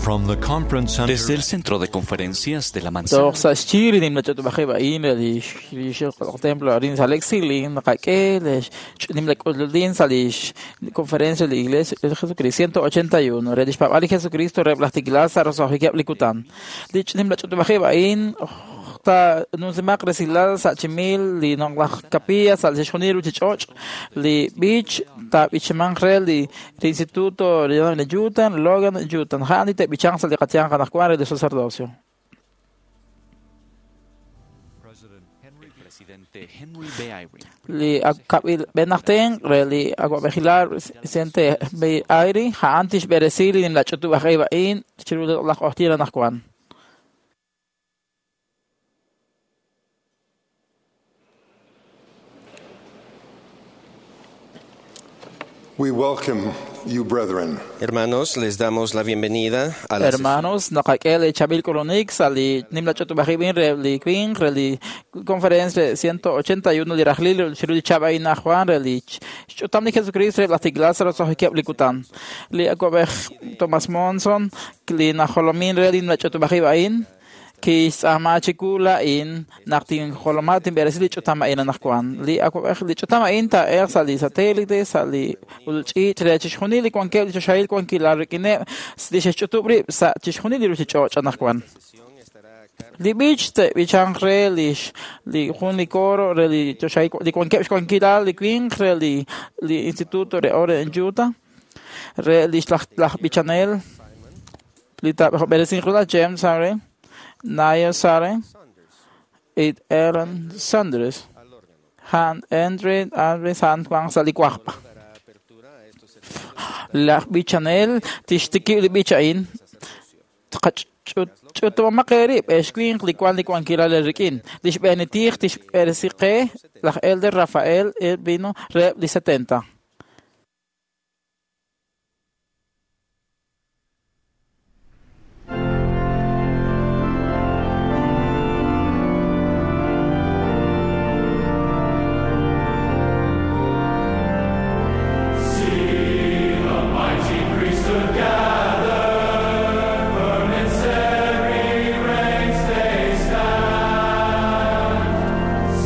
From the conference center Desde el Centro de Conferencias de la Manzana, Toj sa' xyi li nimla ch'utub'ajib' a'in re li templo arin sa' l'exili naqak'e li nimla k'ululin sa' li conferencia de la Iglesia de Jesucristo 181 re li xpaab'al li Jesucristo reheb' laj tiklal sa' roso'jikeb' li kutan. Li nimla ch'utub'ajib' a'in ta nunsimaq resilal sa' chimil li noqlaj capilla sa' chixjunil ruchich'och' li b'ich taab'ichimanq re li Instituto de Utah, Logan, Utah. Ja'an li te'b'ichanq sa' li qatyanq anaqwan re li sacerdocio. el presidente Henry B. Eyring, Li akab'il b'enaqten re li awab'ejilal presidente B. Eyring ja'an tixb'eresi li nimla ch'utub'ajib' a'in chiru laj q'oqtyin anaqwan. We welcome you, brethren. Hermanos, les damos la bienvenida a la Hermanos, naqak'e li chab'il k'ulunik sa' li nimla ch'utub'ajib' a'in re li winq re li conferencia 181 li rajlil chiru li chab' a'in anaqwan re li xch'utam li Jesucristo re laj tiklal sa' roso'jikeb' li kutan. Li awab'ej Thomas Monson li najolomin re li nimla ch'utub'ajib' a'in kixtz'aama chiwu la'in naq tinjoloma tinb'eresi li ch'utam a'in anaqwan. Li awab'ej li ch'utam a'in taa'elq sa' li satélite, sa' li ulch'iich' re chixjunil li wankeb' li choxahil wankilal rik'ineb' li xe'xch'utub' rib' sa' chixjunil li ruchich'och' anaqwan. Li b'ich te'b'ichanq re li jun li coro re li choxahil li wankeb' xwankilal li winq re li Instituto re Ore en Utah re li laj b'ichanel li taab'eresinq re James Saren, Niall Saren, y Aaron Saunders. Han Andre Andre San Juan sa' li wajb'. Laj b'ichanel tixtikib' li b'ich a'in ch'utub'amaq eerib' ex winq li wan li wankilal rik'in. Li xb'eenitij tixb'eresi qe laj Elder Rafael Elvino reheb' li 70.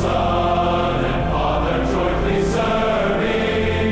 Son and Father jointly serving.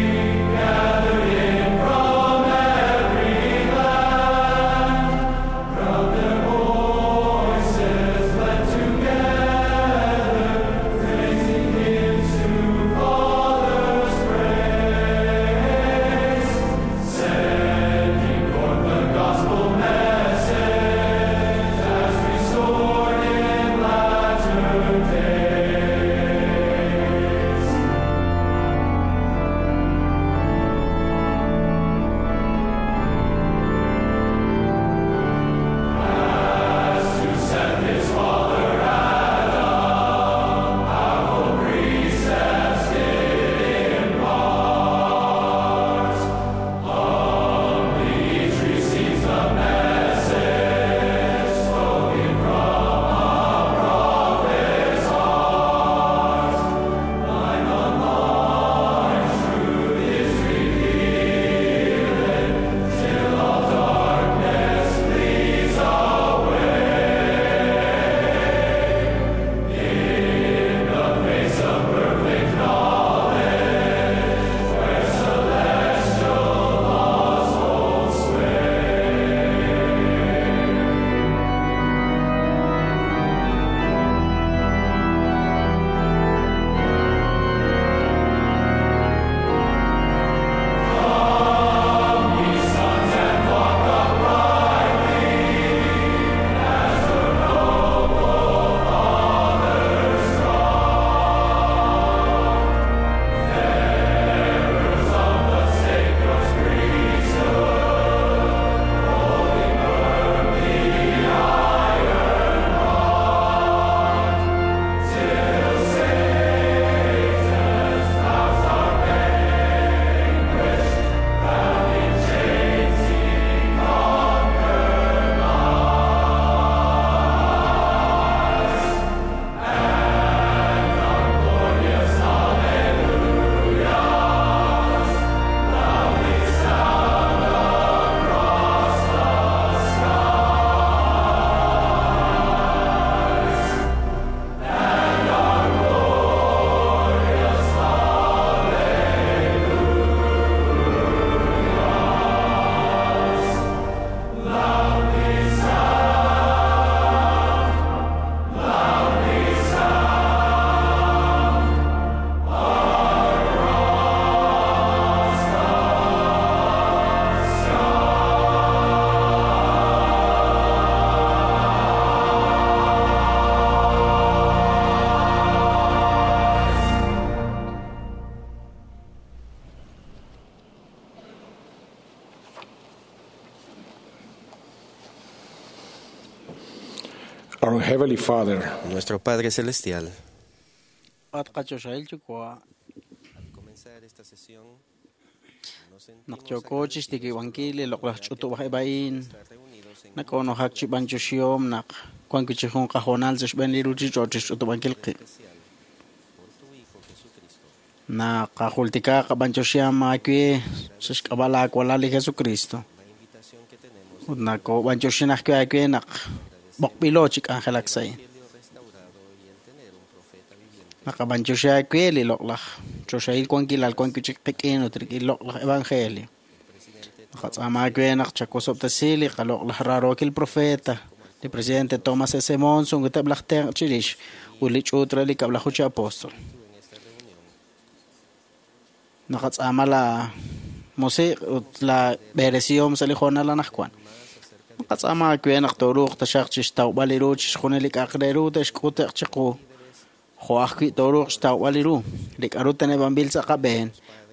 Our Heavenly Father, Nuestro Padre Celestial. At qachoxahil yuwa' Al comenzar esta sesión, nos sentimos naq yooko chixtikib'ankil li loq'laj ch'utub'aj a'in estar reunidos en nak'oonojak chi b'anyoxihom naq wan wi' chi jun qahoonal sa' xb'een li ruchich'och' chixch'utub'ankil qib'. especial por tu Hijo Jesucristo. Naqajultika qab'anyoxiham aawe sa' xk'ab'a' laawalal li Jesucristo. La invitación que tenemos Ut nakob'anyoxin ajwi' aawe naq b'oqb'ilo chi k'anjelak sa' a'in. Evangelio restaurado y el tener un profeta viviente. Naqab'anyoxi aawe li loq'laj choxahil wankilal wan wi' chik qik'in ut rik'in loq'laj evangelio. Naqatz'aama aawe naq chawosob'tesi li qaloq'laj raarookil profeta, li presidente Thomas S. Monson ut eb' laj tenq' chirix ut li ch'uut re li kab'laju chi apóstol. Naqatz'aama la musiq' ut la b'eresihom sa' li hoonal anaqwan. Naqatz'aama aawe naq tooruuq taxaq chixtawb'al li ru chixjunil li k'a'aq re ru te'xk'ute'q chiqu jo' ajwi' tooruuq xtawb'al li ru li k'a'ru teneb'anb'il sa' qab'een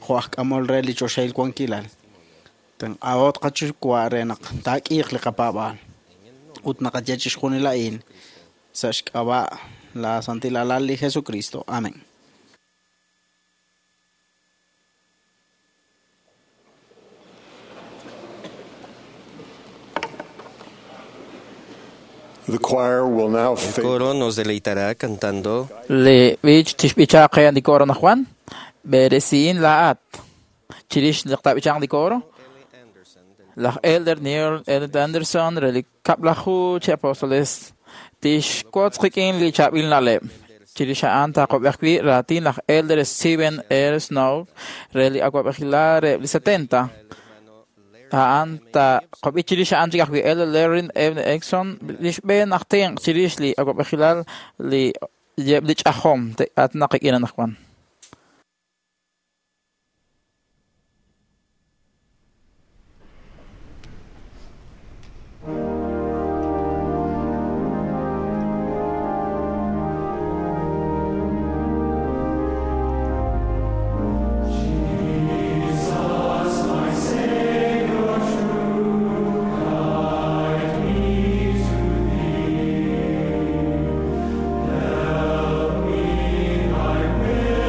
jo' aj k'amol re li choxahil wankilal. Tenq'ahot qachuwa' re naq taak'iiq li qapaab'aal ut naqaye chixjunil a'in sa' xk'ab'a' la santil alal li Jesucristo. Amén. The choir will now El face coro nos deleitará cantando Li b'ich tixb'ichaq qe li coro anaqwan b'eresihin laa'at chirix li tab'ichaq li coro L. Anderson del laj Elder Neil L. Anderson re li kab'laju chi apóstoles tixwotz qik'in li chaab'il na'leb' chirix a'an taaqob'ej wi' raatin laj Elder Steven R. Snow re li awa'b'ejilal re li 70 hermano Larry a'an taqob'i chirix a'an chik ajwi' Elder Larry M. Exxon li xb'een aj tenq' chirix li awa'b'ejilal li yeb' li ch'ajom te'atinaq qik'in anaqwan. Help me, thy will.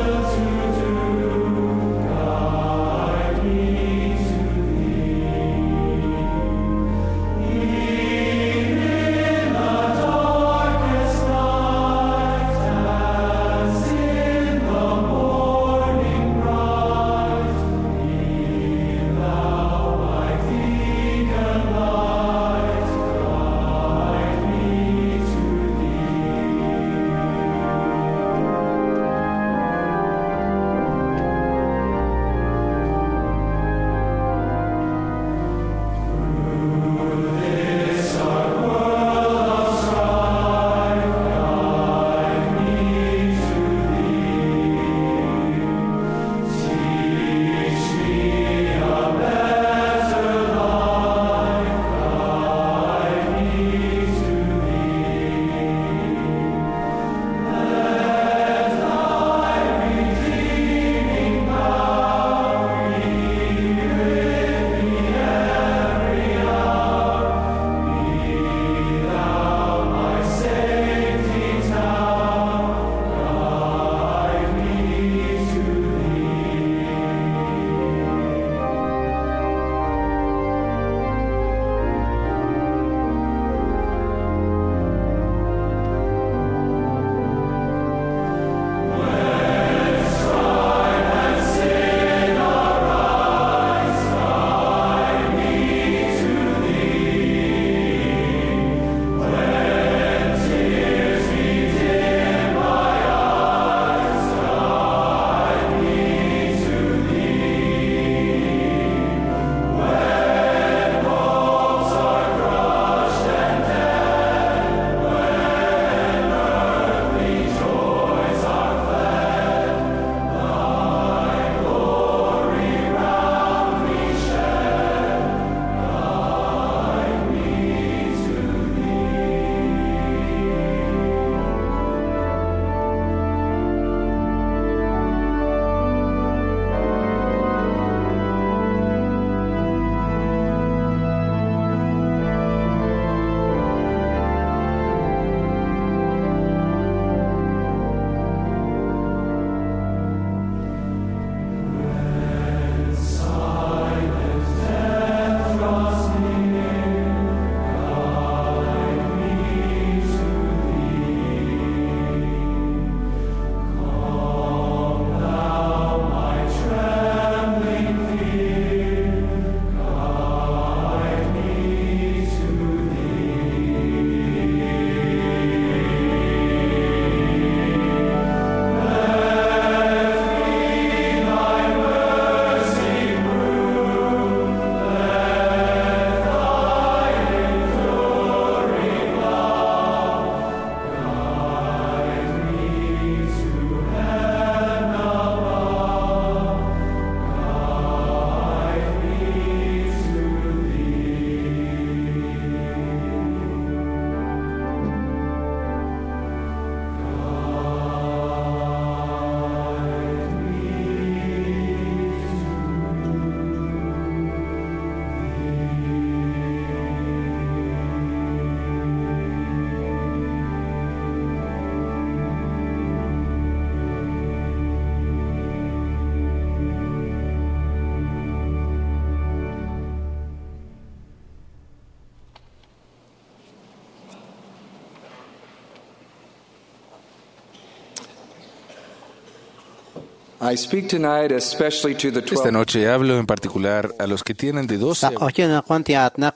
I speak tonight especially to the Esta 12 noche hablo en particular a los que tienen de 12 Sa q'oqyin naqwan ti'aatnaq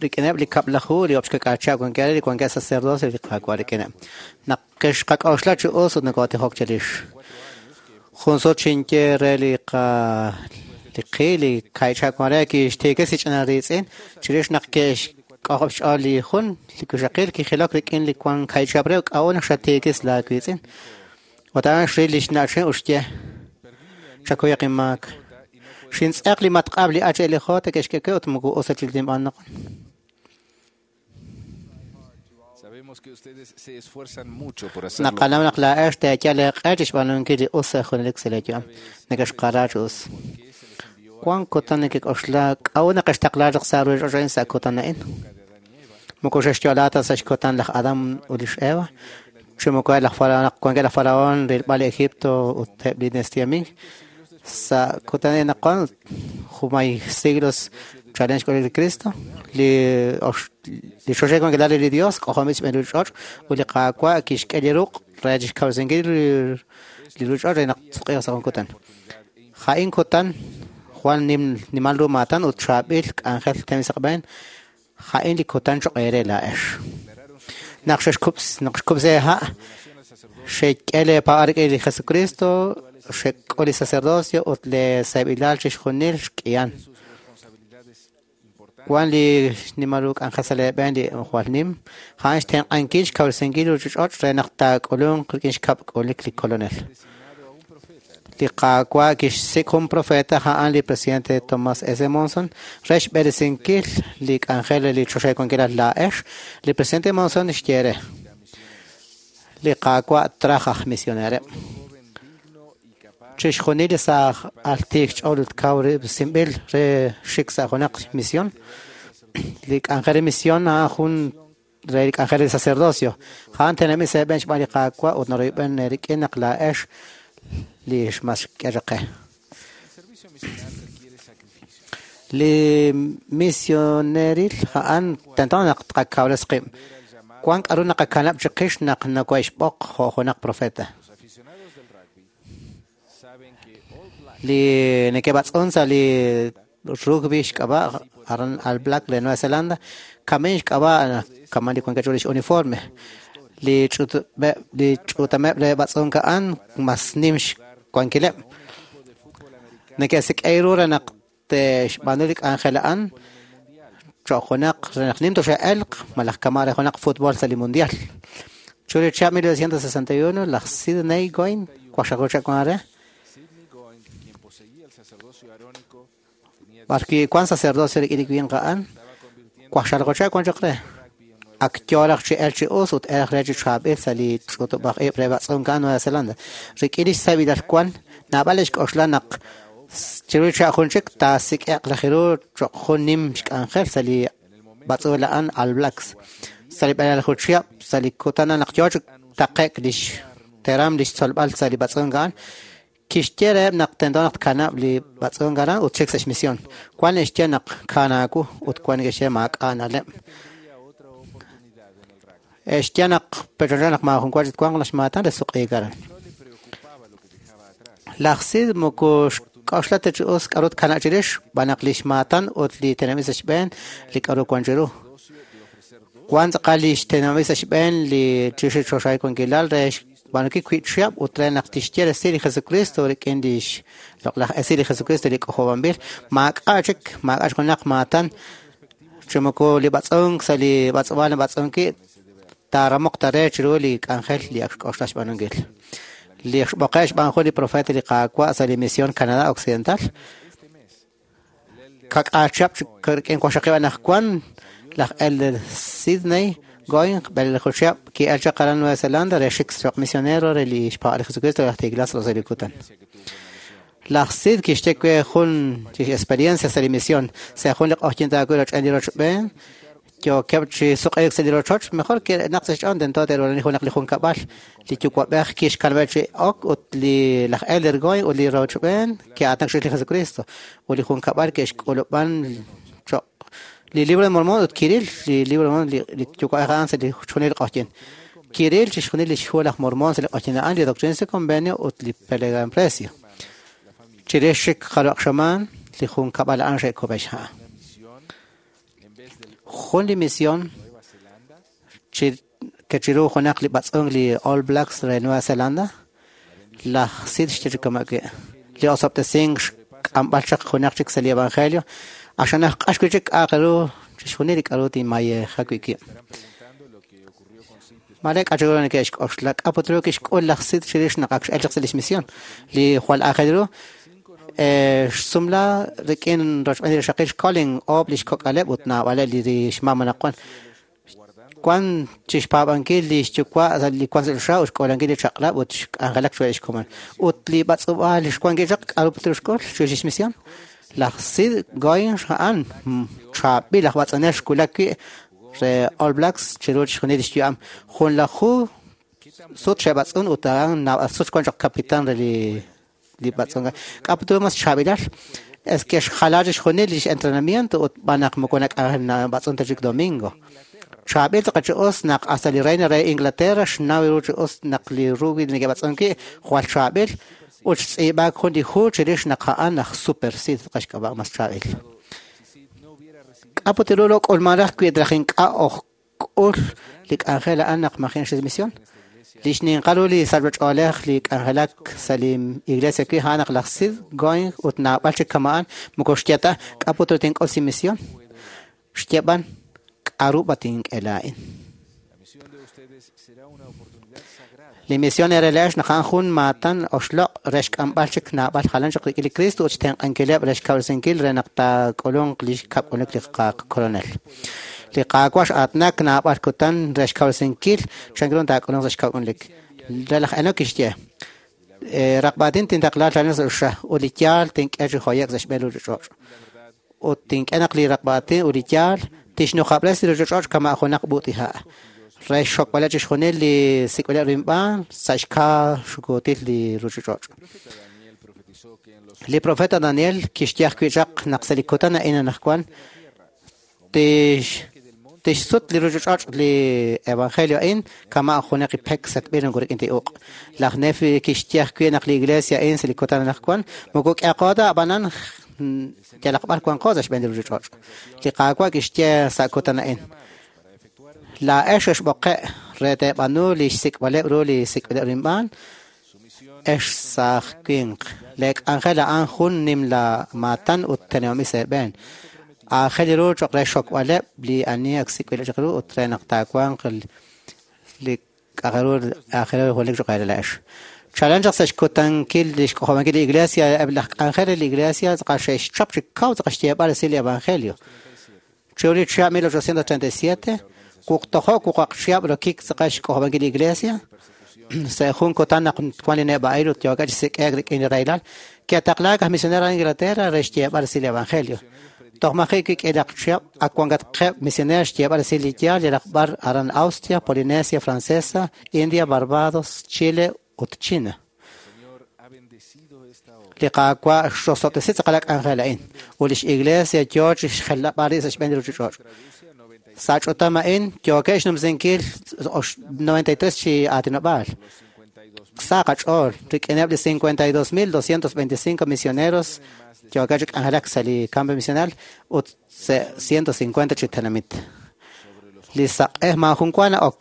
rik'ineb' li kab'laju li ob'xkak'acha' wankeb' li wankeb' sacerdocio li Qaawa' rik'ineb'. Naq kexqak'oxla chi us ut nokotijok chirix. Jun sut xinye re li qa li qi li kaycha' wan re kixtiikis li ch'ina riitz'in chirix naq ke'xk'ojob' xch'ool li jun li wixaqil kijilok rik'in li wan kaychab' re k'a'ut naq xatiikis laa wiitz'in. Ut a'an xril li xna'chin ut xye chakuyaq inmaak. Xintz'eq li matq'ab' li HLJ ke'xk'e ut moko us ta chik tinb'aan naq. Sabemos que ustedes se esfuerzan mucho por hacerlo. Naqanaw naq laa'ex teeyal eeq'e chixb'aanunkil li us sa' junelik sa' lee yu'am. Nekexqara chi us. Wan kutan nekek'oxla k'a'ut naq xtaqla chaq sa' ruchich'och' a'in sa' kutan a'in. Moko xexyo'la ta sa' xkutan laj Adam ut lix Eva. Chi moko laj Faraón naq wankeb' laj Faraón rilb'al Egipto ut eb' li dinastía Ming. Sa' kutan a'in naq wan jumay siglos chalen xk'ulil li Cristo li ox li xoxej wankilal re li Dios k'ojob'il xb'een ruchich'och' ut li Qaawa' kixk'e li ruq' re chixkawresinkil li ruchich'och' re naq tsuq'iiq sa' jun kutan. Ja'in kutan jwal nim nimal ru maatan ut chaab'il k'anjel tem sa' qab'een ja'in li kutan choq' eere laa'ex. Naq xexkub's naq xkub'se ha' xek'e lee paa'ar rik'in li Jesucristo xek'ul li sacerdocio ut le seeb'ilal chixjunil xk'ihan. Wan li xnimal ru k'anjel sa' lee b'een li jwal nim a'an xtenq'ankil xkawresinkil ruchich'och' re naq taak'ulunq rik'in xkab' k'ulik li Kolonel. Li Qaawa' kixsik' jun profeta a'an li presidente Thomas S. Monson re xb'eresinkil li k'anjel re li choxahil wankilal laa'ex. Li presidente Monson xye re li Qaawa' traj aj misionereb'. Chixjunil li saaj al tiik xch'ool ut kaw sinb'il re xik sa' junaq misión. Li k'anjel re misión a'an jun re li k'anjel re sacerdocio. A'an tenamit sa' eeb'een xb'aan li Qaawa' ut naroyb'en rik'in naq laa'ex li xmas xk'e chaq qe. Li misioneril a'an tento naq tqakawres qib'. Wan k'a'ru naqakanab' chiqix naq nokohe'xb'oq jo' junaq profeta. Los aficionados del rugby saben que All Blacks Li neke'b'atz'un sa' li rugby xk'ab'a' aran All Black re Nueva Zelanda kamin xk'ab'a' kaman li wankeb' lix uniforme. Li ch'utub'eb' li ch'utameb' re b'atz'unk a'an mas nim xwankileb'. Neke'sik'ey ru re naq te'xb'aanu li k'anjel a'an choq' junaq re naq nim toxe'elq malaj kama' re junaq fútbol sa' li mundial. Chu li chihab' 1961 laj Sidney Goin waqxaqlu chihab' wan re Sidney Goin, quien poseía el sacerdocio arónico, tenía b'arwi' wan sacerdocio rik'in li winq a'an estaba convirtiendo waqxaqlu chihab' wan chaq re. rugby en Nueva Ak yooraj chi el chi us ut eraj re chi chaab'il sa' li ch'utub'aj ib' re b'atz'unk a'an Nueva Zelanda. Rik'in lix sabilal wan naab'al xk'oxla naq chiru li chihab' jun chik taasik'e'q raj ru choq' jun nim xk'anjel sa' li b'atz'uul a'an All Blacks. Sa' li b'eleelaju chihab' sa' li kutan a'an naq yoo chi taqe'k lix teram lix tzolb'al sa' li b'atz'unk a'an kixye reheb' naq tento naq tkanab' li b'atz'unk aran ut xik sa' xmisión. Wan xye naq kanaawu ut wan neke'xye maak'a' na'leb'. tendría otra oportunidad en el rugby. Xye naq pechoncha naq maajun wa chik twanq laj xmaatan re suq'iik aran. No le preocupaba lo que dejaba atrás. Laj Sid moko xk'oxla ta chi us k'a'ru tkanab' chirix xb'aan naq li xmaatan ut li tenamit sa' xb'een li k'a'ru wan chiru. Wan tz'aqal li xtenamit sa' xb'een li chirix li choxahil wankilal re xb'aanunkil wiib' chihab' ut re naq tixye resil li Jesucristo rik'in lix loq'laj esil li Jesucristo li k'ojob'anb'il maak'a' chik maak'a' junaq maatan chi moko li b'atz'unk sa' li b'atz'ub'aal nab'atz'unki taaramoq ta re chiru li k'anjel li ak xk'oxla xb'aanunkil. Li xb'oqe' xb'aan jun li profeta li Qaawa' sa' li misión Canadá Occidental kak'aal chihab' chik rik'in waqxaqib' anaqwan laj Elder Sidney Goin b'eleelaju chihab' ki'el chaq aran Nueva Zelanda re xik choq' misionero re li xpaab'al li Jesucristo laj Tiglas sa' li kutan. Laj Sid kixye we jun lix experiencia sa' li misión sa' jun li q'oqyink taawi' roch'en li rochb'een yookeb' chi suq'iik sa' li rochoch mejor naq sa' xch'ool tento te'rulani junaq li junkab'al li yuwa'b'ej kixkanab'eb' chi ok ut li laj Elder Goin ut li rochb'een ke'aatinak chirix li Jesucristo ut li junkab'al ke'xk'ulub'an choq' li Libro de Mormón ut kiril li Libro de Mormón li yuwa'b'ej a'an sa' li chixjunil li q'oqyink. Kiril chixjunil lix hu laj Mormón sa' li q'oqyink a'an li Doctrina y Convenio ut li Plegaria. Chirix chik jarub'aq xamaan, li junkab'al a'an xe'kub'e xha'. Jun li misión kechiru junaq li b'atz'unk li All Blacks re Nueva Zelanda, laj Sid xye chi kama' wi'. Li osob'tesink xk'amb'al chaq junaq chik sa' li evangelio, axanaj q'ax wi' chik k'a'aq ru chixjunil li k'a'ru tinmayeja wi' wib'. Mare k'a' chik ru neke'xk'oxla, k'a' put ru kixk'ul laj Sid chirix naq ak x'el chaq sa' lix misión. Li jwal aajel ru, xsumla rik'in rochb'een li rixaqil xColin oob' lix kok'aleb' ut naab'aleb' li xmam anaqwan. Wan chixpaab'ankil lix yuwa' sa' li wan sa' choxa ut xk'uulankil li chaq'rab' ut xk'anjelak chiruheb' lix komon. Ut li b'atz'ub'aal li xwan wi' chaq, k'a'ru put ru xk'ul chirix lix misión? Laj Sid Goins a'an chaab'il aj b'atz'unel xwulak wi' re All Blacks chiru chixjunil lix yu'am. Junlaju sut xe'b'atz'un ut a'an naab'al sut xwan choq' kapitan re li b'atz'unk. K'a' put ru mas xchaab'ilal? Es que xjala chixjunil lix entrenamiento ut b'an naq moko nak'anjel ta chik domingo. Chaab'il tz'aqal chi us naq hasta li reina re Inglaterra xnaw ru chi us naq li rugby li neke'b'atz'unk wi' jwal chaab'il ut xtz'iib'aak jun li hu chirix naq a'an aj Super Sid tz'aqal xk'ab'a' mas chaab'il. K'a' put ru lo k'ulman raj wi raj ink'a' oj k'ul li k'anjel a'an naq maji' xis misión? Li xninqal ru li sachb'ach'oolej li k'anjelak sa' li iglesia wi' a'an naq laj Sid Going ut naab'al chik kama'an moko xye ta k'a' put ru tink'ul sa' misión. Xye b'an k'a'ru b'a tink'e laa'in. Li misión RLH naq a'an jun maatan oxloq' re xk'amb'al chik naab'al jalan chaq rik'in li Cristo ut xtenq'ankileb' re xkawresinkil re naq taak'ulunq li xkab'k'uluk li qakolonel. Li Qaawa' x'aatinak naab'al kutan re xkawresinkil chan ru taak'ulunq sa' xkab'k'ulunik. Re laj Enoc kixye, Raqb'aatin tintaqla chalen sa' choxa ut li yaal tink'e chi joye'k sa' xb'een ruuchich'och'. Ut tink'e naq li raqb'aatin ut li yaal tixnujab'resi li ruuchich'och' kama' junaq b'ut'iha' re xxokb'aleb' chixjunil li sik'b'ileb' ru inb'aan sa' xkaa xukuutil li ruuchich'och'. Li profeta Daniel kixye ajwi' chaq naq sa' li kutan a'in anaqwan tixsut li ruuchich'och' li evangelio a'in kama' junaq li pek setb'il moko rik'in ta uq'. Laj Nefi kixye ajwi' naq li iglesia a'in sa' li kutan anaqwan moko k'eqo ta ab'anan yalaq b'ar wanqo sa' xb'een li ruuchich'och'. Li Qaawa' kixye sa' kutan a'in, Laa'ex xexb'oqe' re teeb'aanu li xsik'b'aleb' ru li sik'b'ileb' ru inb'aan, ex saaj winq. Lee k'anjel a'an jun nimla maatan ut teneb'anb'il sa' eeb'een. Aajel ru cho'q re xxokb'aleb' li ani ak sik'b'ileb' chaq ru ut re naq taawanq li k'a'aq ru aajel ru junelik cho'q eere laa'ex. Chalen chaq sa' xkutankil li xk'ojob'ankil li iglesia, eb' laj k'anjel re li iglesia tz'aqal xe'xchap chi kaw tz'aqal xyeeb'al resil li evangelio. Chiru li chihab' 1837, wuqtojo' wuqaq chihab' rokik tz'aqal xk'ojob'ankil li iglesia, sa' jun kutan naq wan li neb'a'il ut yookeb' chi sik'e'k rik'in li rahilal, ke'taqlaak aj misionero aran Inglaterra re xyeeb'al resil li evangelio. Toj maji' wi' k'iilaq chihab' ak wankatqeb' misioneer xyeeb'al resil li yaal yalaq b'ar aran Austria, Polinesia Francesa, India, Barbados, Chile ut China. Li Qaawa' xrosob'tesi tz'aqal a k'anjel a'in, ut lix iglesia yoo chi xjelab'al rib' sa' xb'een li ruuchich'och'. Sa' ch'utam a'in yookeb' xnumsinkil 93 chi aatinob'aal. Sa qach'ool rik'ineb' li 52,225 misioneros yookeb' chi k'anjelak sa' li campo misional ut sa' 150 chi tenamit. Li saq'ej maajun wa na'ok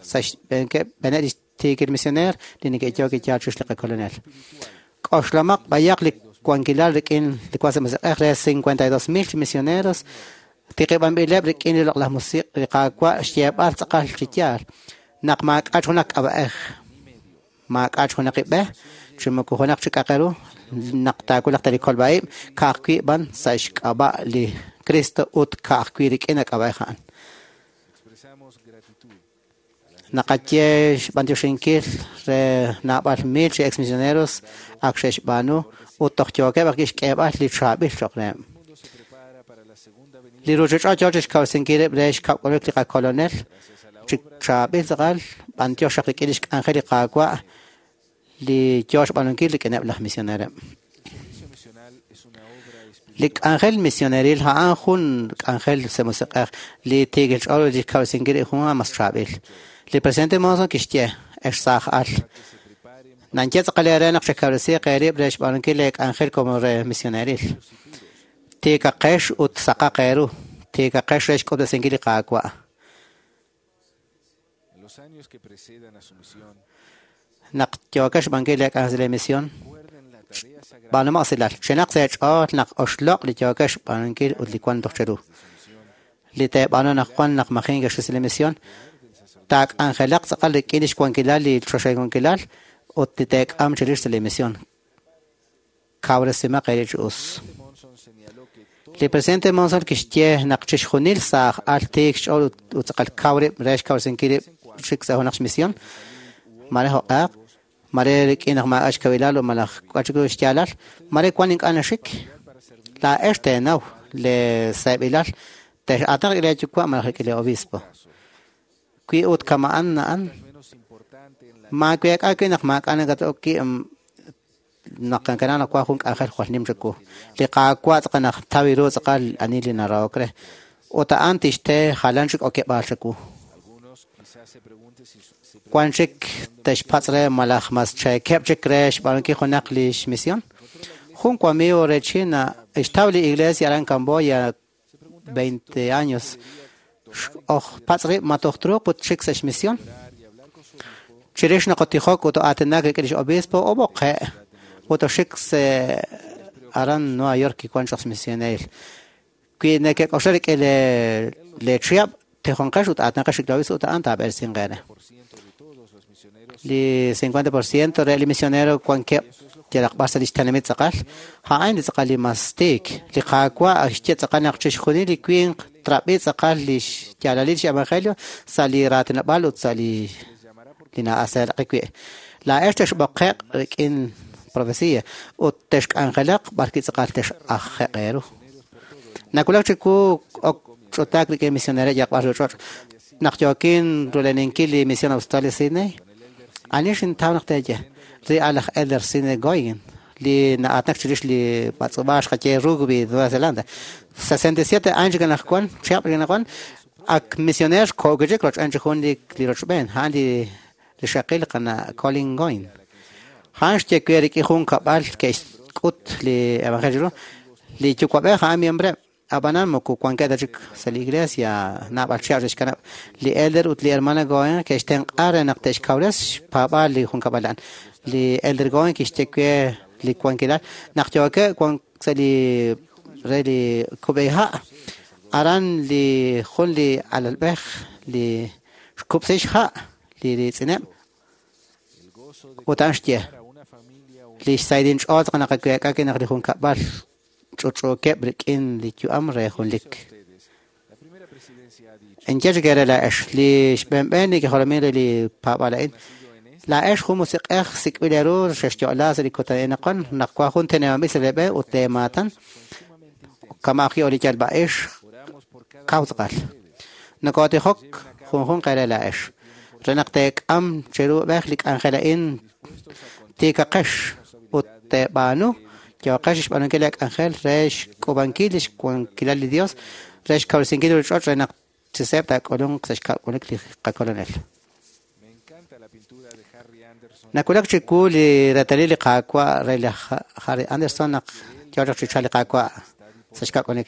sa' xb'eeneb' li tiikil misioneer li neke'yook yaal chirix li qakolonel. K'oxlamaq b'ayaq li wankilal rik'in li wank sa' musiq'ej re 52,000 chi misioneros tiqib'anb'ileb' rik'in li loq'laj musiq' li Qaawa' xyeeb'al tz'aqal chi yaal naq maak'a' junaq k'ab'a'ej, maak'a' junaq ib'e, chi moko junaq chi k'a'aq ru naq taawulaq ta li kolb'a-ib' ka'ajwi' b'an sa' xk'ab'a' li Cristo ut ka'ajwi' rik'in a k'ab'a'ej a'an. Naqaye xb'antioxinkil re naab'al mil chi ex misioneros ak xe'xb'aanu ut toj yookeb' ajwi' xk'eeb'al li chaab'il cho'q reheb'. Li ruuchich'och' yoo chi xkawresinkil rib' re xkab'k'uluk li qakolonel chi chaab'il tz'aqal b'antiox xaq rik'in lix k'anjel li Qaawa' li yoo xb'aanunkil rik'ineb' laj misionereb'. Li k'anjel misioneril a'an jun k'anjel sa' musiq'ej li tiikil ch'ool ut li xkawresinkil rib' jun mas chaab'il. Li presidente Monson kixye, ex saaj al, Nanche tz'aqal eere naq chekawresiiq eerib' re xb'aanunkil leek'anjel como re misioneril. Tiikaqex ut saqaq eeru. Tiikaqex re xk'utb'esinkil li Qaawa'. En los años que precedan a su misión, Naq yookex xb'aanunkil leek'anjel sa' leemisión, recuerden la tarea sagrada b'aanumaq silal. Chenaq sa' eech'ool naq oxloq' li yookex xb'aanunkil ut li wank toj cheru. de su misión, Li teeb'aanu naq wan naq maji kexis sa' leemisión, taak'anjelaq tz'aqal rik'in li xwankilal li choxahil wankilal ut li teek'am chirix sa' leemisión. Kawresimaq eere chi us. presidente Monson señaló que todo Li presidente Monson kixye naq chixjunil saaj al tiik xch'ool ut ut tz'aqal kaw rib' re xkawresinkil rib' xik sa' junaq xmisión, mare jo'q'aq, mare rik'in naq maak'a' xkawilal ut malaj k'a' chik ru xyaalal, mare wan ink'a' naxik. para servir Laa'ex teenaw le seeb'ilal tex'aatinaq rik'in leeyuwa' malaj rik'in le obispo. Wi ut kama'an na'an, menos importante en la maaweek'a wi' naq maak'a' nakat'ok wi' naq kankanaq naq wan jun k'anjel jwal nim chiwu. Li Qaawa' tz'aqal naq taw ru tz'aqal ani li narahok re. Ut a'an tixte jalan chik okeb'aal chiwu. Algunos quizás se pregunten si se Wan chik texpatz' re malaj mas cheekeb' chik re xb'aanunkil junaq li xmisión. Jun wamigo re China xtaw li iglesia aran Camboya 20 años. Oj patz' rib' ma toj truuq ut chik sa' xmisión. orar y hablar con su obispo Chirix naqotijok ut aatinak rik'in lix obispo oboqe' ut oxik se aran Nueva York kiwan chaq misionel. Wi nekek'oxla rik'in le le chihab' tijonqex ut aatinaqex rik'in li obispo ut a'an taab'ersinq eere. por ciento de todos los misioneros Li 50% re li misionero wankeb' yalaq b'ar sa' lix tenamit tz'aqal, a'an li tz'aqal li mas tiik. Li Qaawa' xye tz'aqal naq chixjunil li winq trab'i tz'aqal li xyaalalil li evangelio sa' li raatinob'aal ut sa' li les llamará por li na'aseeraqi wi'. Laa'ex texb'oqe'q rik'in profecía ut texk'anjelaq b'arwi' tz'aqal tex'aje'q eeru. Nawulak chiwu ok ch'utaak rik'in misionero yalaq b'ar ruuch'och'. Naq yookin ruleninkil li misión Australia Sydney, ani xintaw naq teeye ri alaj Elder Sidney Goyen li na'aatinak chirix li b'atz'ub'aal xqaye rugby Nueva Zelanda. 67 años chik anaqwan, chihab' chik anaqwan, ak misioner ko'kichik roch'en chi jun li li rochb'een, a'an li li xaqil qana Colin Goyen. A'an xye we rik'in jun kab'al ke'xk'ut li evangelio ru. Li yuwa'b'ej a'an miembre ab'anan moko wankeb' ta chik sa' li iglesia naab'al chihab' xe'xkanab'. Li elder ut li hermana Goyen ke'xtenq'a re naq te'xkawres xpaab'aal li junkab'al a'an. Li elder Goyen kixye we li wankilal naq yookeb' wan sa' li re li kub'eha' aran li jun li alalb'ej li xkub'si xha' li riitz'ineb' el gozo de ut a'an xye a una familia li xsaydin ch'ool tz'aqal naqaweek'a ki naq li junkab'al ch'uch'uukeb' rik'in li yu'am re junlik. ustedes. La primera presidencia ha dicho, Enye chik eere laa'ex li xb'eenb'een li kijolomin re li paab'aal a'in. nacido en este Laa'ex jun musiq'ej sik'b'il eeru xexyo'la sa' li kutan a'in naqwan naq wan jun tenamit sa' leeb'e ut leemaatan son sumamente intensos. kama'aj li yalb'a'ix Oramos por cada kaw uno de tz'aqal. ustedes. Nokotijok junjunq eere laa'ex re naq teek'am cheru b'ej li k'anjel a'in Dispuestos a continuar tiikaqex ut teeb'aanu yooqex xb'aanunkil leek'anjel re xk'ub'ankil li xwankilal li Dios re xkawresinkil li ch'och' re naq chi seeb' taak'ulunq sa' xkab'unik li qakolonel. Me encanta la pintura de Harry Anderson. Nawulak chiwu li reetalil li Qaawa' re laj Harry Anderson naq yoo chaq chi chalk li Qaawa' sa' xkab'unik.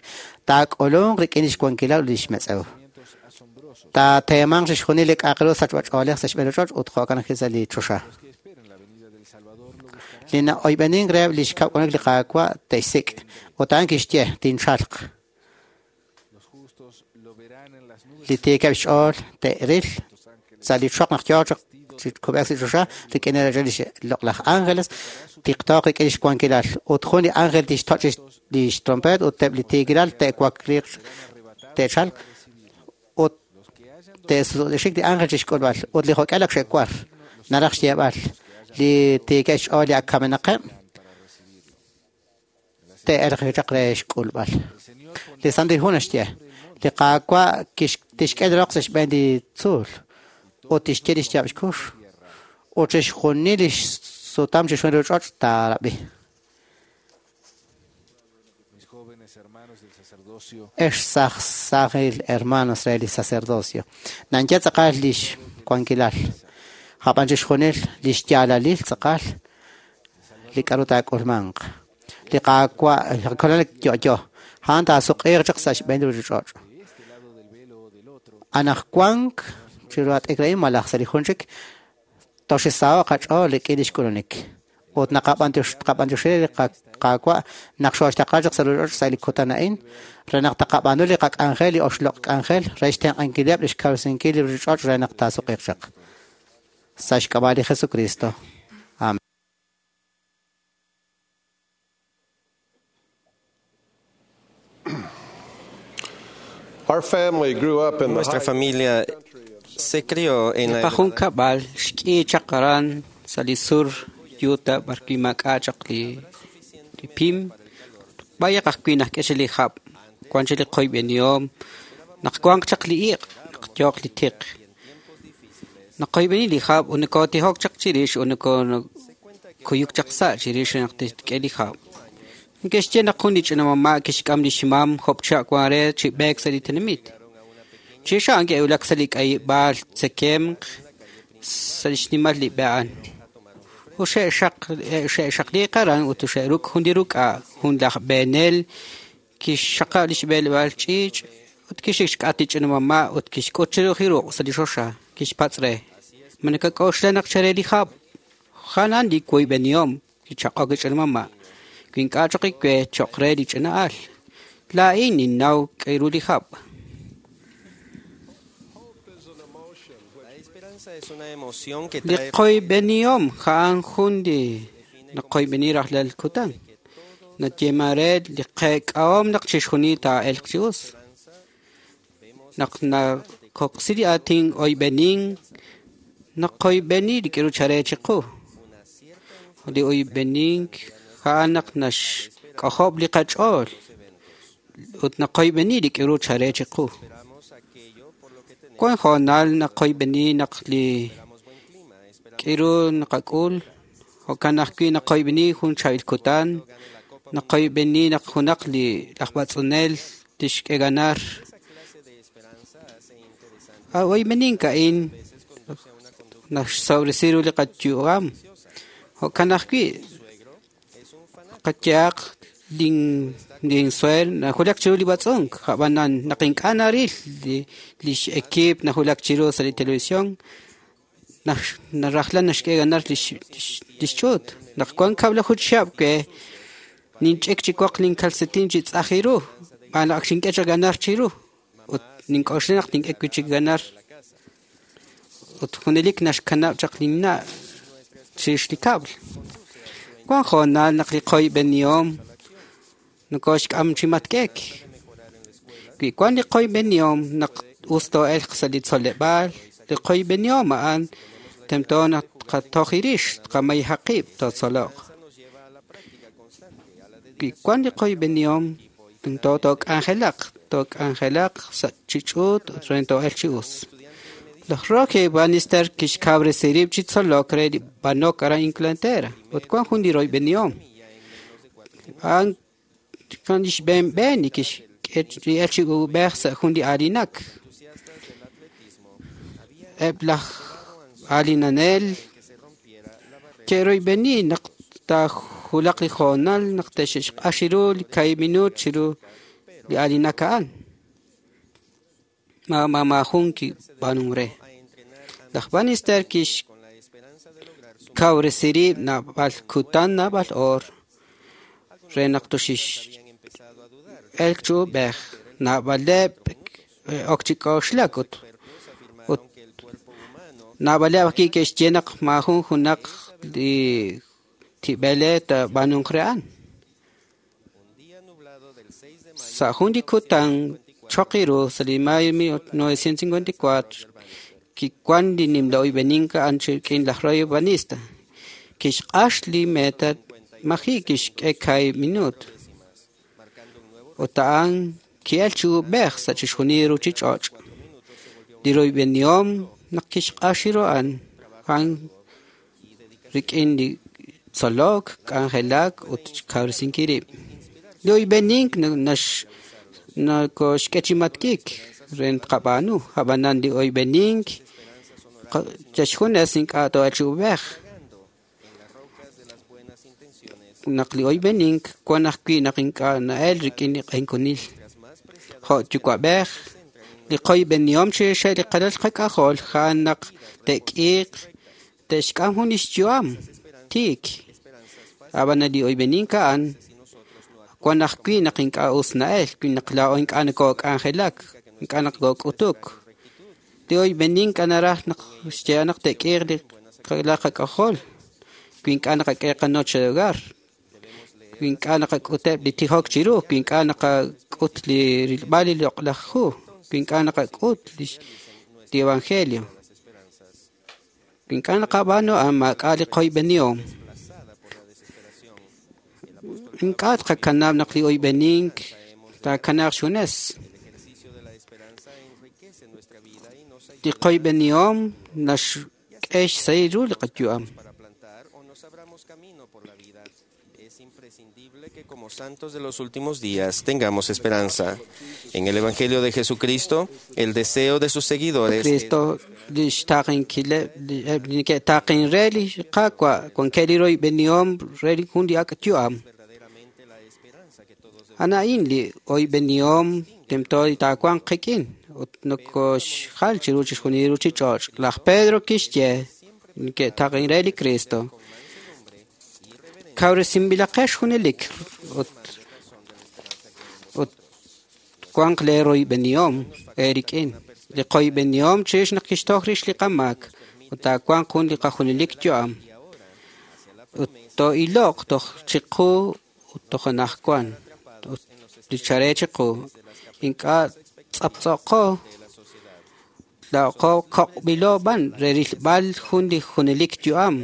Taak'ulunq rik'in li xwankilal ut li xmetz'ew. Movimientos asombrosos. Taateemanq chixjunil li k'a'aq ru sachb'ach'oolej sa' xb'een li ch'och' ut jo'kan ajwi' sa' li choxa. Los que esperan la venida del Salvador lo buscarán. Li na'oyb'enink reheb' li xkab'unik li Qaawa' te'xsik' ut a'an kixye tinchalq. Los justos lo verán en las nubes Li tiikeb' xch'ool te'ril de los ángeles. sa' li choq naq yoo chaq chi kub'ek sa' choxa rik'in li loq'laj ángeles tiqtooq rik'in li xwankilal ut jun li ángel tixtoch' li xtrompet ut eb' li tiikilal te'wakliiq te'chalq ut Los que hayan te'sutixik li ángel chi xk'ulb'al ut li jok'al ak xe'war naraj xyeeb'al li tiikeb' xch'ool li ak kamenaqeb' para recibirlo. te'elq chaq re xk'ulb'al. El Señor Li Santil Hu naxye li Qaawa' tixk'e li roq sa' xb'een li tzuul ut tixye li xyaab' xkux ut chixjunil li xsutam chixjunil li ch'och' taarab'i. Mis jóvenes hermanos del sacerdocio, Ex saj sajil hermanos re li sacerdocio. Nanche tz'aqal li xwankilal. Ab'an chixjunil li xyaalalil tz'aqal li k'aru taak'ulmanq. Li Qaawa' li Kolonel yo'yo, a'an taasuq'iiq chaq sa' xb'een li ruuchich'och'. Anaqwank chiru at'ik a'in malaj sa' li jun chik, toxisaho'q qach'ool rik'in li xk'ulunik. Ut naqab'antioxi li Qaawa' naq xooxtaqla chaq sa' ruuchich'och' sa' li kutan a'in, re naq taqab'aanu li qak'anjel, li oxloq' k'anjel, re xtenq'ankileb' li xkawresinkil li ruuchich'och' re naq taasuq'iiq chaq. Sa' xk'ab'a' li Jesucristo. Amén. Our family grew up in the Nuestra familia se crió en la Qajun kab'al xk'i chaq aran sa' li sur Utah b'arwi' maak'a' chaq li pim b'ayaq ajwi' najk'e li hab' wan chik li qoyb'enihom naq wanq chaq li iq' naq yooq li tiq naqoyb'eni li hab' ut nokotijok chaq chirix ut nokokuyuk chaq sa' chirix naq titk'e li hab'. Neke'xye naq jun li ch'ina mama' kixk'am li xmam job'cha' wan re chi b'eek sa' li tenamit. Chirix a'an ke'wulak sa' li k'ayib'aal tzekemq sa' li xnimal li b'e a'an. Ut xe'xaqliiq aran ut xe'ruk' jun li ruk'a' jun laj b'eenel kixxaqab' li xb'eeleb'aal ch'iich' ut kixik xk'at li ch'ina mama' ut kixk'ut chiru li ruq' sa' li xoxa kixpatz' re. Ma nakak'oxla naq chare li hab'? Janan li woyb'enihom kichaq'ok li ch'ina mama'. Wi ink'a' choq iwe cho'q re li ch'ina al. Laa'in ninnaw k'ayru li hab'. La esperanza es una emoción que Li trae qoyb'enihom ja'an jun li naqoyb'eni rajlal kutan. Nayeema re li qek'ahom naq chixjunil taa'elq chi us. Naq nakoqsi li aatin oyb'enin, naqoyb'eni li k'aru chare chiqu. Li oyb'enink ja'an naq naxk'ojob' li qach'ool ut naqoyb'eni li k'aru chare chiqu. Wan hoonal naqoyb'eni naq li k'aru naqak'ul, jo'kan ajwi' naqoyb'eni jun chaab'il kutan, naqoyb'eni naq junaq li laj b'atz'unel tixk'e ganar. Oyb'enink a'in naxsawresi ru li qayu'am. Jo'kan ajwi' qayehaq linsueer najulak chiru li b'atz'unk, ab'anan naq ink'a' naril li x'equipo najulak chiru sa' li televisión, narajlal naxk'e ganar li xch'uut. Naq wan kab'laju chihab' we ninch'ik chi woq linkalsetin chi tz'aj ru, b'an ak xink'e chaq ganar chiru ut nink'oxla naq tink'e wi' chik ganar. Ut junelik naxkanab' chaq linna' chirix li kab'l. Wan hoonal naq li qoyb'enihom nokoxk'am chi matk'ek. Wi wan li qoyb'enihom naq us too'elq sa' li tzoleb'aal, li qoyb'enihom a'an tento naq tqatoj irix, tqamayhaq qib' tootzoloq. Wi wan li qoyb'enihom tento took'anjelaq, took'anjelaq sa' chi ch'uut ut re too'elq chi us. Laj Rocky Bannister kixkawresi rib' chi tzolok re li b'anok aran Inglaterra ut wan jun li royb'enihom. A'an kan li xb'een b'een li kixk'e li el chi ub'ej sa' jun li aalinak. Eb' laj aalinanel ke'royb'eni naq taajulaq li hoonal naq te'xq'ax ru li kaahib' minuut chiru li aalinak a'an. Maajun kib'aanunk re. Laj Bannister kixkawresi rib' naab'al kutan naab'al oor re naq toxix elk chi ub'ej naab'aleb' ok chi k'oxlak ut naab'aleb' ajwi' ke'xye naq maajun junaq li tib'ele taab'aanunk re a'an. Sa' jun li kutan choq iru sa' li mayo 1954 kiwan li nimla oyb'enink a'an rik'in laj Roy Bannister. Kixq'ax li meta maji' kixk'e kaahib' minuut. Ut a'an ki'el chi ub'ej sa' chixjunil ruuchich'och'. Li royb'enihom naq kixq'ax ru a'an a'an rik'in li tzolok, k'anjelak ut xkawresinkil rib'. Li oyb'enink nakoxk'e chi matk'ik re tqab'aanu, ab'anan li oyb'enink Xjunes ink'a' too'elq chi uub'ej. Naq li oyb'enink wan ajwi' naq ink'a' na'el rik'in li q'enkunil. Jo' yuwa'b'ej, li qoyb'enihom chirixeb' li qalal qak'ajol a'an naq te'k'iiq te'xk'am jun lix yu'am tiik. Ab'an li oyb'enink a'an wan ajwi' naq ink'a' us na'el, wi naq laa'o ink'a' nokok'anjelak, ink'a' naq kok'utuk. Li oyb'enink naraj naq xye naq te'k'iiq li qalal qak'ajol, wi ink'a' naqak'e qanoche de hogar, wi ink'a' naqak'uteb' li tijok chiru, wi ink'a' naqak'ut li rilb'al li loq'laj hu, wi ink'a' naqak'ut li evangelio, wi ink'a' naqab'aanu a'an maak'a' li qoyb'enihom. Ink'a' tqakanab' naq li oyb'enink taakanaaq xjunes. Li qoyb'enihom naxk'e xsahil ru li qayu'am. Es imprescindible que como santos de los últimos días tengamos esperanza. En el Evangelio de Jesucristo, el deseo de sus seguidores Cristo lix taqinquileb li ke'taqin re li Qaawa' wankeb' li royb'enihom re li jun li ak' yu'am. A'an li oyb'enihom tento taawanq qik'in ut nokoxjal chiru chixjunil li ruchich'och'. Laj Pedro kixye ke'taqin re li Cristo. Kawresinb'ilaqex junelik ut wanq lee royb'enihom eerik'in. Li qoyb'enihom chirix naq kixtoj rix li qamaak ut taawanq jun li qajunelik yu'am. Ut too'iloq toj chiqu ut toj anaqwan ut li chare chiqu. Ink'a' tz'aptz'oqo laa'qo koq'b'ilo b'an re rilb'al jun li junelik yu'am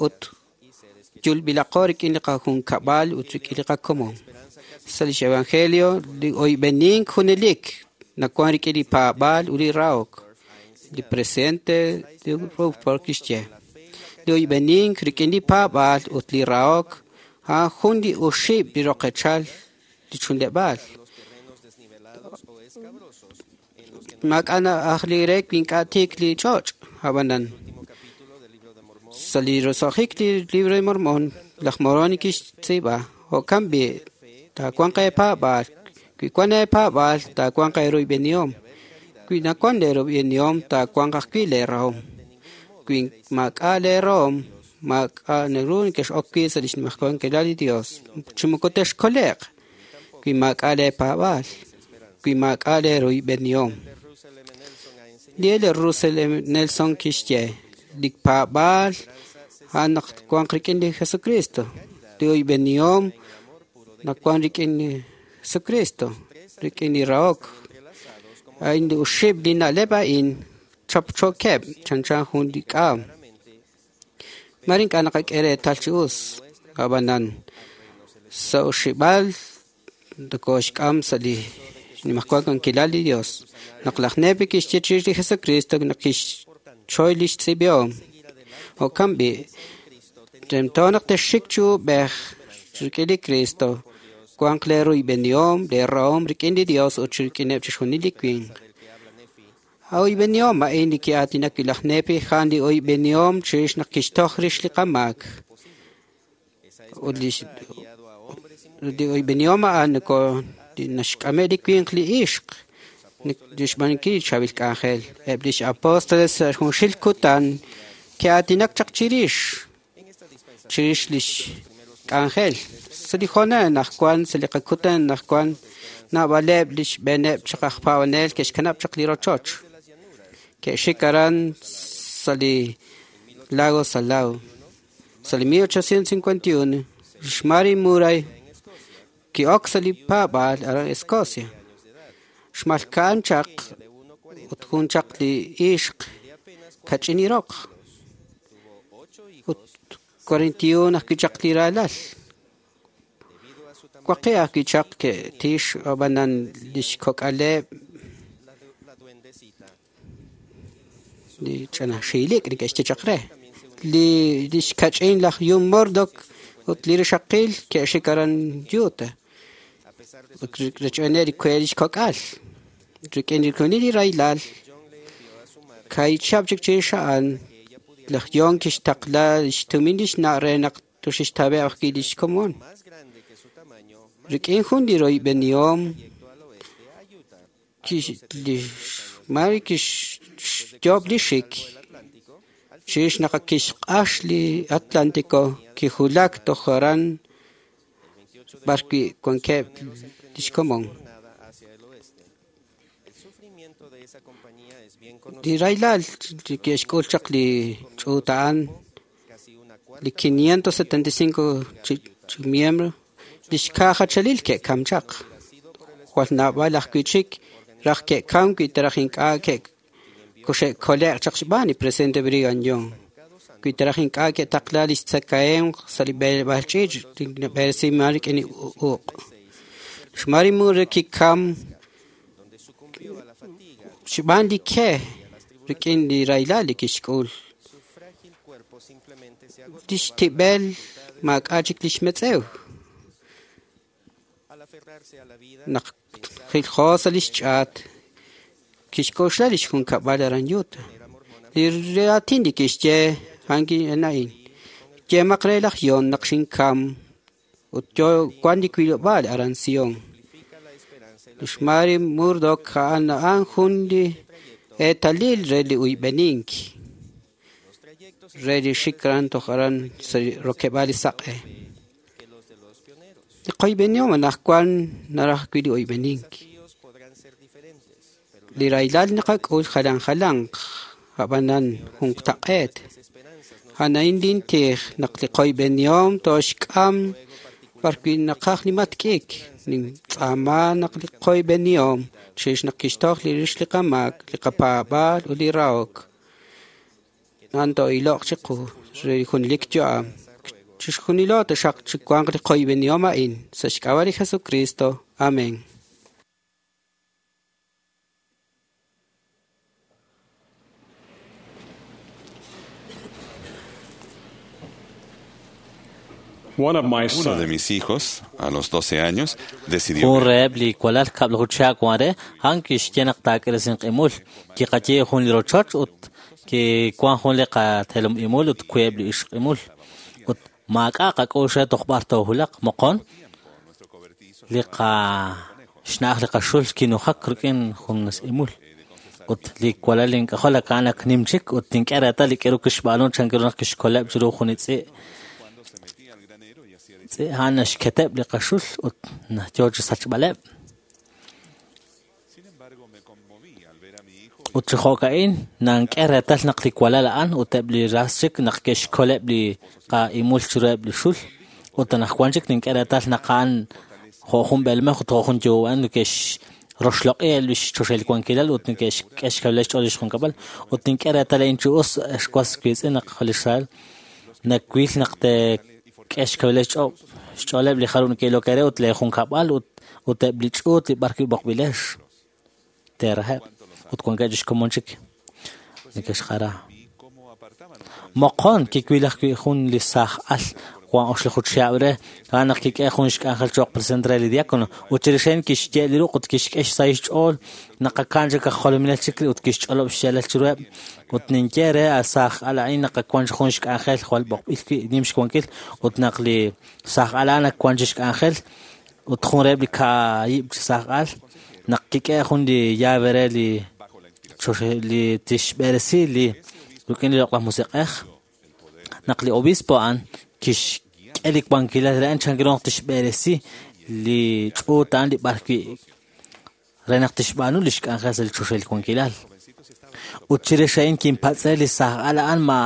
ut yulb'ilaqo rik'in li qajunkab'al ut rik'in li qakomon. Sa' lix evangelio li oyb'enink junelik nawan rik'in li paab'aal ut li rahok. Li presidente Rutherford kixye li oyb'enink rik'in li paab'aal ut li rahok a'an jun li uxib' li roqechal li chunleb'aal. Maak'a' aj li re wi ink'a' tiik li ch'och' ab'anan. Sa' li roso'jik li libro de Mormón, laj Moroni kixtz'iib'a, jo'kan b'i' taawanq eepaab'aal, wi wan eepaab'aal taawanq eeroyb'enihom, wi nawan leeroyb'enihom taawanq ajwi' leerahom, wi maak'a' leerahom maak'a' naru nekex'ok wi' sa' lix nimajwal li Dios, chi moko texkole'q, wi maak'a' leepaab'aal, wi maak'a' leeroyb'enihom. Li Elder Russell M. Nelson kixye li paab'aal a'an naq wanq rik'in li Jesucristo, li oyb'enihom naq wan rik'in li Jesucristo, rik'in li rahok. A'in li uxib' li na'leb' a'in chapchokeb' chanchan jun li k'aam. Mare ink'a' naqak'e reetal chi us, ab'anan sa' uxib'al nokoxk'am sa' li nimajwal wankilal li Dios. Naq laj Nefi kixye chirix li Jesucristo naq kixchoy lix tz'iib'ihom. Jo'kan b'i' tento naq texxik chi uub'ej rik'in li Cristo, wanq leeroyb'enihom, leerahom rik'in li Dios ut rik'ineb' chixjunil li winq. Oyb'enihom a'in li ki'aatinak wi' laj Nefi a'an li oyb'enihom chirix naq kixtoj rix li qamaak. Ut li oyb'enihom a'an noko naxk'ame' li winq li ixq lix b'aanunkil li chaab'il k'anjel. Eb' lix apóstoles sa' junxil kutan ke'aatinak chaq chirix lix k'anjel. Sa' li hoonal anaqwan, sa' li qakutan anaqwan, naab'aleb' lix b'eeneb' chaq aj paab'anel ke'xkanab' chaq li rochoch. Ke'xik aran sa' li lago Salado. Sa' li 1851, Mary Murray ki'ok sa' li paab'aal aran Escocia. Xmalka'an chaq ut jun chaq li ixq kach'in iroq. Ut 41 ajwi' chaq li ralal. Waqi' ajwi' chaq ke'tix ab'anan lix kok'aleb' li ch'ana xiilik neke'xye chaq re. Li lix kach'in laj John Murdoch ut li rixaqil ke'xik aran Utah. Ut rech'b'eeneb' li kwe lix kok'al. Rik'in li kunil li raylal Kahichab' chik chirix a'an, laj John kixtaqla xtumin lix na' re naq toxixtawe' ajwi' lix komon. Rik'in jun li royb'enihom, lix Mary kixyoob' li xik. Chirix naq kixq'ax li Atlántico, kijulak toj aran b'arwi' wankeb' lix komon. Li rahilal li ke'xk'ul chaq li ch'uut a'an, li 575 chi miembro, lix ka'jachalil ke'kam chaq. Jwal naab'al ajwi' chik raj ke'kam wi ta raj ink'a' koxe'kole'q chaq xb'aan li presidente Brigham Young. Wi ta raj ink'a' ke'taqla lix tzakahemq sa' li b'eleb'aal ch'iich' li nab'eresiman rik'in li uq'. XMary Moore kikam xb'aan li ke rik'in li rahilal li kixk'ul. Lix tib'el maak'a' chik lix metz'ew. Naq jiljo sa' lix ch'aat, kixk'oxla lix junkab'al aran Utah. Li raatin li kixye a'an a'in. Yemaq re laj John naq xinkam ut yo wan li wilob'aal aran Sion. Lix Mary Murdock a'an a'an jun li eetalil re li uyb'enink re li xik aran toj aran sa' rokeb'aal li saq'e. Li qoyb'enihom anaqwan naraj wi' li uyb'enink. Li rahilal naqak'ul jalan jalanq, ab'anan junqtaq'eet. A'an lintij naq li qoyb'enihom toxk'am b'arwi' naqaj li matk'ik. Nintz'aama naq li qoyb'enihom chirix naq kixtoj li rix li qamaak, li qapaab'aal ut li rahok. A'an to'iloq chiqu re li junelik yu'am. Chixjunilo taxaq chiwanq li qoyb'enihom a'in sa' xk'ab'a' li Jesucristo. Amén. Uno de mis hijos, a los 12 años, decidió Jun reheb' li walal kab'laju chihab' wan re, a'an kixye naq taak'irisink'imul imul, kiqaye jun li rochoch ut kiwan jun li qatelom imul ut wiib' li ixq imul. Ut maak'a' qak'ux re toj b'ar toojulaq moqon li xna'aj li qaxul kinujak rik'in jun imul. Ut li walal ink'ajol a'an ak nim chik ut tink'e reetal li k'aru kixb'aanu chan ru naq kixkoleb' chiru jun li tz'i'. A'an naxketeb' li qaxul ut yo chi sachb'aleb'. Ut chi jo'ka'in nank'e reetal naq li walal a'an ut eb' li ras chik naq ke'xkoleb' li qa'imul chiruheb' li xul. Ut anaqwan chik nink'e reetal naq a'an jo' jun b'eelmej ut jo' jun yuwa'b'ej neke'xroxloq'i li xchoxahil wankilal ut neke'xk'e xkawilal xch'ool li xjunkab'al. Ut nink'e reetal a'in chi us xwas wiitz'in naq li Israel nawil naq te'k'e xkawilal xch'ooleb' li jarub' neke'ilok eere ut leejunkab'al ut eb' li ch'uut li b'arwi' b'oqb'ilex teeraheb' ut wankeb' chi xkomon chik neke'xjara. Moqon kiwil ajwi' jun li saaj al wan oxlaju chihab' re a'an naq kik'e jun xk'anjel cho'q presidente re li diácono ut chirix a'in kixye li ruq' ut kixk'e xsahil xch'ool naq akan chik aj jolominel chik ut kixch'olob' xyaalal chiruheb' ut ninye re a saaj al a'in naq wan jun xk'anjel jwal b'oqb'il wi' nim xwankil ut naq li saaj al a'an ak wan chi xk'anjel ut jun reheb' li kaahib' chi saaj al naq kik'e jun li llave re li li tixb'eresi li rik'in li loq'laj musiq'ej naq li obispo a'an kixk'e li wankilal re a'an chan ru naq tixb'eresi li ch'uut a'an li b'arwi' re naq tixb'aanu li xk'anjel sa' li choxahil wankilal. Ut chirix a'in kinpatz'e li saaj al a'an ma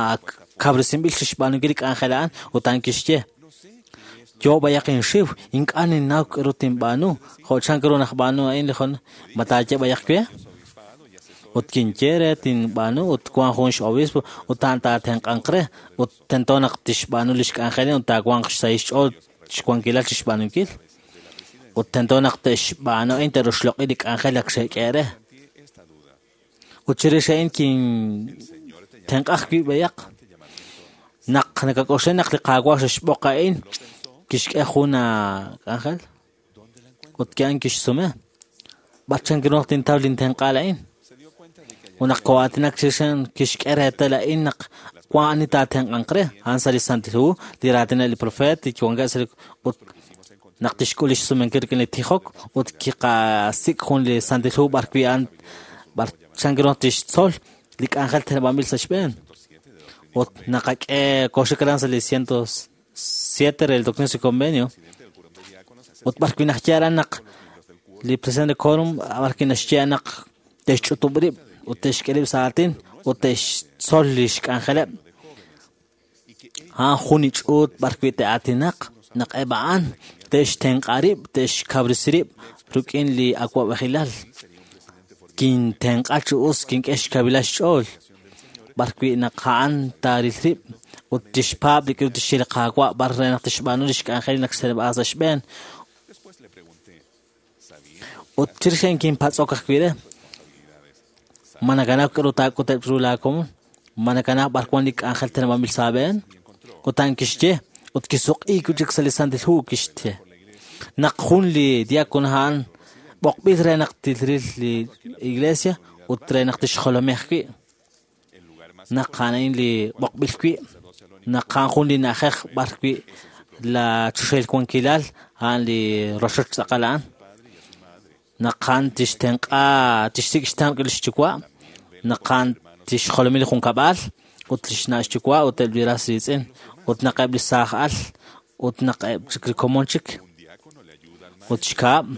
kawresinb'il chixb'aanunkil li k'anjel a'an ut a'an kixye yo b'ayaq inxiw ink'a' ninnaw k'aru tinb'aanu jo' chan ru naq b'aanu a'in li jun ma taaye b'ayaq we ut kinye re tinb'aanu ut wan jun x-obispo ut a'an taatenq'anq re ut tento naq tixb'aanu li xk'anjel ut taawanq xsahil xch'ool xwankilal chixb'aanunkil ut tento naq te'xb'aanu a'in te'roxloq'i li k'anjel ak xe'k'e re. Ut chirix a'in kintenq'aj wi' b'ayaq naq nakak'oxla naq li Qaawa' xe'xb'oq a'in kixk'e jun k'anjel ut a'an kixsume b'ar chan ru naq tintaw lintenq'aal a'in. Ut naq koo'aatinak chirix kixk'e reetal a'in naq wan ani taatenq'anq re. A'an sa' li Santil Hu, li raatineb' li profeet, li wankeb' sa' li ut naq tixk'ul lix sumenkil rik'in li tijok ut kiqasik' jun li Santil Hu b'ar wi' a'an b'ar chan ru tixtzol li k'anjel teneb'anb'il sa' xb'een. Ut naqak'e kooxik aran sa' li 107 re el Doctrina y Convenio. Ut b'ar wi' naxye aran naq li presidente quórum b'ar wi' naxye naq te'xch'utub' rib' ut te'xk'e rib' sa' aatin ut te'xtzol lix k'anjeleb'. A'an jun li ch'uut b'ar wi' te'aatinaq naq eb' a'an te'xtenq'a rib', te'xkawresi rib' rik'in li awa'b'ejilal. Kintenq'a chi us, kink'e xkawilal xch'ool b'ar wi' naq a'an taaril rib' ut tixpaab' li k'aru tixye li Qaawa' b'ar re naq tixb'aanu lix k'anjel naq xteneb'a sa' xb'een. Ut chirix a'in kinpatz'ok ajwi' re, ma nakanaw k'aru taak'uteb' chiru laa komon? Ma nakanaw b'ar wan li k'anjel teneb'anb'il sa' aab'een? Ut a'an kixye, ut kisuq'iik wi' chik sa' li Santil Hu kixye. Naq jun li diácono a'an b'oqb'il re naq tilril li iglesia ut re naq tixjolomi ajwi'. Naq a'an a'in li b'oqb'il wi', naq a'an jun li na'ajej b'ar wi' la choxahil wankilal a'an li rochoch tz'aqal a'an. Naq a'an tixtenq'a, tixsik' xtenq' lix yuwa', naq a'an tixjolomi li junkab'al ut lix na' xyuwa' ut eb' li ras riitz'in, ut naq eb' li saaj al, ut naq eb' chik li komon chik. Ut xkab',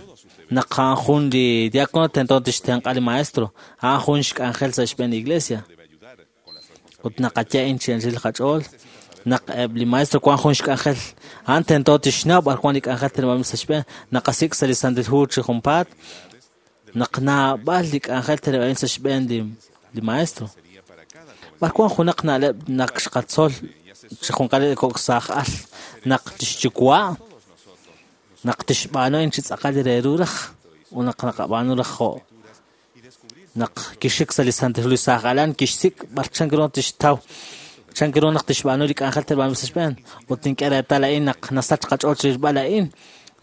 naq a'an jun li diácono tento tixtenq'a li maestro, a'an jun xk'anjel sa' xb'een li iglesia. Ut naqaye a'in chi anchal qach'ool, naq eb' li maestro wan jun xk'anjel, a'an tento tixnaw b'ar wan li k'anjel teneb'anb'il sa' xb'een, naqasik' sa' li Santil Hu chi junpaat, naq naab'al li k'anjel teneb'anb'il sa' xb'een li maestro. B'ar wan junaq na'leb' naq xqatzol chi junqal li kok' saaj al, naq tixyuwa', naq tixb'aanu a'in chi tz'aqal re ru raj, ut naq naqab'aanu raj jo' naq kixik sa' li Santil Hu li saaj alan, kixsik' b'ar chan ru tixtaw, chan ru naq tixb'aanu li k'anjel teneb'anb'il sa' xb'een. Ut nink'e reetal a'in naq nasach qach'ool chirilb'al a'in,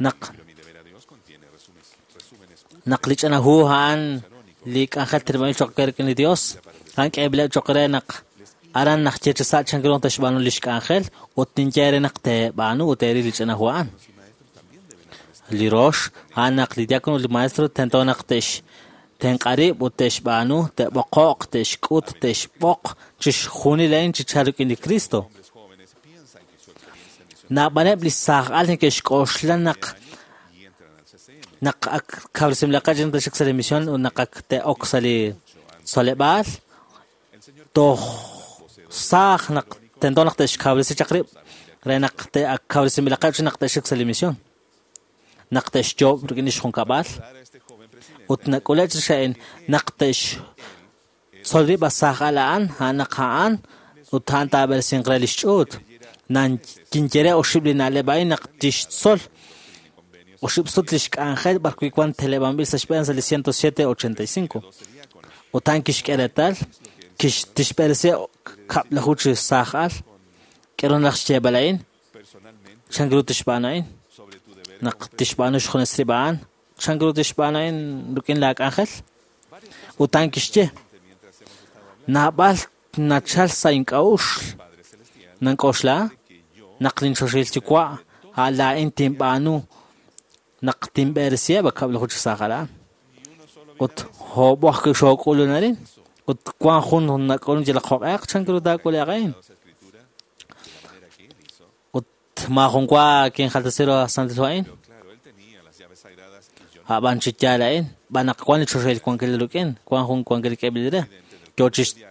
naq naq li ch'ina hu a'an li k'anjel teneb'anb'il cho'q re rik'in li Dios, a'an k'eeb'ileb' cho'q re naq aran naxye chi sa' chan ru tixb'aanu lix k'anjel, ut ninye re naq teeb'aanu ut teeril li ch'ina hu a'an. Li rox, a'an naq li diácono ut li maestro tento naq te'xtenq'a rib' ut te'xb'aanu, te'b'oqo'q, te'xk'ut, te'xb'oq chixjunil a'in chi chalk rik'in li Cristo. Naab'aleb' li saaj al neke'xk'oxla naq naq ak kawresinb'ilaqeb' chi te'xik sa' li misión ut naq ak te'ok sa' li tzoleb'aal, toj saaj naq tento naq te'xkawresi chaq rib' re naq te'ak kawresinb'ilaqeb' chi naq te'xik sa' li misión. Naq te'xyoob' rik'in lix junkab'al ut nak'ule' chirix a'in naq te'xtzol rib' a saaj al a'an, a'an naq a'an ut a'an taab'eresinq re lix ch'uut. Nan kinye re oxib' li na'leb' a'in naq tixtzol oxib' sut lix k'anjel b'ar wi' wan teneb'anb'il sa' xb'een sa' li 107.85. Ut a'an kixk'e reetal, tixb'eresi kab'laju chi saaj al. K'aru naraj xyeeb'al a'in? Chan ru tixb'aanu a'in? Naq tixb'aanu xjunes rib' a'an, chan ru tixb'aanu a'in rik'in laa k'anjel? Ut a'an kixye, naab'al nachal sa' ink'a'uxl, nank'oxla naq linchoxahil yuwa' a'an laa'in tinb'aanu naq tinb'eresiheb' a kab'laju chi saaj al a'an. Ut hoob'o ajwi' xook'ulun arin, ut wan jun nak'ulun yalaq jo'q'eq, chan ru taak'ule'q a'in? Ut maajun wa kinjaltasi ru Santil Hu a'in. A'b'an chi yaal a'in, b'an naq wan li choxahil wankil rik'in, wan jun wankil k'eeb'il re. Yo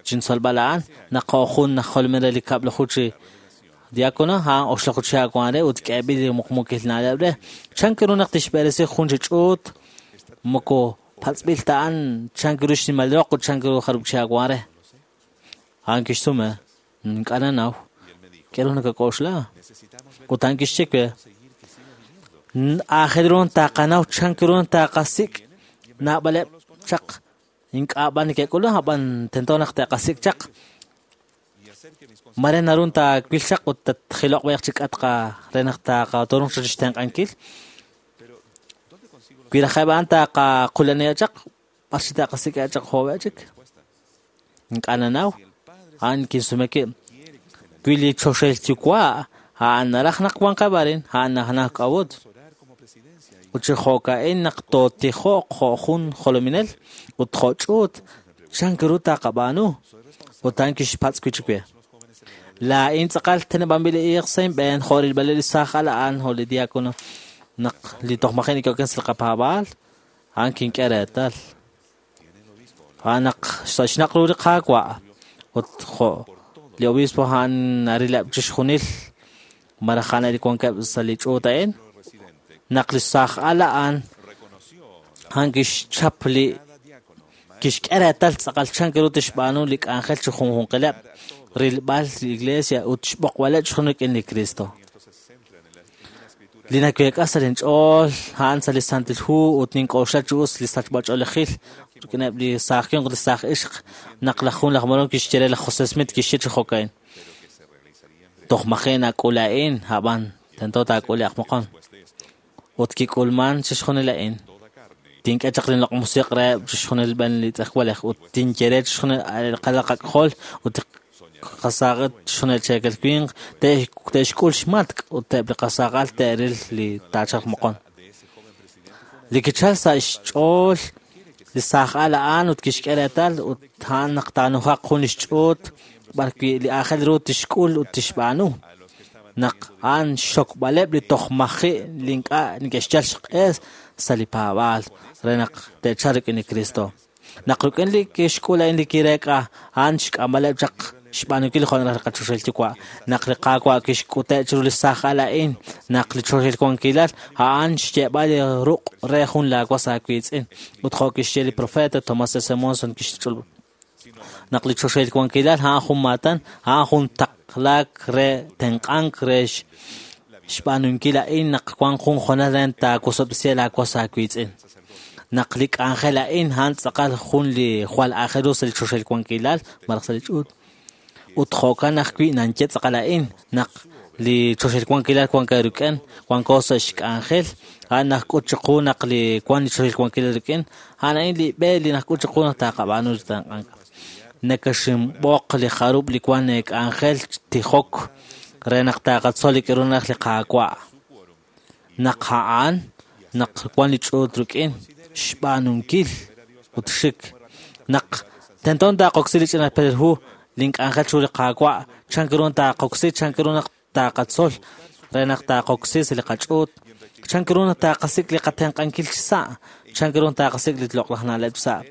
chintzolb'al a'an, naq jo' jun aj jolominel re li kab'laju chi diácono, a'an oxlaju chi wan re ut k'eeb'il li muqmukil na'leb' re. Chan ru naq tixb'eresi jun chi ch'uut, moko patz'b'il ta a'an chan ru xnimal roq ut chan ru jarub' chi wan re. A'an kixsume, ink'a' nanaw. K'aru nakak'oxla? Ut a'an kixye we, aajel ru taqanaw chan ru taqasik' naab'aleb' chaq ink'a' b'an neke'k'ulun, ab'an tento naq te'qasik' chaq. Mare naru taawil chaq ut tatjiloq b'ayaq chi k'atq re naq taqatorunq chaq xtenq'ankil. Wi rajeb' a'an taqaqulaniheb' chaq, b'ar chi taqasik'eb' chaq jo'b'e chik. Ink'a' nanaw. A'an kinsume ki wi li choxahil yuwa' a'an naraj naq wanqeb' arin, a'an najnaj k'a'ut. Ut chi jo'ka'in naq tootijoq jo' jun jolominel ut jo' ch'uut, chan ru taqab'aanu? Ut a'an kixpatz' wi' chik we. Laa'in tz'aqal teneb'anb'il li iiq sa' inb'een jo' rilb'aleb' li saaj al a'an jo' li diácono naq li toj maji' neke'oken sa' li qapaab'aal, a'an kink'e reetal. A'an naq sa' xnaq' ru li Qaawa' ut jo' li obispo a'an narileb' chixjunil malaj a'an li wankeb' sa' li ch'uut a'in, naq li saaj al a'an a'an kixchap li kixk'e reetal tz'aqal chan ru tixb'aanu li k'anjel chi junjunqileb' rilb'al li iglesia ut xb'oqb'aleb' chixjunil rik'in li Cristo. Li naweek'a sa' linch'ool a'an sa' li Santil Hu ut nink'oxla chi us li sachb'ach'oolejil rik'ineb' li saaj winq ut li saaj ixq naq laj jun laj Mormon kixye re laj José Smith kixye chi jo'ka'in. Toj maji' nak'ul a'in, ab'an tento taak'ule'q moqon. Ut kik'ulman chixjunil a'in. Tink'e chaq linloq' musiq' reheb' chixjunil b'en li tz'ejwalej ut tinye re chixjunil qalaqak'jol ut qasaaq'et chixjunil cheekel winq te'xk'ul xmatk' ut eb' li qasaaq'al te'ril li taachalq moqon. Li kichal sa' xch'ool li saaj al a'an ut kixk'e reetal ut a'an naq taanujaq jun li xch'uut b'arwi' li aajel ru tixk'ul ut tixb'aanu. Naq a'an xxokb'aleb' li toj maji' li ink'a' neke'xyal xq'e sa' li paab'aal re naq te'chalq rik'in li Cristo. Naq rik'in li kixk'ul a'in li kireek'a, a'an xk'amb'aleb' chaq xb'aanunkil jo' naraj li qachoxahil yuwa'. Naq li Qaawa' kixk'ute' chiru li saaj al a'in, naq li choxahil wankilal a'an xye'b'al li ruq' re jun laawas aawiitz'in. Ut jo' kixye li profeta Thomas S. Monson kixch'olob' naq li choxahil wankilal a'an jun maatan, a'an jun taqlaak re tenq'ank re xb'aanunkil a'in naq wan jun hoonal re taawosob'tesi laawas aawiitz'in. Naq li k'anjel a'in a'an tz'aqal jun li jwal aajel ru sa' li choxahil wankilal malaj sa' li ch'uut. Ut jo'kan ajwi' nanye tz'aqal a'in naq li choxahil wankilal wank rik'in, wanko sa' xk'anjel, a'an najk'ut chiqu naq li wan li choxahil wankilal rik'in, a'an a'in li b'e li najk'ut chiqu naq taqab'aanu li tenq'ank. Nakaxinb'oq li jarub' li wan k'anjel tijok re naq taqatzol li k'a'ru naraj li Qaawa'. Naq a'an naq wan li ch'uut rik'in xb'aanunkil ut xik. Naq tento taqoksi li ch'ina perel hu link'anjel chiru li Qaawa', chan ru taqoksi, chan ru naq taqatzol re naq taqoksi sa' li qach'uut, chan ru naq taqasik' li qatenq'ankil chi sa', chan ru taqasik' li loq'laj na'leb' sa'.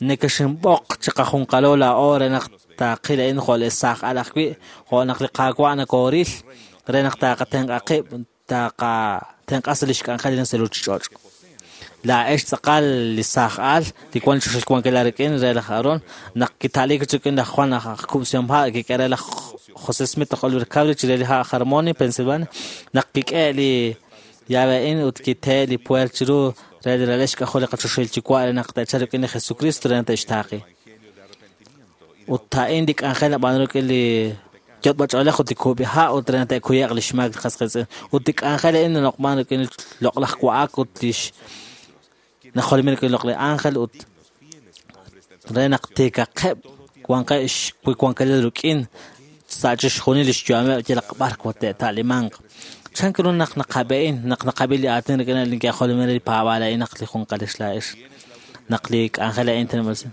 Nakaxinb'oq chiqajunqalo laa'o re naq taqil a'in jo' li saaj al ajwi', jo' naq li Qaawa' nakooril re naq taqatenq'a qib', taqatenq'a sa' li xk'anjel li sa' ruuchich'och'. Laa'ex tz'aqal li saaj al li wan choxahil wankilal rik'in re laj Aarón naq kita'liik rik'in laj Juan aj Kub'sihom ha' kik'e re laj José Smith aj Oliver Cowdery chire li ha' Harmony, Pennsylvania, naq kik'e li llave a'in ut kitee li puer chiru re li ralal xk'ajol li qachoxahil yuwa' re naq te'chalq rik'in li Jesucristo re naq te'xtaaqi. Ut a'in li k'anjel nab'aanu rik'in li yot'b'ach'oolej ut li kub'iha' ut re naq te'kuye'q li xmaak li qas qiitz'in. Ut li k'anjel a'in naloq'man rik'in li loq'laj wa'ak ut li najolomin rik'in loq'laj ángel ut re naq tiikaqeb' wanqeb' xwankilal rik'in sa' chixjunil li xyu'ameb' yalaq b'ar te'ta'limanq. Chan ru naq naqab'e'in, naq naqab'i li aatin rik'in li neke'jolomin re li paab'aal a'in naq li junqalix laa'ex, naq li k'anjel a'in teneb'anb'il.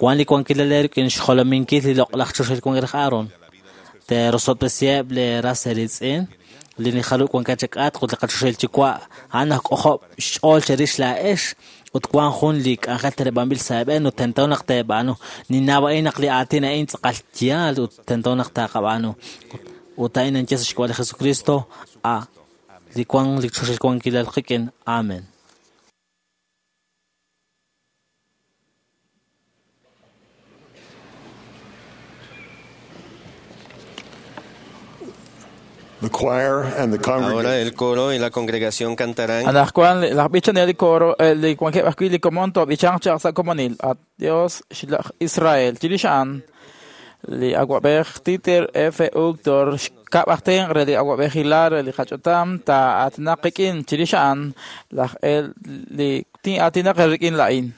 Wan li wankilal rik'in xjolominkil li loq'laj choxahil wankil raj Aarón. Te'rosob'tesiheb' li ras eeriitz'in, li nijalu' wankeb' chak'atq ut li qachoxahil yuwa' a'an najk'ojob' xch'ool cherix laa'ex ut wan jun li k'anjel teneb'anb'il sa' eeb'een ut tento naq teeb'aanu. Ninnaw a'in naq li aatin a'in tz'aqal yaal ut tento naq taqab'aanu. Ut a'in nanye sa' xk'ab'a' li Jesucristo, a li wan li choxahil wankilal qik'in. Amen. The choir and the Ahora congregation el coro y la congregación cantarán. Anajwan laj b'ichanel li coro li wankeb' ajwi' li komon to'b'ichanq chaq sa' komonil. At Dios xlaj Israel. Chirix a'an li awab'ej Titer F. Uchtdorf xkab' aj tenq' re li awab'ejilal re li qach'utam taa'aatinaq qik'in. Chirix a'an laj el li tin'aatinaq rik'in la'in.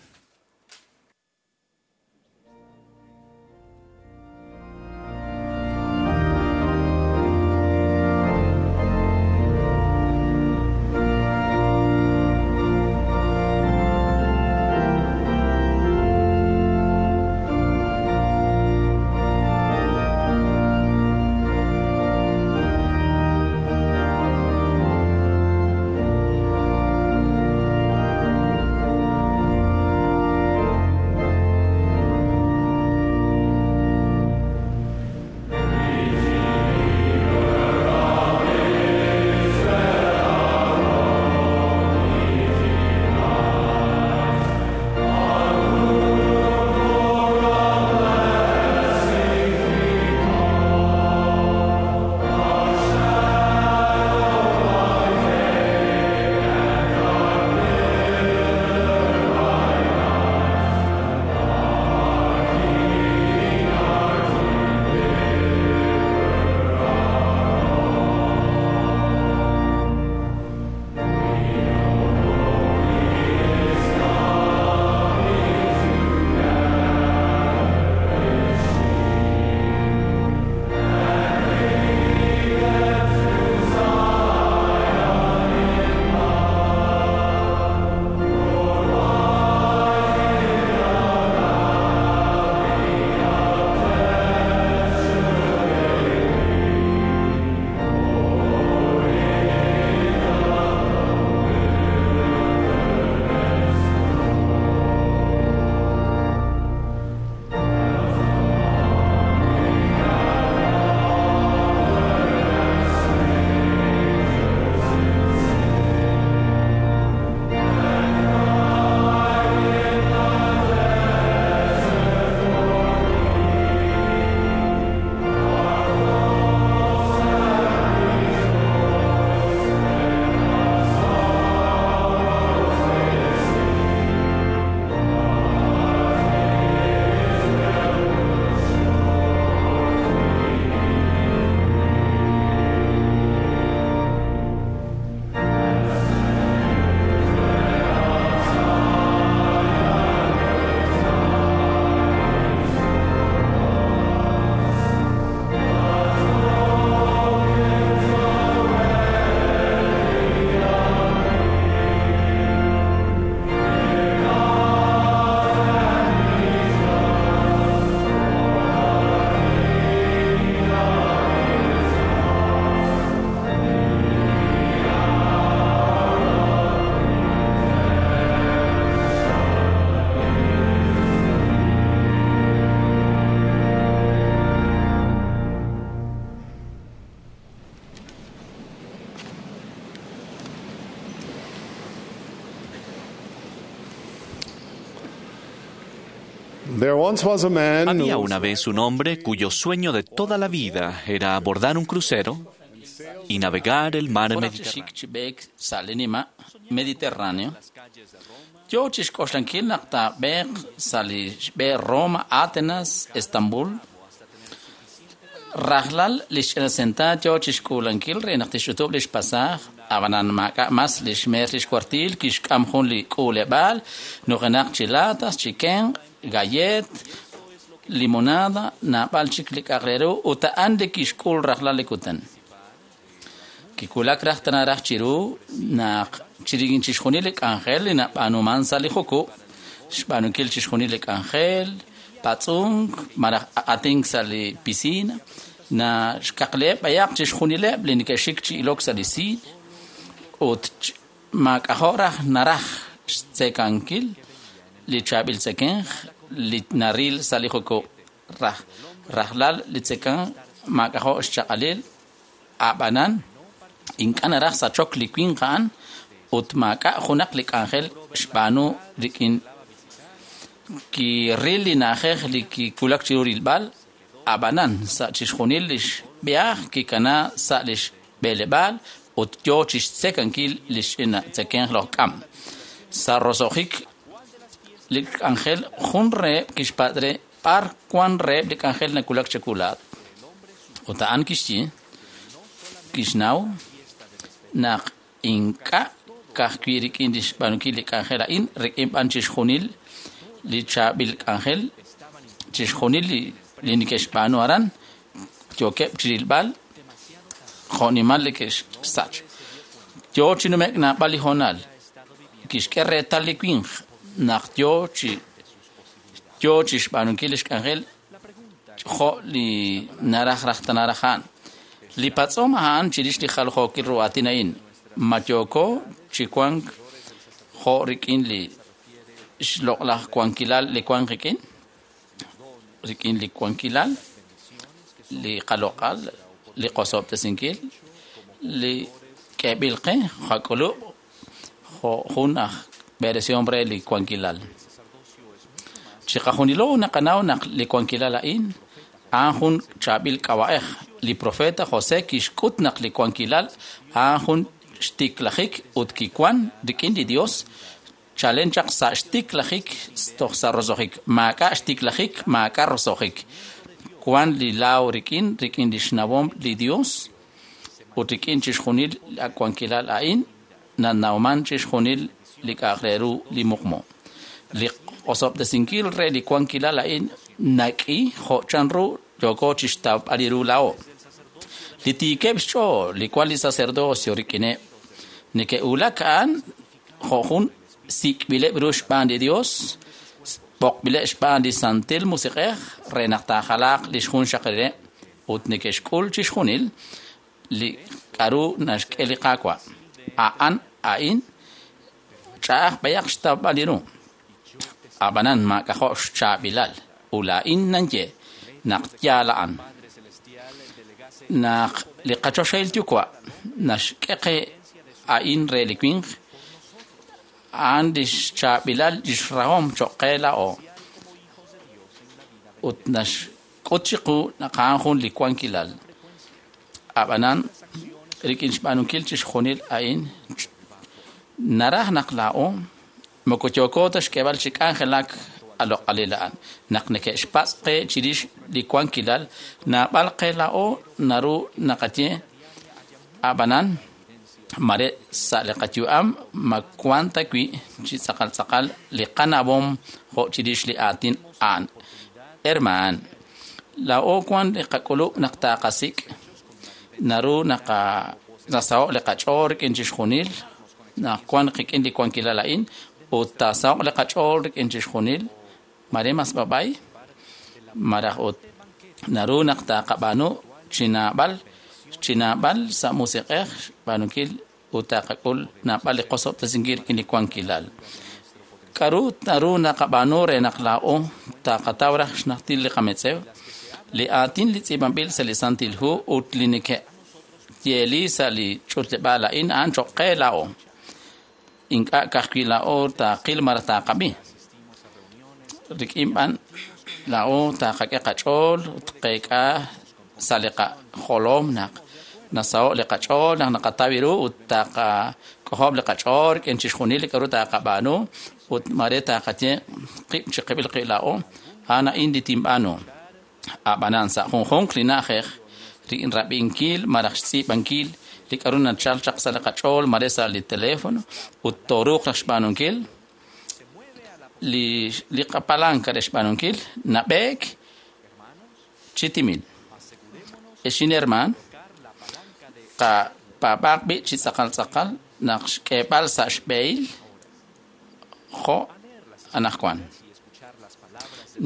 There once was a man Había who una vez un hombre cuyo sueño de toda la vida era abordar un crucero y navegar el mar Jun aj Mediterráneo. xik chi b'eek sa' li nima' Mediterráneo yoo chixk'oxlankil naq taab'eeq sa' li xb'e Roma, Atenas, Estambul. Rajlal li xch'ina yoo chixk'uulankil re naq tixch'utub' li xpasaaj, ab'anan maak'a' mas li xmeer li xkwartiil kixk'am jun li k'uuleb'aal nujenaq chi latas, chi kenq', gallet, limonada, naab'al chik li k'a'aq re ru ut a'an li kixk'ul rajlal li kutan. Kiwulak raj tana raj chiru naq chirix chixjunil li k'anjel li nab'aanuman sa' li jukub', xb'aanunkil chixjunil li k'anjel, patz'unk, malaj atink sa' li piscina, na xkaqleb' b'ayaq chixjunileb' li neke'xik chi ilok sa' li siin, ut maak'ajo' raj naraj xtzekankil li chaab'il tzekenj li naril sa' li jukub'. Raj rajlal li tzekan maak'ajo' xchaq'alil, a'b'anan ink'a' naraj sachok li winq a'an ut maak'a' junaq li k'anjel xb'aanu rik'in kiril li na'ajej li kiwulak chiru rilb'al, ab'anan sa' chixjunil li xb'ihaaj kikana sa' li xb'eleb'aal ut yoo chixtzekankil li xch'ina tzekenj loj k'am. Sa' roso'jik li k'anjel jun reheb' kixpatz' re b'ar wan reheb' li k'anjel nawulak chawu laa'at. Ut a'an kixye kixnaw naq ink'a' ka'ajwi' rik'in li xb'aanunkil li k'anjel a'in, rik'in b'an chixjunil li chaab'il k'anjel, chixjunil li neke'xb'aanu aran, yookeb' chirilb'al jo'nimal li ke'xsach. Yoo chi nume'k naab'al li hoonal, kixk'e reetal li winq naq yoo chi xb'aanunkil li xk'anjel jo' li naraj raj tana raj a'an. Li patz'om a'an chirix li jaljookil ru aatin a'in, ma yooko chi wank jo' rik'in li xloq'laj wankilal li wank qik'in, rik'in li wankilal, li qaloq'al, li qosob'tesinkil, li k'eeb'il qe qak'ulub' jo' jun aj b'eresihom re li wankilal. Chiqajunilo naqanaw naq li wankilal a'in a'an jun chaab'il k'ab'a'ej. Li profeta José kixk'ut naq li wankilal a'an jun xtiklajik ut kiwan rik'in li Dios chalen chaq sa' xtiklajik toj sa' roso'jik. Maak'a' xtiklajik, maak'a' roso'jik. Wan li laaw rik'in, rik'in li xnawom li Dios ut rik'in chixjunil li wankilal a'in nanawman chixjunil li k'a'aq re ru li muqmu. Li osob'tesinkil re li wankilal a'in nak'i jo' chanru yooko chixtawb'al ru laa'o. Li tiikeb' xch'ool li wan li sacerdocio rik'ineb' neke'wulak a'an jo' jun sik'b'ileb' ru xb'aan li Dios, b'oqb'ileb' xb'aan li Santil Musiq'ej re naq taajalaaq li xjunxaqalileb' ut neke'xk'ul chixjunil li k'a'ru naxk'e li Qaawa'. A'an a'in ch'a'aj b'ayaq xtawb'al ru. Ab'anan maak'ajo' xchaab'ilal ut laa'in nanye naq yaal a'an. Naq li qachoxahil yuwa' naxk'e qe a'in re li winq, a'an li xchaab'ilal li xrahom cho'q qe laa'o. Ut naxk'ut chiqu naq a'an jun li wankilal. Ab'anan rik'in xb'aanunkil chixjunil a'in naraj naq laa'o moko yooko ta xk'eeb'al chi k'anjelak aloq'alil a'an. Naq neke'xpatz' qe chirix li wankilal, naab'al qe laa'o naru naqaye ab'anan mare sa' li qayu'am ma wan ta wi' chi tz'aqal tz'aqal li qanawom jo' chirix li aatin a'an. Hermaan, laa'o wan li qak'ulub' naq taaqasik' naru nasaho' li qach'ool rik'in chixjunil naq wan qik'in li wankilal a'in ut taasaho'q li qach'ool rik'in chixjunil mare mas b'ab'ay malaj ut naru naq taaqab'aanu chi naab'al sa' musiq'ej xb'aanunkil ut taaqak'ul naab'al li qosob'tesinkil rik'in li wankilal. K'a'ru naru naqab'aanu re naq laa'o taaqataw raj xnajtil li qametz'ew? Li aatin li tz'iib'anb'il sa' li Santil Hu ut li neke'yeeli sa' li ch'utleb'aal a'in a'an cho'q qe laa'o. Ink'a' ka'ajwi' laa'o taaqil malaj taaqab'i. Rik'in b'an laa'o taqak'e qach'ool ut qeek'a sa' li qajolom naq nasaho' li qach'ool naq naqataw ru ut taqak'ojob' li qach'ool rik'in chixjunil li k'a'ru taqab'aanu ut mare taqaye qib' chiqib'il qib' laa'o a'an a'in li tinb'aanu. Ab'anan sa' junjunq li na'ajej rik'in rab'inkil malaj xtz'iib'ankil li k'a'ru nachal chaq sa' li qach'ool mare sa' li teléfono ut tooruuq raj xb'aanunkil li qapalanca re xb'aanunkil nab'eek chi timil. Exin herman, qapaab'aaq b'i' chi tz'aqal tz'aqal naq xk'eeb'al sa' xb'ehil jo' anaqwan.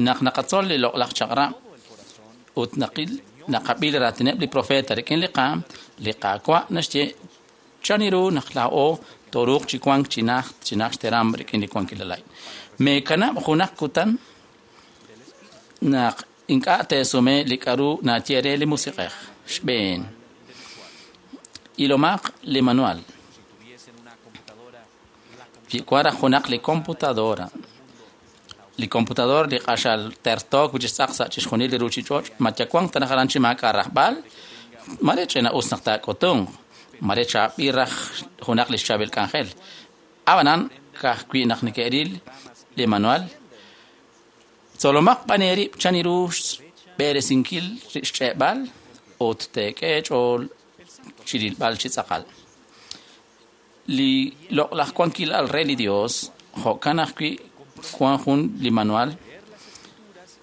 Naq naqatzol li loq'laj chaq'rab' ut naqil naqab'i li raatineb' li profeta rik'in li qaam, li Qaawa' naxye chan ru naq laa'o tooruuq chi wank chi najt chi najt xteram rik'in li wankilal a'in. Meekanab' junaq kutan naq ink'a' teesume li k'a'ru naye re li Musiq'ej. Xb'een, ilomaq li manual. Wi wan raj junaq li computadora, li computador li q'axal tertook wi' chixtz'aq sa' chixjunil li ruuchich'och', ma yawanq ta raj aran chi maak'a' rajb'al, mare ch'ina us naq taak'utunq, mare chaab'il raj junaq li xchaab'il k'anjel. Ab'anan ka'ajwi' naq neke'ril li manual, tzolomaq b'an eerib' chan ru xb'eresinkil xch'e'b'al ut teek'e eech'ool chi rilb'al chi tz'aqal. Li loq'laj wankilal re li Dios, jo'kan ajwi' wan jun li manual,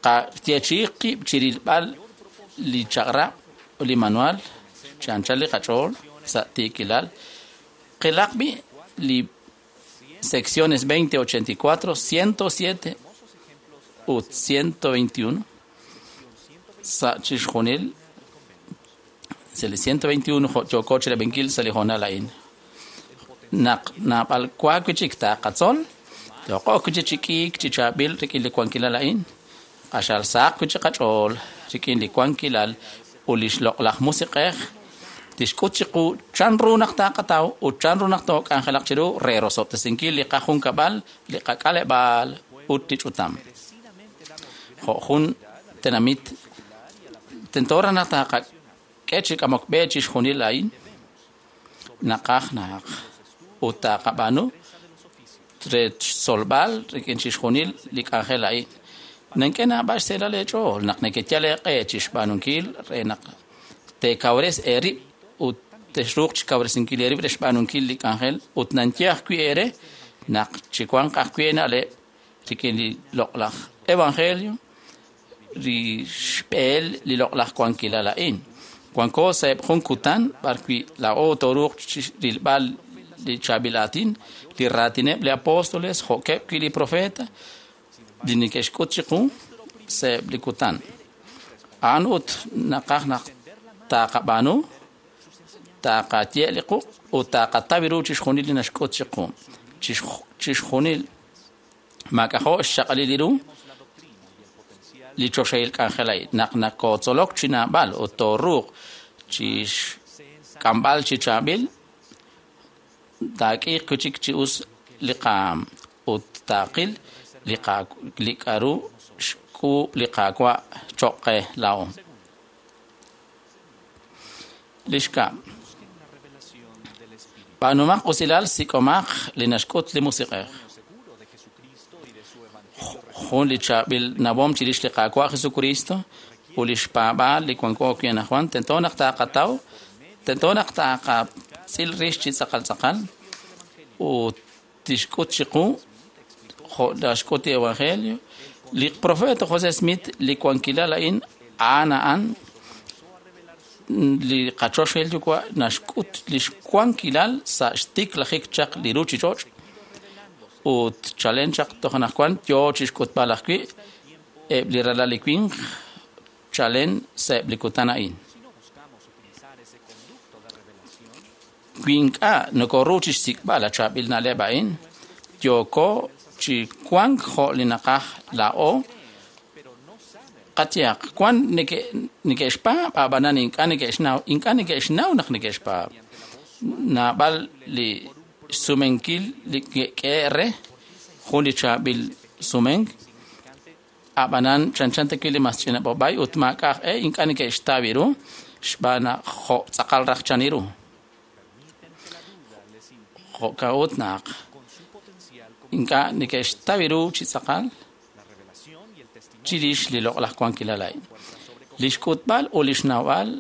qayeechi'i qib' chi rilb'al li chaq'rab' ut li manual chi anchal li qach'ool sa' tiikilal. Qilaq b'i' li secciones 20, 84, 107 ut 121 sa' chixjunil sa' li 121 jo' yooko chirab'inkil sa' li hoonal a'in. Naq naab'al wa wi' chik taqatzol, yooqo wi' chik chi k'iik chi chaab'il rik'in li wankilal a'in, q'axal sahaq wi' chik qach'ool rik'in li wankilal ut li xloq'laj Musiq'ej tixk'ut chiqu chan ru naq taqataw ut chan ru naq took'anjelaq chiru re rosob'tesinkil li qajunkab'al, li qak'aleb'aal ut li ch'utam. Jo' jun tenamit tento raj naq taqak'e chi k'amok b'e chixjunil a'in naqaj naq ut taqab'aanu re xtzolb'al rik'in chixjunil li k'anjel a'in. Nank'e naab'al xseelal eech'ool naq nekeyal eeq'e chixb'aanunkil re naq teekawres eerib' ut texruuq chikawresinkil eerib' re xb'aanunkil li k'anjel ut nanye ajwi' eere naq chiwanq ajwi' eena'leb' rik'in li loq'laj evangelio li xb'eel li loq'laj wankilal a'in. Wanko sa'eb' jun kutan b'arwi' laa'o tooruuq rilb'al li chaab'il aatin, li raatineb' li apóstoles jo'keb' wi' li profeta li neke'xk'ut chiqu sa'eb' li kutan. A'an ut naqaj naq taqab'aanu, taqaye li quq' ut taqataw ru chixjunil li naxk'ut chiqu. Chixjunil maak'ajo' xchaq'alil li ru li choxahil k'anjel a'in. Naq nakotzolok chi naab'al ut tooruuq chixk'amb'al chi chaab'il, taak'iiq wi' chik chi us li qaam ut taaqil li k'a'ru xk'uub' li Qaawa' choq' qe laa'o. Li xkab', b'aanumaq usilal sik'omaq li naxk'ut li Musiq'ej. Jun li chaab'il nawom chirix li Qaawa' Jesucristo ut li xpaab'aal li wanko wi' anaqwan tento naq taqataw, tento naq taqatz'il rix chi tz'aqal tz'aqal ut tixk'ut chiqu jo' naxk'ut li Evangelio. Li profeta José Smith li wankilal a'in a'an a'an li qachoxahil Yuwa' naxk'ut li xwankilal sa' xtiklajik chaq li ruuchich'och' ut chalen chaq toj anaqwan yoo chixk'utb'al ajwi' eb' li ralal li winq chalen sa'eb' li kutan a'in. Wi ink'a' nokoru chixsik'b'al a chaab'il na'leb' a'in, yooko chi wank jo' li naqaj laa'o qayehaq wan neke'xpaab' ab'anan ink'a' neke'xnaw ink'a' neke'xnaw naq neke'xpaab'. Naab'al li xsumenkil li ke'k'e re jun li chaab'il sumenk Ab'anan chanchan ta wi' li mas ch'ina b'ob'ay ut maak'a' aj e ink'a' neke'xtaw ru xb'aan naq jo' tz'aqal raj chan ru. Jo'kan ut naq ink'a' neke'xtaw ru chi tz'aqal chirix li loq'laj wankilal a'in. Li xk'utb'al ut li xnawb'al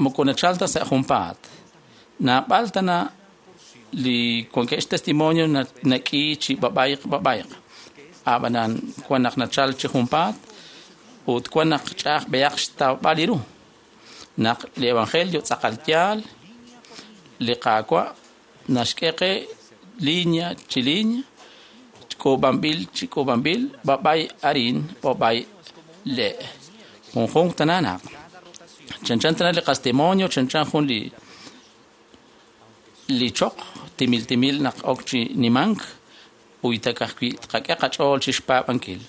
moko nachal ta sa' junpaat. Naab'al tana li wankeb' xtestimonio nak'i chi b'ab'ayq b'ab'ayq. Ab'anan wan naq nachal chi junpaat ut wan naq ch'a'aj b'eyaq xtawb'al li ru. Naq li evangelio tz'aqal yaal, li Qaawa' naxk'e qe linya chi linya, k'uub'anb'il chi k'uub'anb'il, b'ab'ay arin, b'ab'ay le'. Junjunq tana naq. Chanchan tana li qastimonio, chanchan jun li choq, timil timil naq ok chi nimank, uytak ajwi' tqak'e qach'ool chi xpaab'ankil.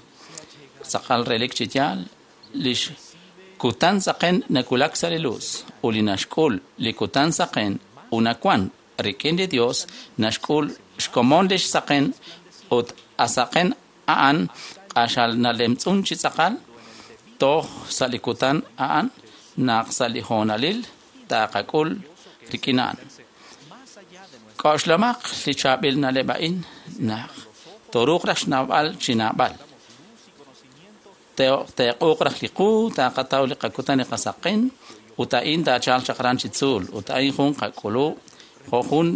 Tz'aqal relik chi yaal, lix kutan saqen nakulak sa' li luz, ut li naxk'ul li kutan saqen unawan rik'in li Dios naxk'ul xkomon lix saqen ut asaqen a'an q'axal nalemtz'un chi tz'aqal toj sa' li kutan a'an naq sa' li hoonalil taqak'ul rik'in a'an. K'oxlamaq li chaab'il na'leb' a'in naq toruuq raj xnawb'al chi naab'al. Teeq'uuq raj li qu, taqataw li qakutan li qasaqen, ut a'in taachalq chaq aran chi tzuul, ut a'in jun qak'ulub' jo' jun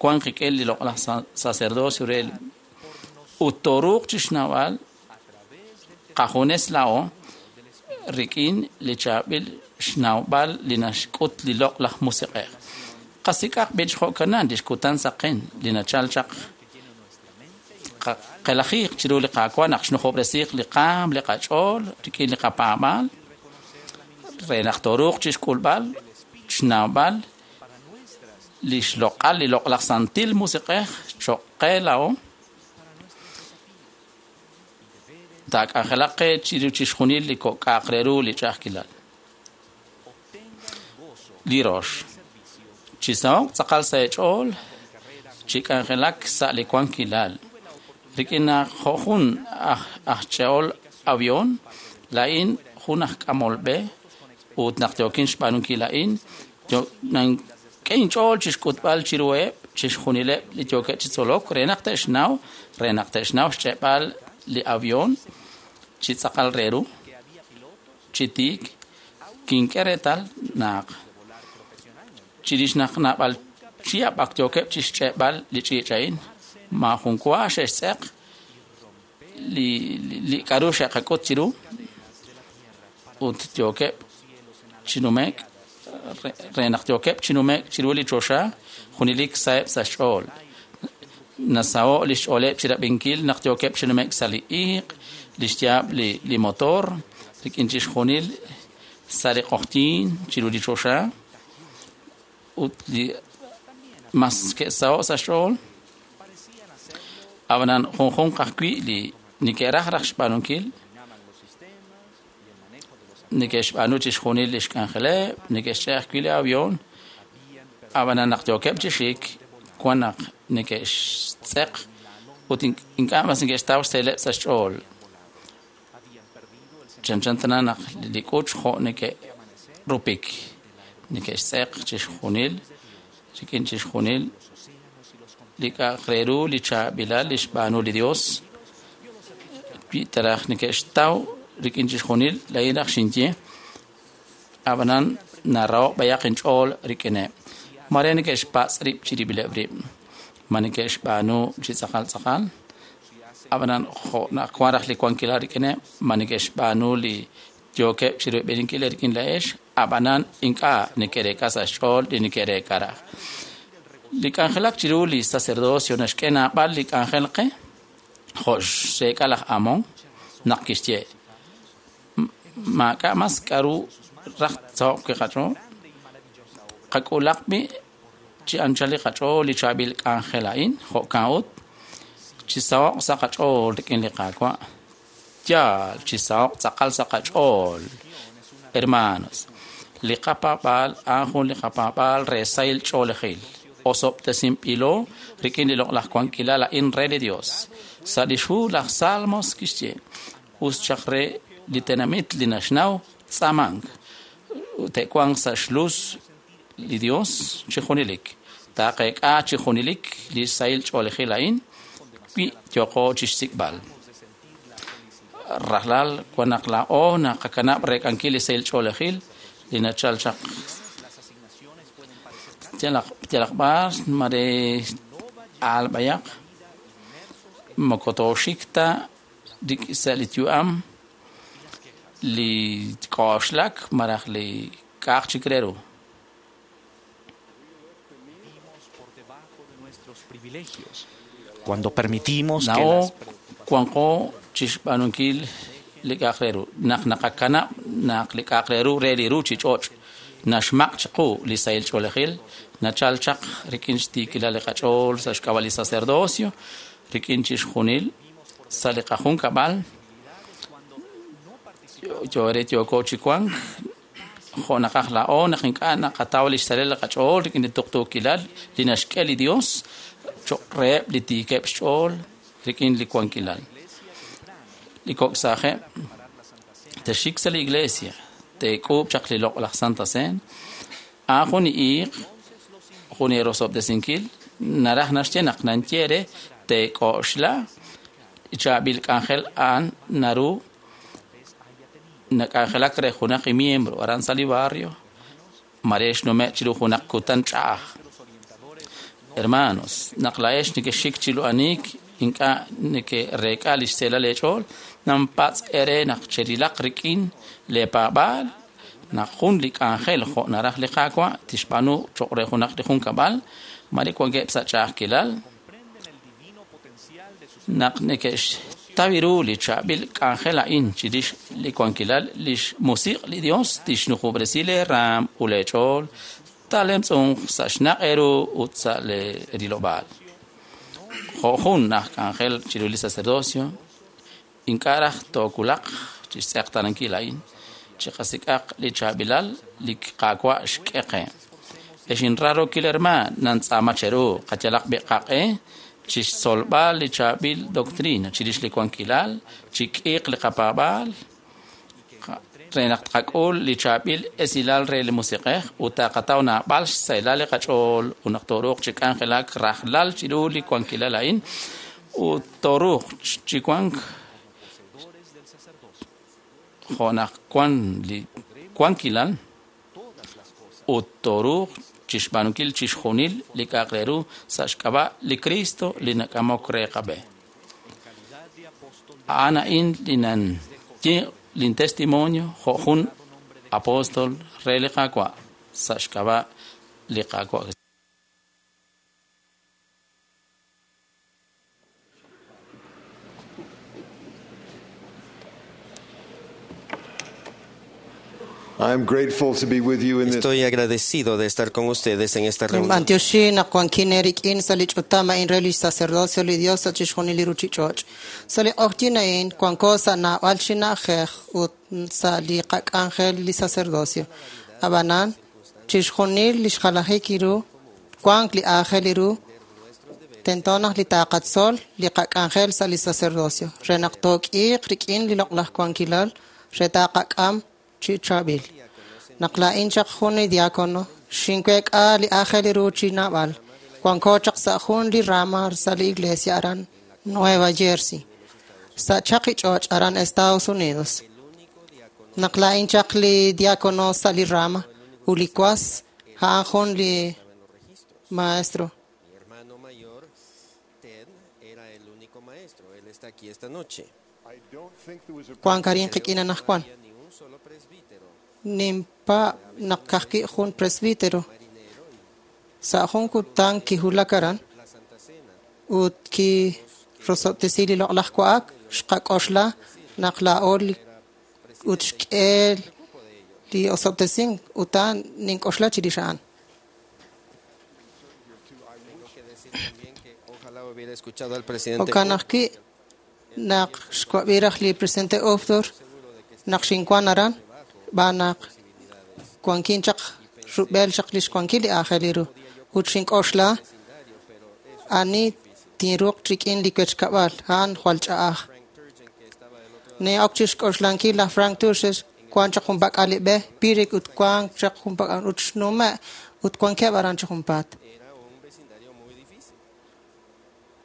wan qik'in li loq'laj sacerdocio re ut toruuq chi xnawb'al qajunes laa'o rik'in li chaab'il xnawb'al li naxk'ut li loq'laj musiq'ej. Qasik'aq b'ich jo'kanan lix kutan saqen li nachal chaq qelajiiq chiru li Qaawa' naq xnujob'resiiq li qaam li qach'ool rik'in li qapaab'aal re naq toruuq chi xk'ulb'al xnawb'al li xloq'al li loq'laj santil musiq'ej cho'q qe laa'o taak'anjelaq qe chiru chixjunil li kok'aq re ru li ch'a'ajkilal. Li rox, chi saho'k tz'aqal sa' eech'ool chi k'anjelak sa' li wankilal. Rik'in naq jo' jun aj ch'e'ol avión, laa'in jun aj k'amol b'e ut naq yookin xb'aanunkil a'in, nank'e inch'ool chi xk'utb'al chiruheb' chixjunileb' li yookeb' chi tzolok re naq te'xnaw xch'e'b'al li avión chi tz'aqal re ru, chi tiik, kink'e reetal naq chirix naq naab'al chihab' ak yookeb' chi xch'e'b'al li ch'iich' a'in, maajun wa xe'xtz'eq li k'a'ru xe'qak'ut chiru ut yookeb' chi nume'k re naq yookeb' chi nume'k chiru li choxa junelik saheb' sa' xch'ool. Nasaho' li xch'ooleb' chi rab'inkil naq yookeb' chi nume'k sa' li iq', li xyaab' li motor, rik'in chixjunil sa' li q'oqyink chiru li choxa ut li mas ke'saho' sa' xch'ool. Ab'anan junjunq ajwi' li neke'raj raj xb'aanunkil neke'xb'aanu chixjunil li xk'anjeleb', neke'xch'e' ajwi' li avión. Ab'anan naq yookeb' chi xik, wan naq neke'xtz'eq ut ink'a' mas neke'xtaw xseeleb' sa' xch'ool. Chanchan tana naq li k'uch jo' neke'rupik, neke'xtz'eq chixjunil rik'in chixjunil li k'a'aq re ru li chaab'ilal li xb'aanu li Dios. Wi taraj neke'xtaw rik'in chixjunil laa'in raj xinye, ab'anan naraho' b'ayaq inch'ool rik'ineb'. Mare neke'xpatz' rib' chirib'ileb' rib'. Ma neke'xb'aanu chi tz'aqal tz'aqal? Ab'anan jo' naq wan raj li wankilal rik'ineb', ma neke'xb'aanu li yookeb' chirub'eninkil rik'in la'ex, ab'anan ink'a' neke'reek'a sa' xch'ool li neke'reek'a raj. Li k'anjelak chiru li sacerdocio naxk'e naab'al li k'anjel qe, jo' xreek'a laj Amón naq kixye, maak'a' mas k'a'ru raj tsaho'q wi' qach'ool, qak'ulaq b'i' chi anchal li qach'ool li chaab'il k'anjel a'in, jo'kan ut, chi saho'q sa' qach'ool rik'in li Qaawa'. Yaal, chi saho'q tz'aqal sa' qach'ool. Hermanos, li qapaab'aal a'an jun li qapaab'aal re sahil ch'oolejil. Osob'tesinb'ilo rik'in li loq'laj wankilal a'in re li Dios. Sa' li xhu laj Salmos kixye, Us chaq re li tenamit li naxnaw tz'aamank. Te'wanq sa' xlus li Dios chi junelik. Taaqeek'a chi junelik li sahil ch'oolejil a'in wi yooqo chixsik'b'al. Rajlal wan naq laa'o naqakanab' reek'ankil li sahil ch'oolejil li nachal chaq yalaq b'ar mare aalb'ayaq moko tooxik ta sa' li yu'am li k'oxlak malaj li k'a'aq chik re ru. Cuando permitimos que Laa'o las wanqo chixb'aanunkil li k'a'aq re ru. Naq naqakanab' naq li k'a'aq re ru re li ruuchich'och' naxmaq' chiqu li sahil ch'oolejil, nachal chaq rik'in xtiikilal li qach'ool sa' xk'ab'a' li sacerdocio, rik'in chixjunil sa' li qajunkab'al, yore yooko chi wank jo' naqaj laa'o naq ink'a' naqataw li xsalil li qach'ool rik'in li tuqtuukilal li naxk'e li Dios cho'q reheb' li tiikeb' xch'ool rik'in li wankilal. Li kok' saajeb' texik sa' li iglesia, teek'uub' chaq li loq'laj Santa Cena, a'an jun iiq, jun eerosob'tesinkil, naraj naxye naq nanye re teek'oxla chaab'il k'anjel a'an naru nak'anjelak re junaq miembro aran sa' li barrio, mare xnume' chiru junaq kutan ch'a'aj. Hermanos, naq laa'ex nekexxik chi lu'aniik ink'a' neke'reek'a li xseelal eech'ool, nampatz' eere naq cherilaq rik'in leepaab'aal naq jun li k'anjel jo' naraj li Qaawa' tixb'aanu cho'q re junaq li junkab'al, mare wankeb' sa' ch'a'ajkilal, naq neke'xtaw ru li chaab'il k'anjel a'in chirix li wankilal li xmusiq' li Dios tixnujob'resi leeraam ut leech'ool taalemtz'unq sa' xnaq' eeru ut sa' leerilob'aal. Jo' jun aj k'anjel chiru li sacerdocio, ink'a' raj toowulaq chi xtz'eqtaanankil a'in, chiqasik'aq li chaab'ilal li Qaawa' xk'e qe. Ex inraarokil hermaan, nantz'aama cheru qayalaq b'i qaq'e chixtzolb'al li chaab'il doctrina chirix li wankilal, chik'iiq li qapaab'aal re naq tqak'ul li chaab'il esilal re li musiq'ej ut taqataw naab'al xsahilal li qach'ool ut naq tooruuq chi k'anjelak rajlal chiru li wankilal a'in ut tooruuq chi wank jo' naq wan li wankilal ut tooruuq chixb'aanunkil chixjunil li k'a'aq re ru sa' xk'ab'a' li Cristo li nak'amok re qab'e. A'an a'in li nanye lin testimonio jo' jun apóstol re li Qaawa' sa' xk'ab'a' li Qaawa'. I am grateful to be with you in this Estoy agradecido de estar con ustedes en esta reunión. Ninb'antioxi naq wankin eerik'in sa' li ch'utam a'in re li sacerdocio li Dios sa' chixjunil li ruchich'och'. Sa' li q'ojyin a'in wanko sa' naab'al chi na'ajej ut sa' li qak'anjel li sacerdocio. Ab'anan, chixjunil li xjalajik ru wank li aajel ru tento naq li taqatzol li qak'anjel sa' li sacerdocio re naq took'iiq rik'in li loq'laj wankilal re taqak'am chi chaab'il. Naq laa'in chaq jun li diácono, xinweek'a li aajel ru chi naab'al. Wanko chaq sa' jun li rama sa' li iglesia aran Nueva Jersey, sa' chaqi ch'och' aran Estados Unidos. Naq laa'in chaq li diácono sa' li rama ut li was a'an jun li maestro. Mi hermano mayor, Ted, era el único maestro. Él está aquí esta noche. Wank arin qik'in anaqwan. Ninpa naq kajwi' jun presbítero. Sa' jun kutan kiwulak aran ut kirosob'tesi li loq'laj wa'ak xqak'oxla naq laa'o ut xk'e li osob'tesink ut a'an nink'oxla chirix a'an. Ojalá hubiera escuchado al presidente. Jo'kan ajwi' naq xwab'i raj li presidente Uchtdorf naq xinwan aran xb'aan naq wankin chaq rub'el chaq li xwankil li aajel ru ut xink'oxla ani tinruuq rik'in li wechkab'al a'an jwal ch'a'aj. Nin'ok chixk'oxlankil laj Frank Turses wank chaq junpak'al li b'e Pirik ut wank chaq junpak'al ut xnume' ut wankeb' aran chi junpaat.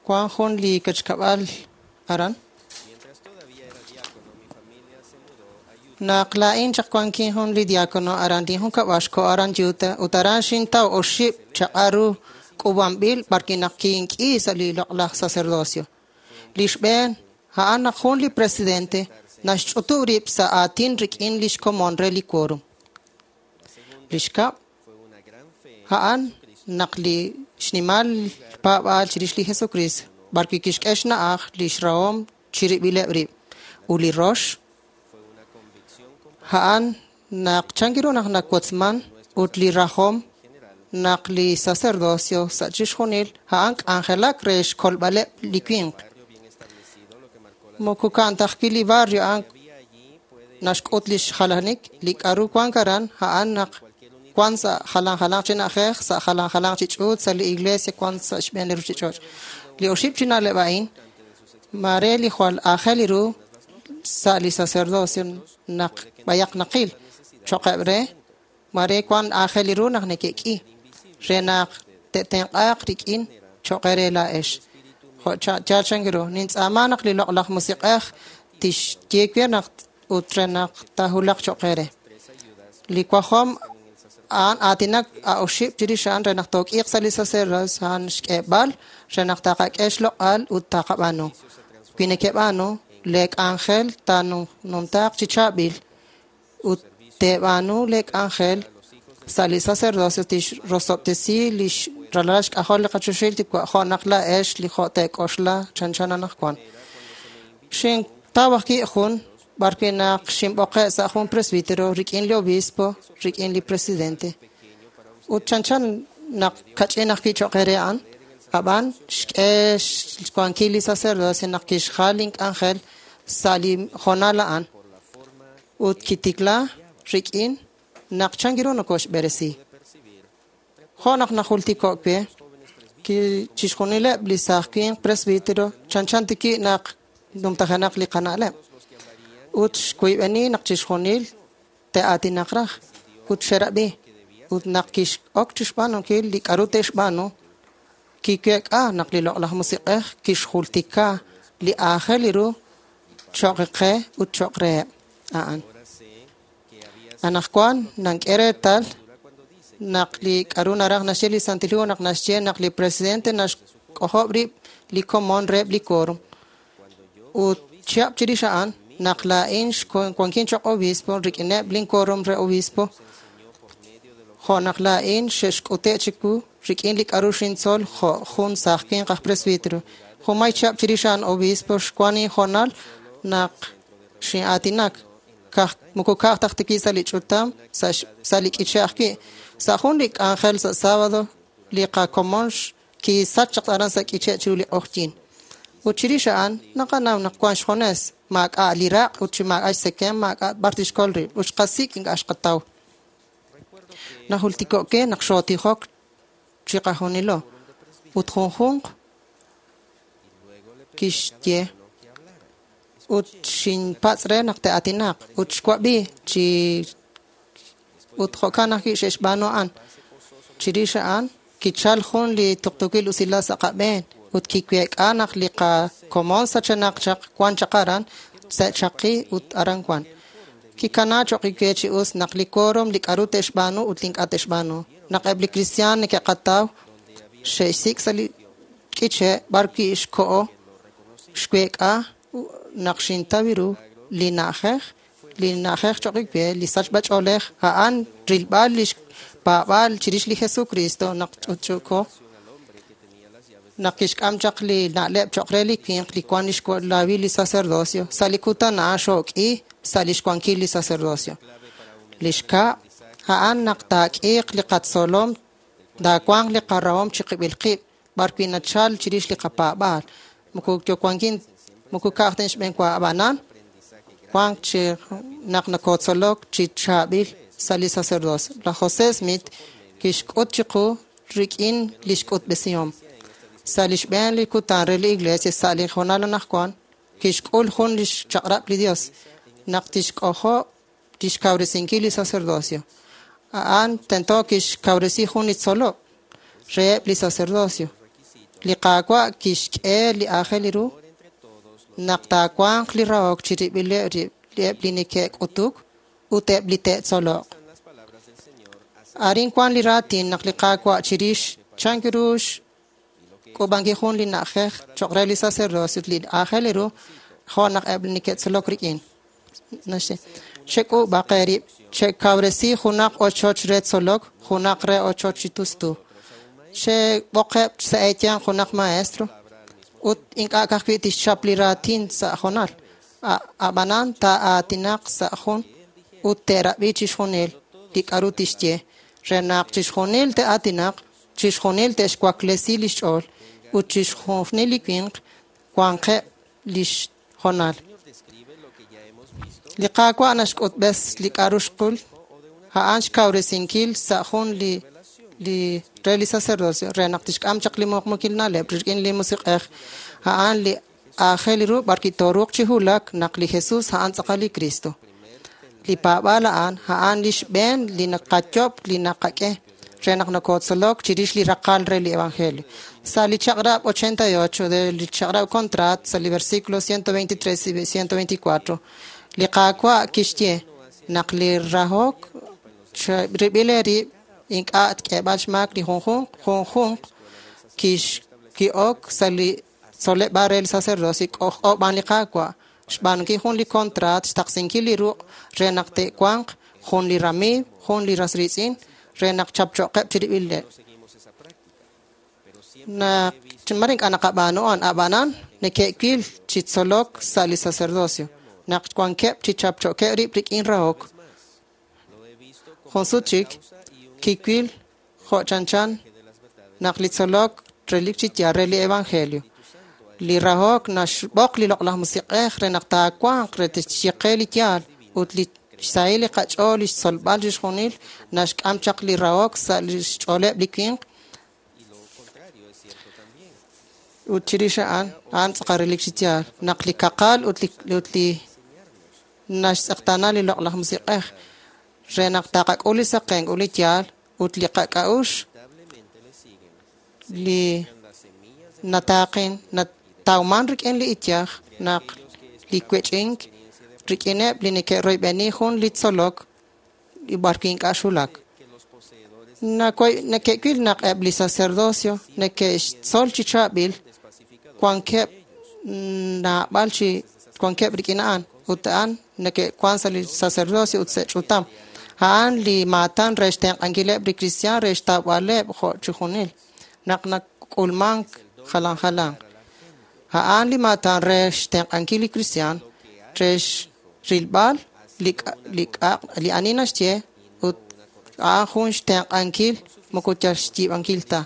Wank jun li kachkab'al aran. Naq laa'in chaq wankin jun li diakono aran linjunkab'al xkoho aran Utah ut aran xintaw oxib' chaq'al ru k'uub'anb'il b'arwi' naq kink'i sa' li loq'laj sacerdocio. Li xb'een, a'an naq jun li presidente naxch'utub' rib' sa' aatin rik'in lix komon re li quorum. Li xkab', a'an naq li xnimal paab'aal chirix li Jesukriist b'arwi' kixk'e xna'aj lix rahom chirib'ileb' rib'. Ut li rox, a'an naq chan ru naq nawotzman ut li rajom naq li sacerdocio sa' chixjunil a'an k'anjelak re xkolb'aleb' li winq. Moko ka'an ta ajwi' li barrio a'an naxk'ut lix jalanik li k'a'ru wank aran a'an naq wank sa' jalan jalanq chi na'ajej, sa' jalan jalanq chi ch'uut, sa' li iglesia wank sa' xb'een li ruchich'och'. Li oxib' chi na'leb' a'in mare li jwal aajel ru sa' li sacerdocio naq b'ayaq naqil cho'qeb' re mare wank aajel ru naq neke'k'i re naq te'tenq'aaq rik'in cho'q eere laa'ex. Jo' yaal chan ru nintz'aama naq li loq'laj musiq'ej tixye we naq ut re naq taahulaq cho'q eere. Li wajom a'an aatinak a oxib' chirix a'an re naq took'iiq sa' li sacerdocio a'an xk'eeb'al re naq taqak'e xloq'al ut taqab'aanu. Wi nekeb'aanu, lee k'anjel taanumtaaq chi chaab'il ut teeb'aanu lee k'anjel sa' li sacerdocio tixrosob'tesi lix ralal xk'ajol li qachoxahil Yuwa' jo' naq laa'ex li jo' teek'oxla chanchan anaqwan. Xintaw ajwi' jun b'arwi' naq xinb'oqe' sa' jun presbítero rik'in li obispo, rik'in li presidente. Ut chanchan naq kach'in ajwi' cho'q eere a'an, ab'an xk'e xwankil li sacerdocio naq kixjal link'anjel sa' li hoonal a'an. Ut kitikla rik'in naq chan ru nokoxb'eresi. Jo' naq najultiko' we, chixjunileb' li saaj winq presbítero chanchan tiki' naq numtajenaq li qana'leb'. Ut xwiib'eni naq chixjunil te'aatinaq raj ut xerab'i. Ut naq kix'ok chixb'aanunkil li k'a'ru te'xb'aanu, kiweek'a naq li loq'laj musiq'ej kixjultika li aajel ru cho'q qe ut cho'q reheb' a'an. Anaqwan nank'e reetal naq li k'a'ru naraj naxye li Santil Hu naq naxye naq li presidente naxk'ojob' rib' li komon reheb' li quorum. Ut chihab' chirix a'an naq laa'in wankin cho'q obispo rik'ineb' lin quorum re obispo, jo' naq laa'in xe'xk'ute' chiwu rik'in li k'a'ru xintzol jo' jun saaj winq aj presbítero. Junmay chihab' chirix a'an obispo xwan inhoonal naq xin'aatinak moko ka'aj taj tiki' sa' li ch'utam sa' li k'iche' ajwi'. Sa' jun li k'anjel sa' sábado li qakomon kisach chaq aran sa' k'iche' chiru li q'oqyink. Ut chirix a'an naqanaw naq wank xjunes, maak'a' li raq' ut chi maak'a' xtzekem, maak'a' b'ar tixkol rib' ut xqasik' ink'a' xqataw. Najultiko' ke naq xootijok chiqajunilo ut junjunq kixye ut xinpatz' re naq te'aatinaq ut xwab'i chi ut jo'kan ajwi' xe'xb'aanu a'an. Chirix a'an kichal jun li tuqtuukil usilal sa' qab'een ut kiweek'a naq li qakomon sachenaq chaq wan chaq aran sa' chaqi ut aran wan. Kikana cho'q we chi us naq li quorum li k'a'ru te'xb'aanu ut li ink'a' te'xb'aanu. Naq eb' li kristiaan neke'qataw xe'xsik' sa' li k'iche' b'arwi' xko'o xweek'a naq xintaw ru li na'ajej cho'q we li sachb'ach'oolej a'an rilb'al lix paab'aal chirix li Jesucristo naq ch'utch'uuko naq kixk'am chaq li na'leb' cho'q re li winq li wank lix laawil li sacerdocio sa' li kutan a'an xook'i sa' lix wankil li sacerdocio. Li xkab' a'an naq taak'iiq li qatzolom taawanq li qarahom chiqib'il qib' b'arwi' nachal chirix li qapaab'aal. Moko yowankin moko ka'aj ta xb'een wa ab'anan wank chi naq nakotzolok chi chaab'il sa' li sacerdocio. Laj José Smith kixk'ut chiqu rik'in lix k'utb'esihom. Sa' li xb'een li kutan re li iglesia sa' li hoonal anaqwan Kixk'ul jun lix chaq'rab' li Dios naq tixk'ojob' tixkawresinkil li sacerdocio. A'an tento kixkawresi jun li tzolok reheb' li sacerdocio. Li Qaawa' kixk'e li aajel ru naq taawanq li rahok chirib'ileb' rib' eb' li neke'k'utuk ut eb' li te'tzoloq. Arin wan li raatin naq li Qaawa' chirix chan ru xk'uub'ankil jun li na'ajej choq' re li sacerdocio ut li aajel ru jo' naq eb' li neke'tzolok rik'in. Naxye, chek'uub'aq eerib', chekawresi junaq ochoch re tzolok, junaq re ochoch chi tustu. Cheb'oqeb' sa' eeyanq junaq maestro ut ink'a' ka'ajwi' tixchap li raatin sa' jonal. Ab'anan taa'aatinaq sa' jun ut te'rab'i chixjunil li k'a'ru tixye, re naq chixjunil te'aatinaq, chixjunil te'xwaklesi lix ch'ool ut chixjunil li winq wanqeb' lix jonal. Li Qaawa' naxk'utb'es li k'a'ru xqul, a'an xkawresinkil sa' jun li re li sacerdocio re naq tixk'am chaq li muqmukil na'leb' rik'in li Musiq'ej, a'an li aajel ru b'arwi' tooruuq chi wulak naq li Jesus a'an tz'aqal li Cristo. Li paab'aal a'an, a'an li xb'een li naqayob' li naqak'e re naq nokotzolok chirix li raqal re li Evangelio. Sa' li chaq'rab' 88 de li chaq'rab' contrat, sa' li versículo 123 y 124, li Qaawa' kixye naq li rahok rib'il eerib' ink'a' tk'eeb'al xmaak li junjunq junjunq ki'ok sa' li tzoleb'aal re li sacerdocio k'ojk'o b'an li Qaawa' xb'aanunkil jun li contrat xtaqsinkil li ruq' re naq te'wanq jun li ramiiw, jun li ras riitz'in re naq chapcho'qeb' chirib'ileb'. Naq mare ink'a' naqab'aanu a'an, ab'anan neke'wil chi tzolok sa' li sacerdocio naq wankeb' chi chapcho'keb' rib' rik'in rahok. Jun sut chik kiwil jo' chanchan naq li tzolok relik chi yaal re li Evangelio. Li rahok naxb'oq li loq'laj Musiq'ej re naq taawanq re tixyeqe li yaal ut li xsahil li qach'ool li xtzolb'al chixjunil naxk'am chaq li rahok sa' li xch'ooleb' li winq ut chirix a'an a'an tz'aqal relik chi yaal naq li kaqal ut li naxtz'eqtaana li loq'laj Musiq'ej re naq taqak'ul li saqenk ut li yaal ut li qak'a'uxl li nataaqin natawman rik'in li iyaj naq li wech'ink rik'ineb' li neke'royb'eni jun li tzolok li b'arwi' ink'a' xwulak. Neke'wil naq eb' li sacerdocio neke'xtzol chi chaab'il wankeb' naab'al chi wankeb' rik'in a'an ut a'an neke'wan sa' li sacerdocio ut sa' ch'utam. A'an li maatan re xtenq'ankileb' li kristiaan re xtawb'aleb' jo' chixjunil naq nak'ulmank jalan jalan. A'an li maatan re xtenq'ankil li kristiaan re xrilb'al li ani naxye ut a'an jun xtenq'ankil moko yal xyiib'ankil ta.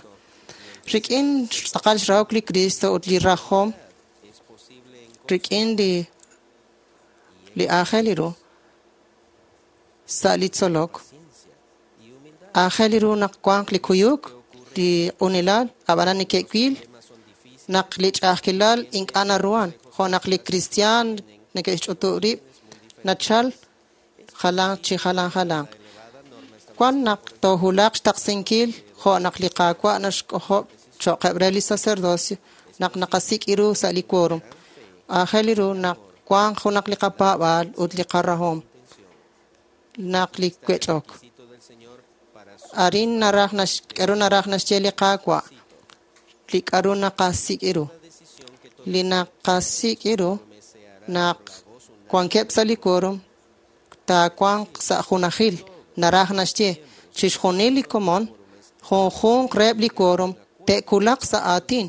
Rik'in tz'aqal xrahok li Cristo ut li rajom rik'in li aajel ru sa' li tzolok, aajel ru naq wanq li kuyuk, li q'unilal, ab'anan neke'wil naq li ch'a'ajkilal ink'a' naruhan, jo' naq li kristiaan neke'xch'utub' rib' nachal jalan chi jalan jalan. Wan naq toohulaq xtaqsinkil jo' naq li Qaawa' naxk'ojob' cho'qeb' re li sacerdocio naq naqasik' ru sa' li quórum. Aajel ru naq wanq junaq li qapaab'aal ut li qarahom naq li wech'ok. Arin naraj k'aru naraj naxye li Qaawa' li k'aru naqasik' ru. Li naqasik' ru naq wankeb' sa' li quórum taawanq sa' junajil naraj naxye chixjunil li komon junjunq reheb' li quórum te'kulaq sa' aatin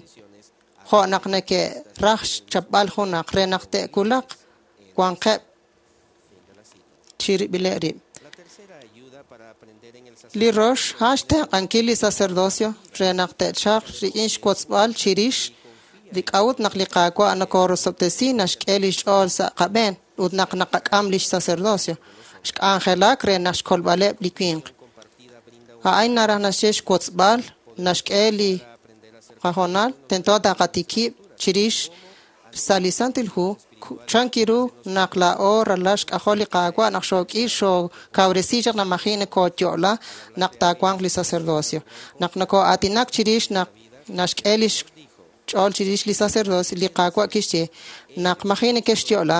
jo' naq neke'raj xchapb'al junaq re naq te'kulaq wanqeb' chirib'ileb' rib'. Li rox a'an xtenq'ankil li sacerdocio re naq te'chalq rik'in xwotzb'al chirix li k'a'ut naq li Qaawa' nokorosob'tesi naxk'e lix ch'ool sa' qab'een ut naq naqak'am lix sacerdocio xk'anjelak re naq xkolb'aleb' li winq. A'in naraj naxye xwotzb'al naxk'e li qajonal tento taqatikib' chirix Sa' li Santil Hu, chan kiru naq laa'o ralal xk'ajol li Qaawa' naq xook'i xookawresi chaq naq maji' nokooyo'la naq taawanq li sacerdocio. Naq nokoo'aatinak chirix naq naxk'e lix ch'ool chirix li sacerdocio, li Qaawa' kixye naq maji' nekexyo'la,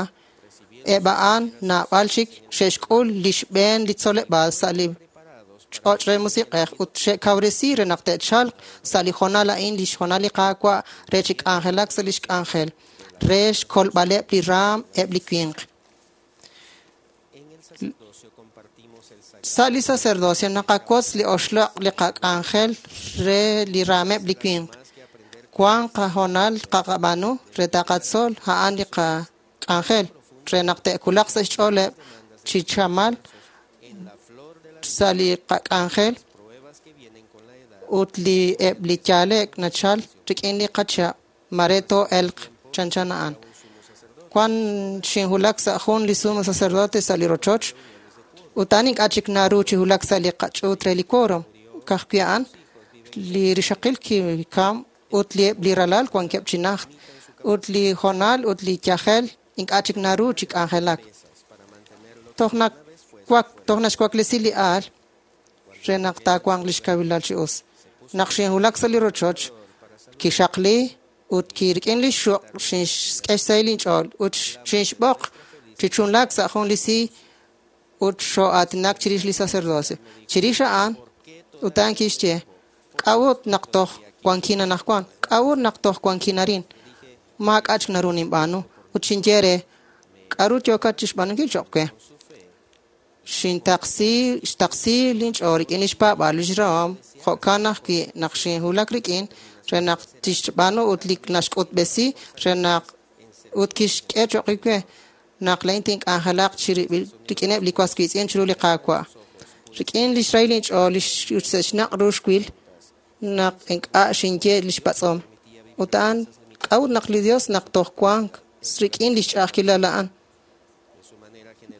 eb' a'an naab'al chik xe'xk'ul li xb'een li tzoleb'aal sa' li ch'och' re musiq'ej ut xe'kawresi re naq te'chalq sa' li hoonal a'in li xhoonal li Qaawa' re chi k'anjelak sa' lix k'anjel re xkolb'aleb' li raam eb' li winq. Sa' li sacerdocio naqawotz li oxloq' li qak'anjel re li raameb' li winq. Wan qahoonal qaqab'aanu re taqatzol a'an li qak'anjel re naq te'wulaq sa' xch'ooleb' chi chamal sa' li qak'anjel ut li eb' li yaale'k nachal rik'in li qachihab' mare too'elq chanchan a'an. Wan xinwulak sa' jun li sumo sacerdote sa' li rochoch ut a'an ink'a' chik naru chi wulak sa' li qach'uut re li quórum. Ka'ajwi' a'an li rixaqil kikam ut li eb' li ralal wankeb' chi najt ut li hoonal ut li yajel ink'a' chik naru chi k'anjelak. Toj naxwaklesi li aal re naq taawanq lix kawilal chi us. Naq xinwulak sa' li rochoch, kixaqli ut rik'in li xuq' xinxk'e xsahil inch'ool ut xinxb'oq chi chunlaak sa' jun li siiy ut xoo'aatinak chirix li sacerdocio. Chirix a'an, ut a'an kixye, k'a'ut naq toj wankin anaqwan, k'a'ut naq toj wankin arin, maak'a' chik naru ninb'aanu. Ut xinye re, k'a'ru yookat chixb'aanunkil choq' we? Xintaqsi xtaqsi linch'ool rik'in lix paab'aal lix rahom, jo'kan ajwi' naq xinwulak rik'in re naq tixb'aanu ut li naxk'utb'esi re naq ut kixk'e choq' we naq laa'in tink'anjelaq rik'ineb' li was wiitz'in chiru li Qaawa'. Rik'in lix rahil inch'ool ut sa' xnaq' ru xwil naq ink'a' xinye lix patz'om. Ut a'an k'a'ut naq li Dios naq toj wank rik'in lix ch'a'ajkilal a'an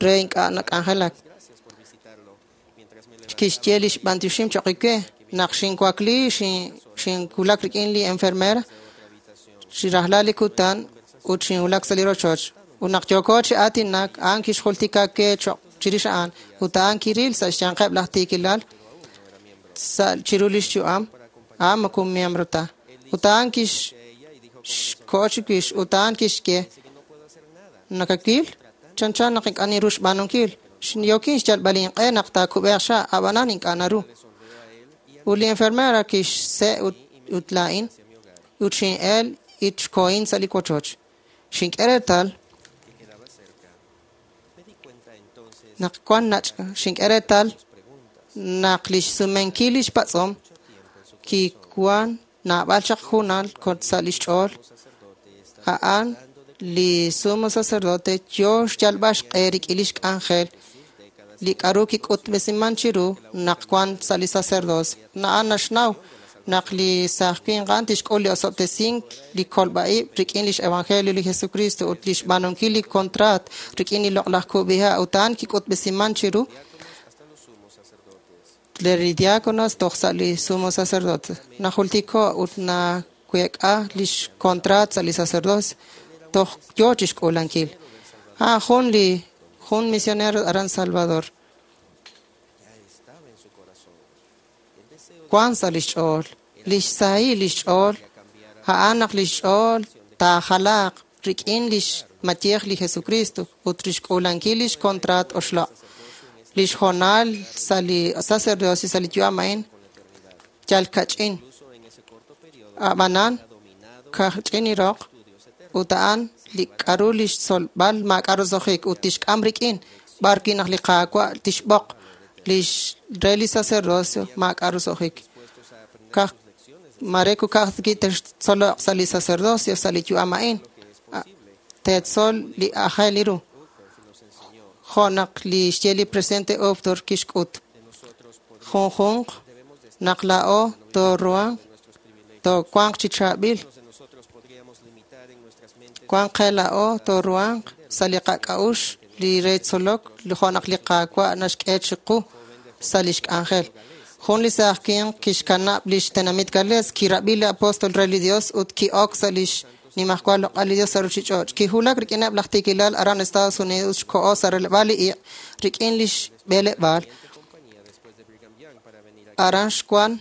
re ink'a' nak'anjelak. Kixye lix b'antioxim choq' we naq xinwakli xinwulak rik'in li enfermera chi rajlal li kutan ut xinwulak sa' li rochoch. Ut naq yooko chi aatinak, a'an kixjultika we choq' chirix a'an ut a'an kiril sa' xyanqeb' laj tiikilal sa' chiru lix yu'am, a'an moko miembro ta. Ut a'an kixko'o chiwix ut a'an kixye, nakawil chanchan naq ink'a' ninru xb'aanunkil. Yookin xyalb'al inq'e naq taakub'eeq xa', ab'anan ink'a' naru. Ut li enfermera kixse' ut laa'in ut xin'el ut xkohin sa' li wochoch. Xink'e reetal naq wan nach' xink'e reetal naq lix sumenkil lix patz'om kiwan naab'al chaq junal sa' lix ch'ool. A'an li sumo sacerdote yoo xyalb'al xq'e rik'in lix k'anjel li k'a'ru kik'utb'esiman chiru naq wan sa' li sacerdocio. A'an naxnaw naq li saaj winq a'an tixk'ul li osob'tesink li kolb'a'ib' rik'in lix evangelio li Jesucristo ut lix b'aanunkil li contrat rik'in li loq'laj kub'iha' ut a'an kik'utb'esiman chiru li diáconos toj sa' li sumo sacerdote. Najultiko ut naweek'a lix contrat sa' li sacerdocio toj yoo chixk'uulankil. A'an jun misionero aran Salvador. Wan sa' lix ch'ool, lix sahil lix ch'ool, a'an naq lix ch'ool taajalaaq rik'in lix mayej li Jesucristo ut rixk'uulankil lix contrat oxloq'. Lix hoonal sa' li sacerdocio sa' li yu'am a'in yal kach'in. Ab'anan kach'in iroq ut a'an li k'a'ru lix tzolb'al maak'a' roso'jik ut tixk'am rik'in b'ar wi' naq li Qaawa' tixb'oq lix re li sacerdocio maak'a' roso'jik. Mare kukaj textzoloq sa' li sacerdocio sa' li yu'am a'in teetzol li aajel ru. Jo' naq li xye li presidente Uchtdorf kixk'ut. Junjunq naq laa'o tooruhanq toowanq chi chaab'il. Wanq qe laa'o tooruhanq sa' li qak'a'uxl li re tzolok jo' naq li Qaawa' naxk'e chiqu sa' lix k'anjel. Jun li saaj winq kixkanab' lix tenamit Gales, kirab'i li apóstol re li Dios ut ki'ok sa' lix Nimajwal loq'al li Dios sa' ruchich'och'. Kiwulak rik'ineb' laj tiikilal aran Estados Unidos xkoho sa' releb'aal li iq' rik'in lix b'eleb'aal. Aran xwan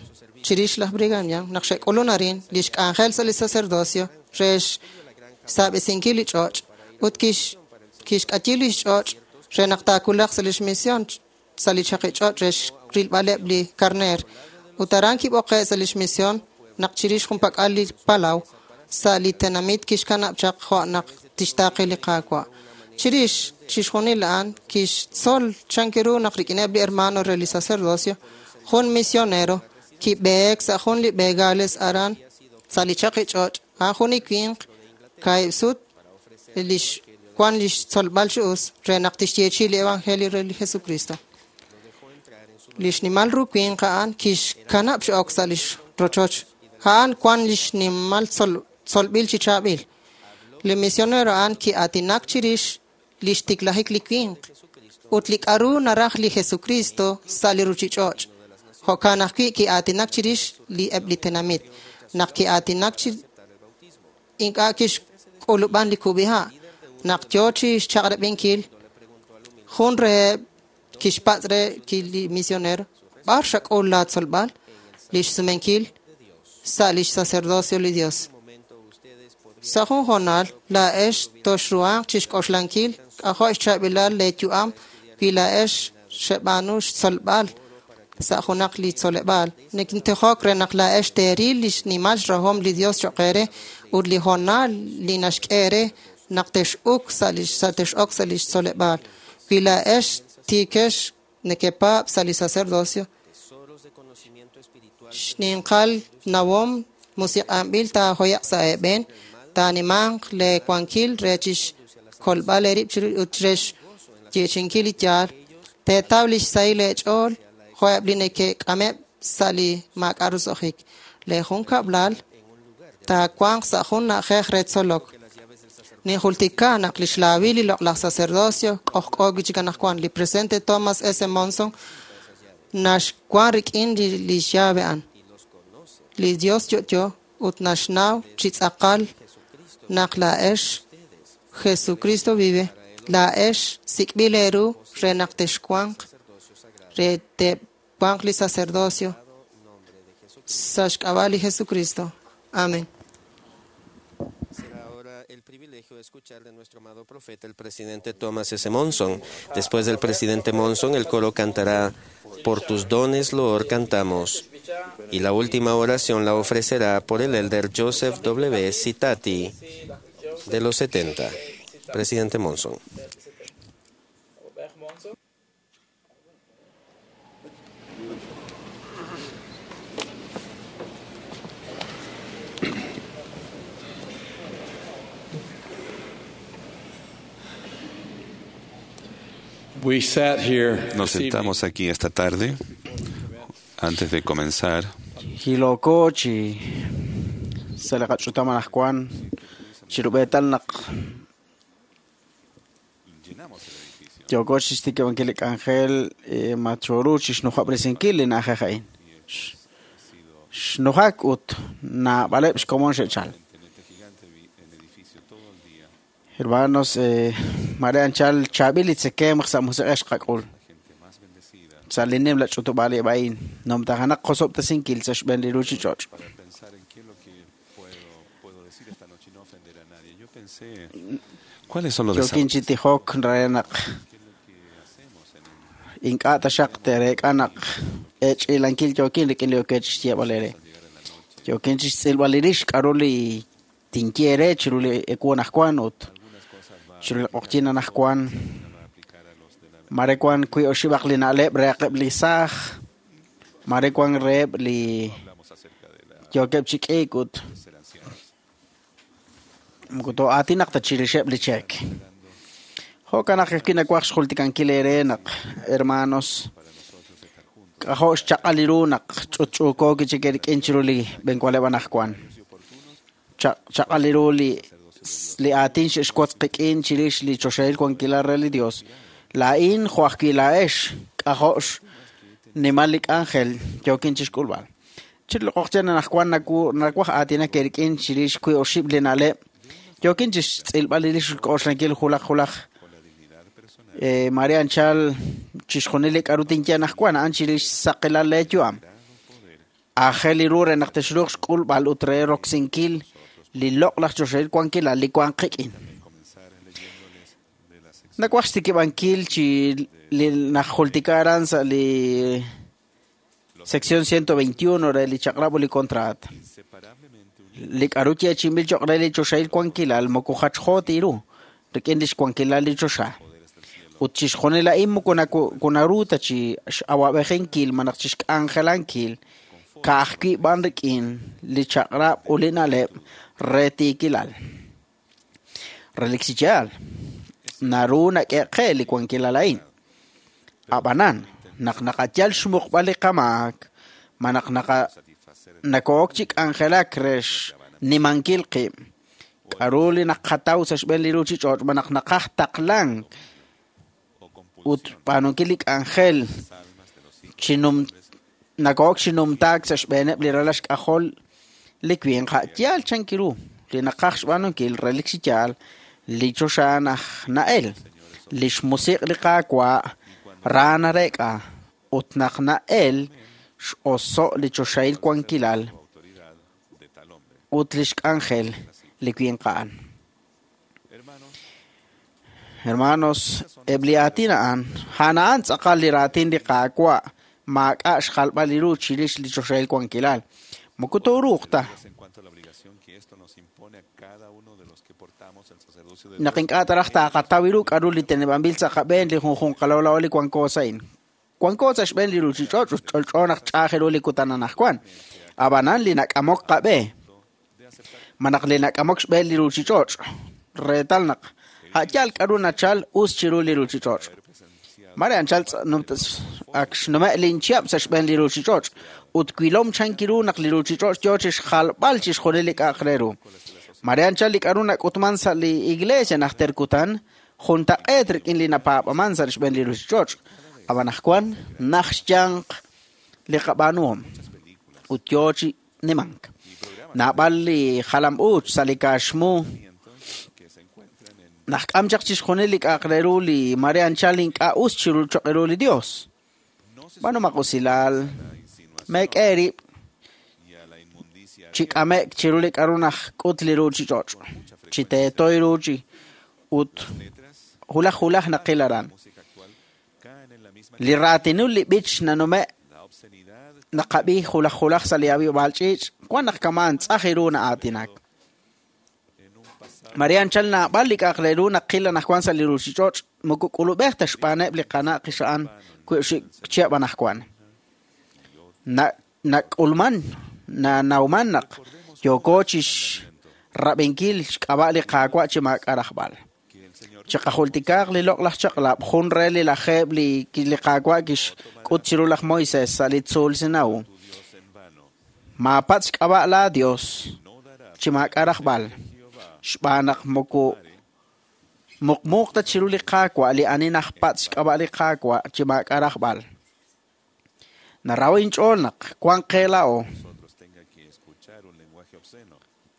chirix laj Brigham Young naq xe'k'ulun arin lix k'anjel sa' li sacerdocio re xsaab'esinkil li ch'och' ut kixk'ayi lix ch'och' re naq taawulaq sa' lix misión sa' li chaqi ch'och' re xrilb'aleb' li karneer. Ut aran kib'oqe' sa' lix misión naq chirix junpak'al li palaw sa' li tenamit kixkanab' chaq jo' naq tixtaaqe li Qaawa'. Chirix chixjunil a'an kixtzol chan ru naq rik'ineb' li hermano re li sacerdocio, jun misionero kib'eek sa' jun li b'e Gales aran sa' li chaqi ch'och' a'an jun li winq kaahib' sut lix wan lix tzolb'al chi us re naq tixyeechi li evangelio re li Jesucristo. Lix nimal ru winq a'an kixkanab' chi ok sa' lix rochoch. A'an wan lix nimal tzolb'il chi chaab'il. Li misionero a'an ki'aatinak chirix lix tiklajik li winq ut li k'a'ru naraj li Jesucristo sa' li ruchich'och'. Jo'kan ajwi' ki'aatinak chirix li eb' li tenamit. Naq ki'aatinak chi ink'a' kixk'ulub'an li kub'iha'. Naq yo chi xchaq'rab'inkil, jun reheb' kixpatz' re li misionero, b'ar xak'ul la tzolb'al? Lix sumenkil sa' lix sacerdocio li Dios. Sa' jun hoonal, laa'ex toxruhanq chixk'oxlankil k'ajo' xchaab'ilal leeyu'am wi laa'ex xeb'aanu xtzolb'al sa' junaq li tzoleb'aal. Nikintijok re naq laa'ex teeril lix nimal xrahom li Dios cho'q eere ut li hoonal li naxk'e eere naq tex'uk sa' lix tex'ok sa' lix tzoleb'aal. Wi laa'ex tiikex nekepaab' sa' li sacerdocio, xninqal nawom musiq'anb'il taajoye'q sa' eeb'een, taanimanq leewankil re chixkolb'al eerib' ut re xyeechi'inkil li yaal. Teetaw lix sahil eech'ool jo'eb' li neke'k'ameb' sa' li maak'a' roso'jik. Lee junkab'lal taawanq sa' jun na'ajej re tzolok. Ninjultika naq lix laawil li loq'laj sacerdocio k'ojk'o wi' chik anaqwan. Li presidente Thomas S. Monson naxwan rik'in li llave a'an. Li Dios yo'yo ut naxnaw chi tz'aqal naq laa'ex Jesucristo vive. Laa'ex sik'b'il eeru re naq texwanq re te'wanq li sacerdocio sa' xk'ab'a' li Jesucristo. Amén. Será ahora el privilegio de escuchar de nuestro amado profeta, el presidente Thomas S. Monson. Después del presidente Monson, el coro cantará Por tus dones, loor, cantamos. Y la última oración la ofrecerá por el elder Joseph W. Citati, de los 70. Presidente Monson. We sat here Nos sentamos aquí esta tarde antes de comenzar. Hiloko chi sa' li qach'utam anaqwan chirub'eetal naq yooko chixtikib'ankil li k'anjel machoru chixnujob'resinkil li na'ajej a'in. Xnujak ut naab'aleb' xkomon xe'chal. Hermanos, mare anchal chaab'il li tzekemq sa' musiq'ej xqak'ul. Sa' li nim la ch'utub'aaleb' a'in, numtajanaq qosob'tesinkil sa' xb'een li ruchich'och'. Para pensar en qué es lo que puedo decir esta noche y no ofender a nadie. Yo pensé, ¿cuáles son los Yokin desafíos? chi tijok re naq ink'a' taxaq tereek'a naq ech'ilankil yokin rik'in li yookeb' chixyeeb'al eere. Yokin chixtz'ilb'al li rix k'a'ru li tinye eere chiru li ewu anaqwan ut chiru li q'oqyin anaqwan. Mare wan wi oxib'aq li na'leb' rehaqeb' li saaj, mare wan reheb' li yookeb' chi k'iik ut moko too'aatinaq ta chirixeb' li cheek. Jo'kan naq ajwi' nawaj xjultikankil eere naq, hermanos, k'ajo' xchaq'al li ru naq ch'utch'uuko wi' chik eerik'in chiru li b'enwaleb' anaqwan. Chaq'al li ru li aatin xe'xwotz qik'in chirix li choxahil wankilal re li Dios. Laa'in jo' ajwi' laa'ex k'ajo' xnimal li k'anjel yookin chixk'ulb'al. Chiru li q'oqyin anaqwan nawaj aatinak eerik'in chirix wi' oxib' li na'leb' Yookin chi xtz'ilb'al li xk'oxlankil julaj julaj Maria anchal chixjunil li k'a'ru tinye anaqwan a'an chirix xsaqilal leeyu'am. Aajel li ru re naq texruuq xk'ulb'al ut re roksinkil li loq'laj choxahil wankilal li wank qik'in. Nawaj xtikib'ankil chi li najultika aran sa' li sección 121 re li chaq'rab' ut li contrat. Li k'a'ru yeechi'inb'il cho'q re li choxahil wankilal moko jachjo ta ru rik'in lix wankilal li choxa. Ut chixjunil a'in moko naru ta chi x'awab'ejinkil malaj chi xk'anjelankil ka'ajwi' b'an rik'in li chaq'rab' ut li na'leb' re tiikilal. Relik chi yaal, naru nak'e qe li wankilal a'in. Ab'anan, naq naqayal xmuqb'al li qamaak, malaj nako'ok chi k'anjelak re xnimankil qib', k'a'ru li naqataw sa' xb'een li ruchich'och' malaj naqaj taqlank ut b'aanunkil li k'anjel nako'ok chi numtaak sa' xb'eeneb' li ralal xk'ajol li winq a' yaal chank ru li naqaj xb'aanunkil relik chi yaal li choxa naj na'el li xmusiq' li Qaawa' ra nareek'a ut naq na'el x'oso' li choxahil wankilal ut lix k'anjel li winq a'an. Hermanos, eb' li aatin a'an, a'an a'an tz'aqal li raatin li Qaawa' maak'a' xjalb'al li ru chirix li choxahil wankilal. Moko tooruuq ta. Naq ink'a' taraj taaqataw ru k'a'ru li teneb'anb'il sa' qab'een li junjunq qalawlaw li wanko sa' a'in. Wanko sa' xb'een li ruchich'och' ut ch'olch'o naq ch'aaj ru li kutan anaqwan. Ab'anan li nak'amok qab'e, malaj li nak'amok xb'een li ruchich'och', reetal naq a' yaal k'a'ru nachal us chiru li ruchich'och'. Mare anchal ak xnume' linchihab' sa' xb'een li ruchich'och' ut wilom chank ru naq li ruchich'och' yo chi xjalb'al chixjunil li k'a'aq re ru. Mare anchal li k'a'ru nak'utman sa' li iglesia najter kutan juntaq'eet rik'in li napaab'aman sa' xb'een li ruchich'och'. Ab'an anaqwan naj xyanq li qab'aanuhom ut yo chi nimank. Naab'al li jalam uuch sa' li kaaxmu najk'am chaq chixjunil li k'a'aq re ru li mare anchal ink'a' us chiru cho'q ru li Dios. B'aanumaq usilal, meek'e eerib' chi k'ame'k chiru li k'a'ru najk'ut li ruchich'och', chi teetoy ru chi ut hulaj hulaj naqil aran. Li raatinul li b'ich nanume' naqab'i hulaj hulaj sa' li ab'ib'aal ch'iich' wan naq kama'an tz'aj ru na'aatinak. Maria anchal naab'al li k'a'aq re ru naqil anaqwan sa' li ruchich'och' moko k'ulub'ej ta xb'aaneb' li qana' qixa'an chihab' anaqwan. Nak'ulman nanawman naq yooko chi xrab'inkil xk'ab'a' li Qaawa' chi maak'a' rajb'al. Chiqajultikaaq li loq'laj chaq'lab' jun re li lajeeb' li Qaawa' kixk'ut chiru laj Moisés sa' li tzuul Sinau. Maapatz' xk'ab'a' laa Dios chi maak'a' rajb'al, xb'aan naq moko muqmuuq ta chiru li Qaawa' li ani najpatz' xk'ab'a' li Qaawa' chi maak'a' rajb'al. Naraw inch'ool naq wank qe laa'o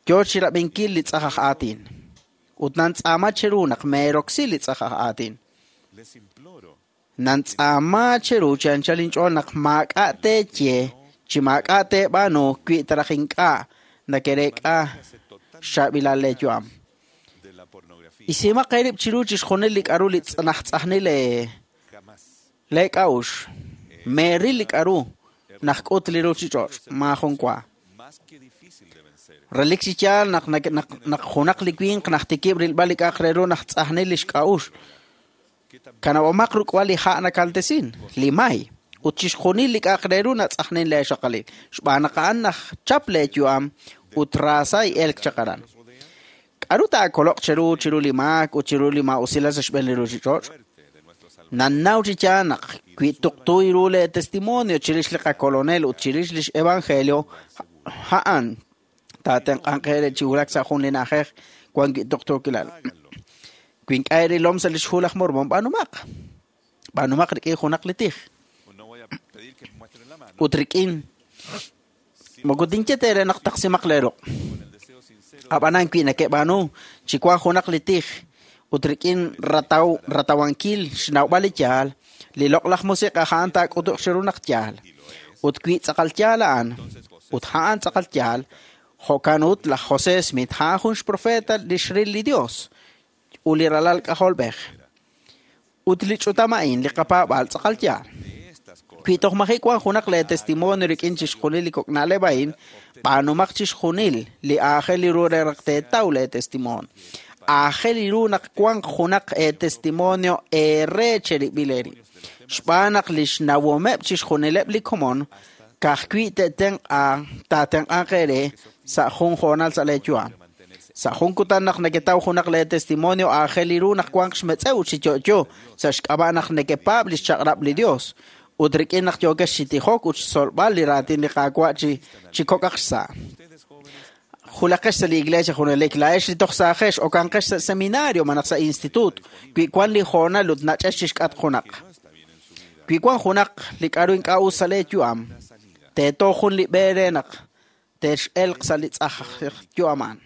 yo chi rab'inkil li tz'aj aj aatin. Ut nantz'aama cheru naq meeroksi li tz'aj aj aatin. Nantz'aama cheru chi anchal inch'ool naq maak'a' teeye chi maak'a' teeb'aanu wi taraj ink'a' nakereek'a xchaab'ilal leeyu'am. Isimaq eerib' chiru chixjunil li k'a'ru li najtz'ajnil leek'a'uxl. Meeril li k'a'ru najk'ut li ruchich'och' maajun wa. Relik chi yaal naq naq junaq li winq najtikib' rilb'al li k'a'aq re ru najtz'ajnil li xk'a'uxl. Kanab'omaq ruk'b'al li ha' nakaltesin, li may, ut chixjunil li k'a'aq re ru natz'ajnin leexaqalil, xb'aan naq a'an najchap leeyu'am ut raasa elk chaq aran. K'a'ru taakoloq cheru chiru li maak ut chiru li maa'usilal sa' xb'een li ruchich'och'? Nannaw chi yaal naq wi tuqtu ru lee testimonio chirix li qakolonel ut chirix lix evangelio, a'an taatenq'anq eere chi wulak sa' jun li na'ajej wan wi' tuqtuukilal. Wi ink'a' eerilom sa' lix hu laj Mormon, b'aanumaq. B'aanumaq rik'in junaq li tij. Ut rik'in moko tinye teere naq taqsimaq lee ruq'. Ab'anan wi nakeb'aanu chi wank junaq li tij ut rik'in ratawankil xnawb'al li yaal, li loq'laj musiq'ej a'an taak'utuq chiru naq yaal. Ut wi tz'aqal yaal a'an, ut a'an tz'aqal yaal, jo'kan ut laj José Smith a'an jun xprofeta li xril li Dios ut li ralal k'ajolb'ej. Ut li ch'utam a'in li qapaab'aal tz'aqal yaal. Wi toj maji' wank junaq lee testimonio rik'in chixjunil li kok' na'leb' a'in, b'aanumaq chixjunil li aajel ru re naq teetaw lee testimonio. Aajel ru naq wanq junaq eetestimonio eere cherib'il eerib'. Xb'aan naq li xnawomeb' chixjunileb' li komon ka'ajwi' taatenq'anq eere sa' jun hoonal sa' lee yu'am. Sa' jun kutan naq neketaw junaq lee testimonio aajel ru naq wanq xmetz'ew chi yo'yo sa' xk'ab'a' naq nekepaab' li xchaq'rab' li Dios ut rik'in naq yookex chi tijok ut xtzolb'al li raatin li Qaawa' chi kok'aq xsa'. Julaqex sa' li iglesia junelik, laa'ex li toj saajex okanqex sa' seminario malaj sa' instituto wi wan li hoonal ut nach'ex chixk'atq junaq. Wi wan junaq li k'a'ru ink'a' us sa' lee yu'am, teeto jun li b'e re naq tex'elq sa' li tz'aj yu'aman.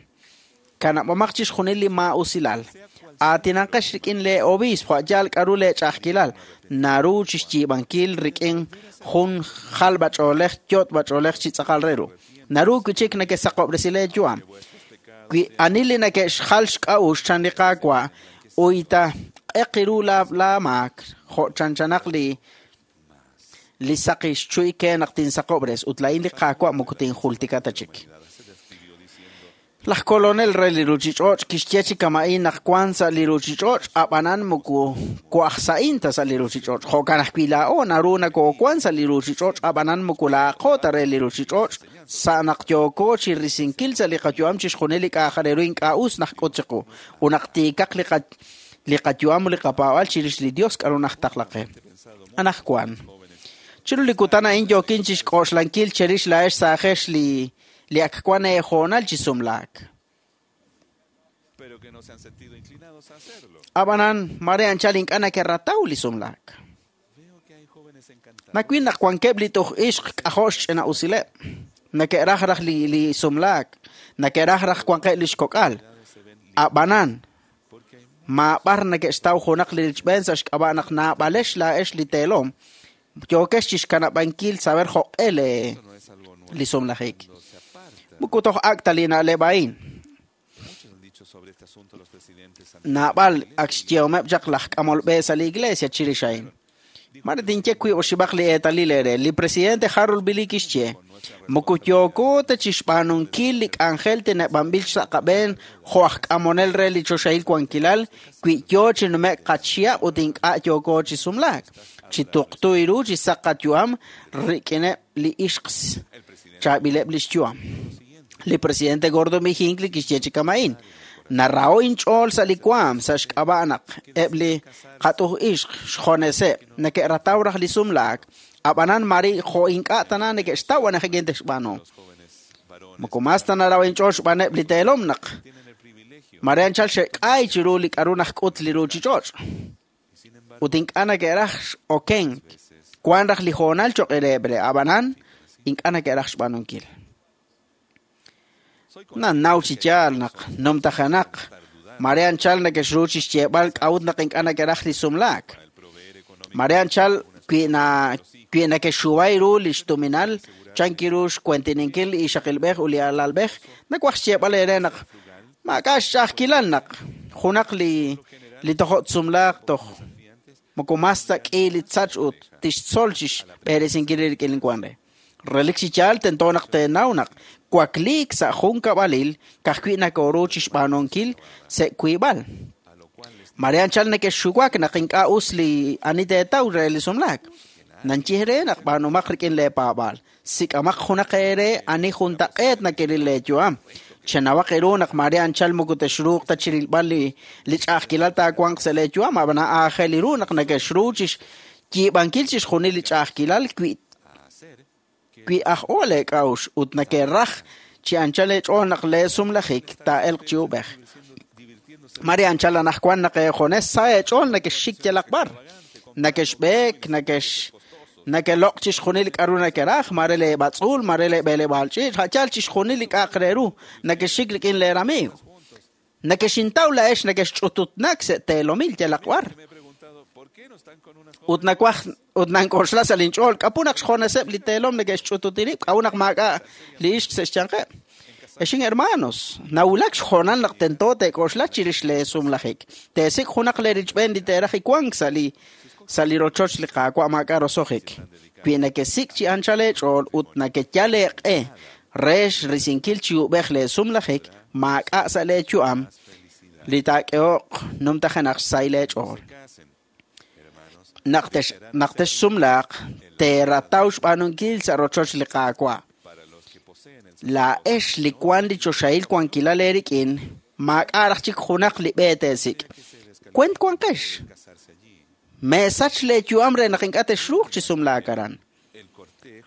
Kanab'omaq chixjunil li maa'usilal. Aatinanqex rik'in lee obispo a'yaal k'a'ru lee ch'a'ajkilal naru chixyiib'ankil rik'in jun jalb'ach'oolej yot'b'ach'oolej chi tz'aqal re ru. Naru wi' chik nekesaqob'resi lee yu'am. Wi ani li neke'xjal xk'a'uxl chan li Qaawa' uyta q'eq ru laa maak jo' chanchanaq li saqi xchuy ke naq tinsaqob'res ut laa'in li Qaawa' moko tinjultika ta chik. Laj kolonel re li ruchich'och' kixye chi kama'in naq wan sa' li ruchich'och' ab'anan moko wa'aj sa'in ta sa' li ruchich'och'. Jo'kan ajwi' laa'o naru nakoowan sa' li ruchich'och' ab'anan moko laaqo ta re li ruchich'och' sa' naq yooko chi risinkil sa' li qayu'am chixjunil li k'a'aj re ru ink'a' us naq k'ut chiqu ut naq tiikaq li qayu'am ut li qapaab'al chirix li Dios k'aru najtaqla qe. Anaqwan chiru li kutan a'in yookin chixk'oxlankil cherix laa'ex saajex li ak wan eehoonal chi sumlaak. Ab'anan mare anchal ink'a' nakerataw li sumlaak. Nawil naq wankeb' li toj ixq k'ajo' xch'ina'usileb'. Neke'raj raj li sumlaak, neke'raj raj wanqeb' li xkok'al. Ab'anan maab'ar neke'xtaw junaq li richb'een sa' xk'ab'a' naq naab'alex laa'ex li teelom yookex chixkanab'ankil saber jo'q'e li sumlajik. Moko toj ak' ta li na'leb' a'in. Naab'al ak xyehomeb' chaq laj k'amol b'e sa' li iglesia chirix a'in. Mare tinye wiib' oxib'aq li eetalil eere. Li presidente Harold B. Lee kixye, moko yooko ta chixb'aanunkil li k'anjel teneb'anb'il sa' qab'een jo' aj k'amonel re li choxahil wankilal wi yoo chi nume'k qachihab' ut ink'a' yooko chi sumlaak. Chi tuqtu ru chi saq qayu'am rik'ineb' li ixq chaab'ileb' li xyu'am. Li presidente Gordon B. Hinckley kixye chi kama'in, narao inch'ool sa' li waam sa' xk'ab'a' naq eb' li qat'uj ixq xjoneseb' neke'rataw raj li sumlaak, ab'anan mari jo' ink'a' tana neke'xtaw anajik texb'aanu. Moko mas ta narao inch'ool xb'aaneb' li teelom naq mare anchal xe'k'ay chiru li k'aru najk'ut li ruchich'och'. Ut ink'a' neke'raj x'okenk wan raj li hoonal cho'q reheb' re ab'anan ink'a' neke'raj xb'aanunkil. Nanaw chi yaal naq numtajenaq mare anchal neke'xru chixyeeb'al k'a'ut naq ink'a' neke'raj li sumlaak. Mare anchal wi neke'xuway ru li xtuminal chanki ru xkuentininkil li ixaqilb'ej ut li alalb'ej nawaj xyeeb'al eere naq maak'a' xch'a'ajkilal naq junaq li tojo' tsumlaaq toj moko mas ta k'i li tzach ut tixtzol chixb'eresinkil rik'in li wan re. Relik chi yaal tento naq teenaw naq wakliik sa' jun kab'alil ka'ajwi' nakoru chixb'aanunkil sa' wiib'al. Mare anchal neke'xuwak naq ink'a' us li ani teetaw re li sumlaak. Nanchih re naq b'aanumaq rik'in lee paab'aal. Sik'amaq junaq eere ani juntaq'eet nakeril lee yu'am. Chenawaq eeru naq mare anchal moko texruuq ta chirilb'al li ch'a'ajkilal taawanq sa' lee yu'am ab'an aajel ru naq neke'xru chixyiib'ankil chixjunil li ch'a'ajkilal wi aj o leek'a'uxl ut neke'raj chi anchal eech'ool naq lee sumlajik taa'elq chi ub'ej. Mare anchal anaqwan naq eejones sa eech'ool neke'xxik yalaq b'ar. Neke'xb'eek, Nakeloq' chixjunil li k'aru nekeraj, mare leeb'atz'uul, mare leeb'eleb'aal ch'iich', a' yaal chixjunil li k'a'aq re ru nakexxik rik'in leeramiiw. Nakexintaw laa'ex nakexch'ututnak sa' teelomil yalaq b'ar. Ut nawaj ut nank'oxla sa' linch'ool k'apu naq xjoneseb' li teelom neke'xch'ututi rib', k'a'ut naq maak'a' li ixq sa' xyanqeb'. Exin hermanos, nawulak xjoonal naq tento teek'oxla chirix leesumlajik. Teesik' junaq leerichb'een li teeraj wank sa' li rochoch li Qaawa' maak'a' roso'jik. Wi nekesik' chi anchal eech'ool ut nekeyal eeq'e re xrisinkil chi ub'ej leesumlajik, maak'a' sa' leeyu'am li taak'ehoq numtajenaq xsahil eech'ool. Naq texsumlaaq, teerataw xb'aanunkil sa' rochoch li Qaawa'. Laa'ex li wank li choxahil wankilal eerik'in, maak'a' raj chik junaq li b'e teesik'. Kuent wanqex. Meesach leeyu'am re naq ink'a' texruuq chi sumlaak aran.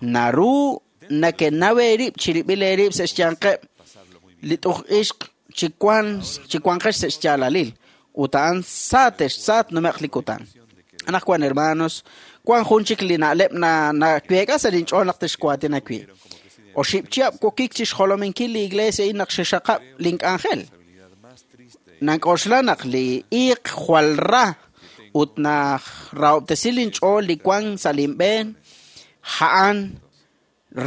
Naru nakenaw eerib' chirib'il eerib' sa' xyanqeb' li t'uj ixq chi wanqex sa' xyaalalil, ut a'an sa tnume'q li kutan. Anaqwan hermanos, wank jun chik li na'leb' naweek'a sa' linch'ool naq texwaatina wi'. Oxib' chihab' wokik chi xjolominkil li iglesia a'in naq xexaqab' link'anjel. Nank'oxla naq li iiq jwal ra ut narahob'tesi linch'ool li wank sa' linb'een, a'an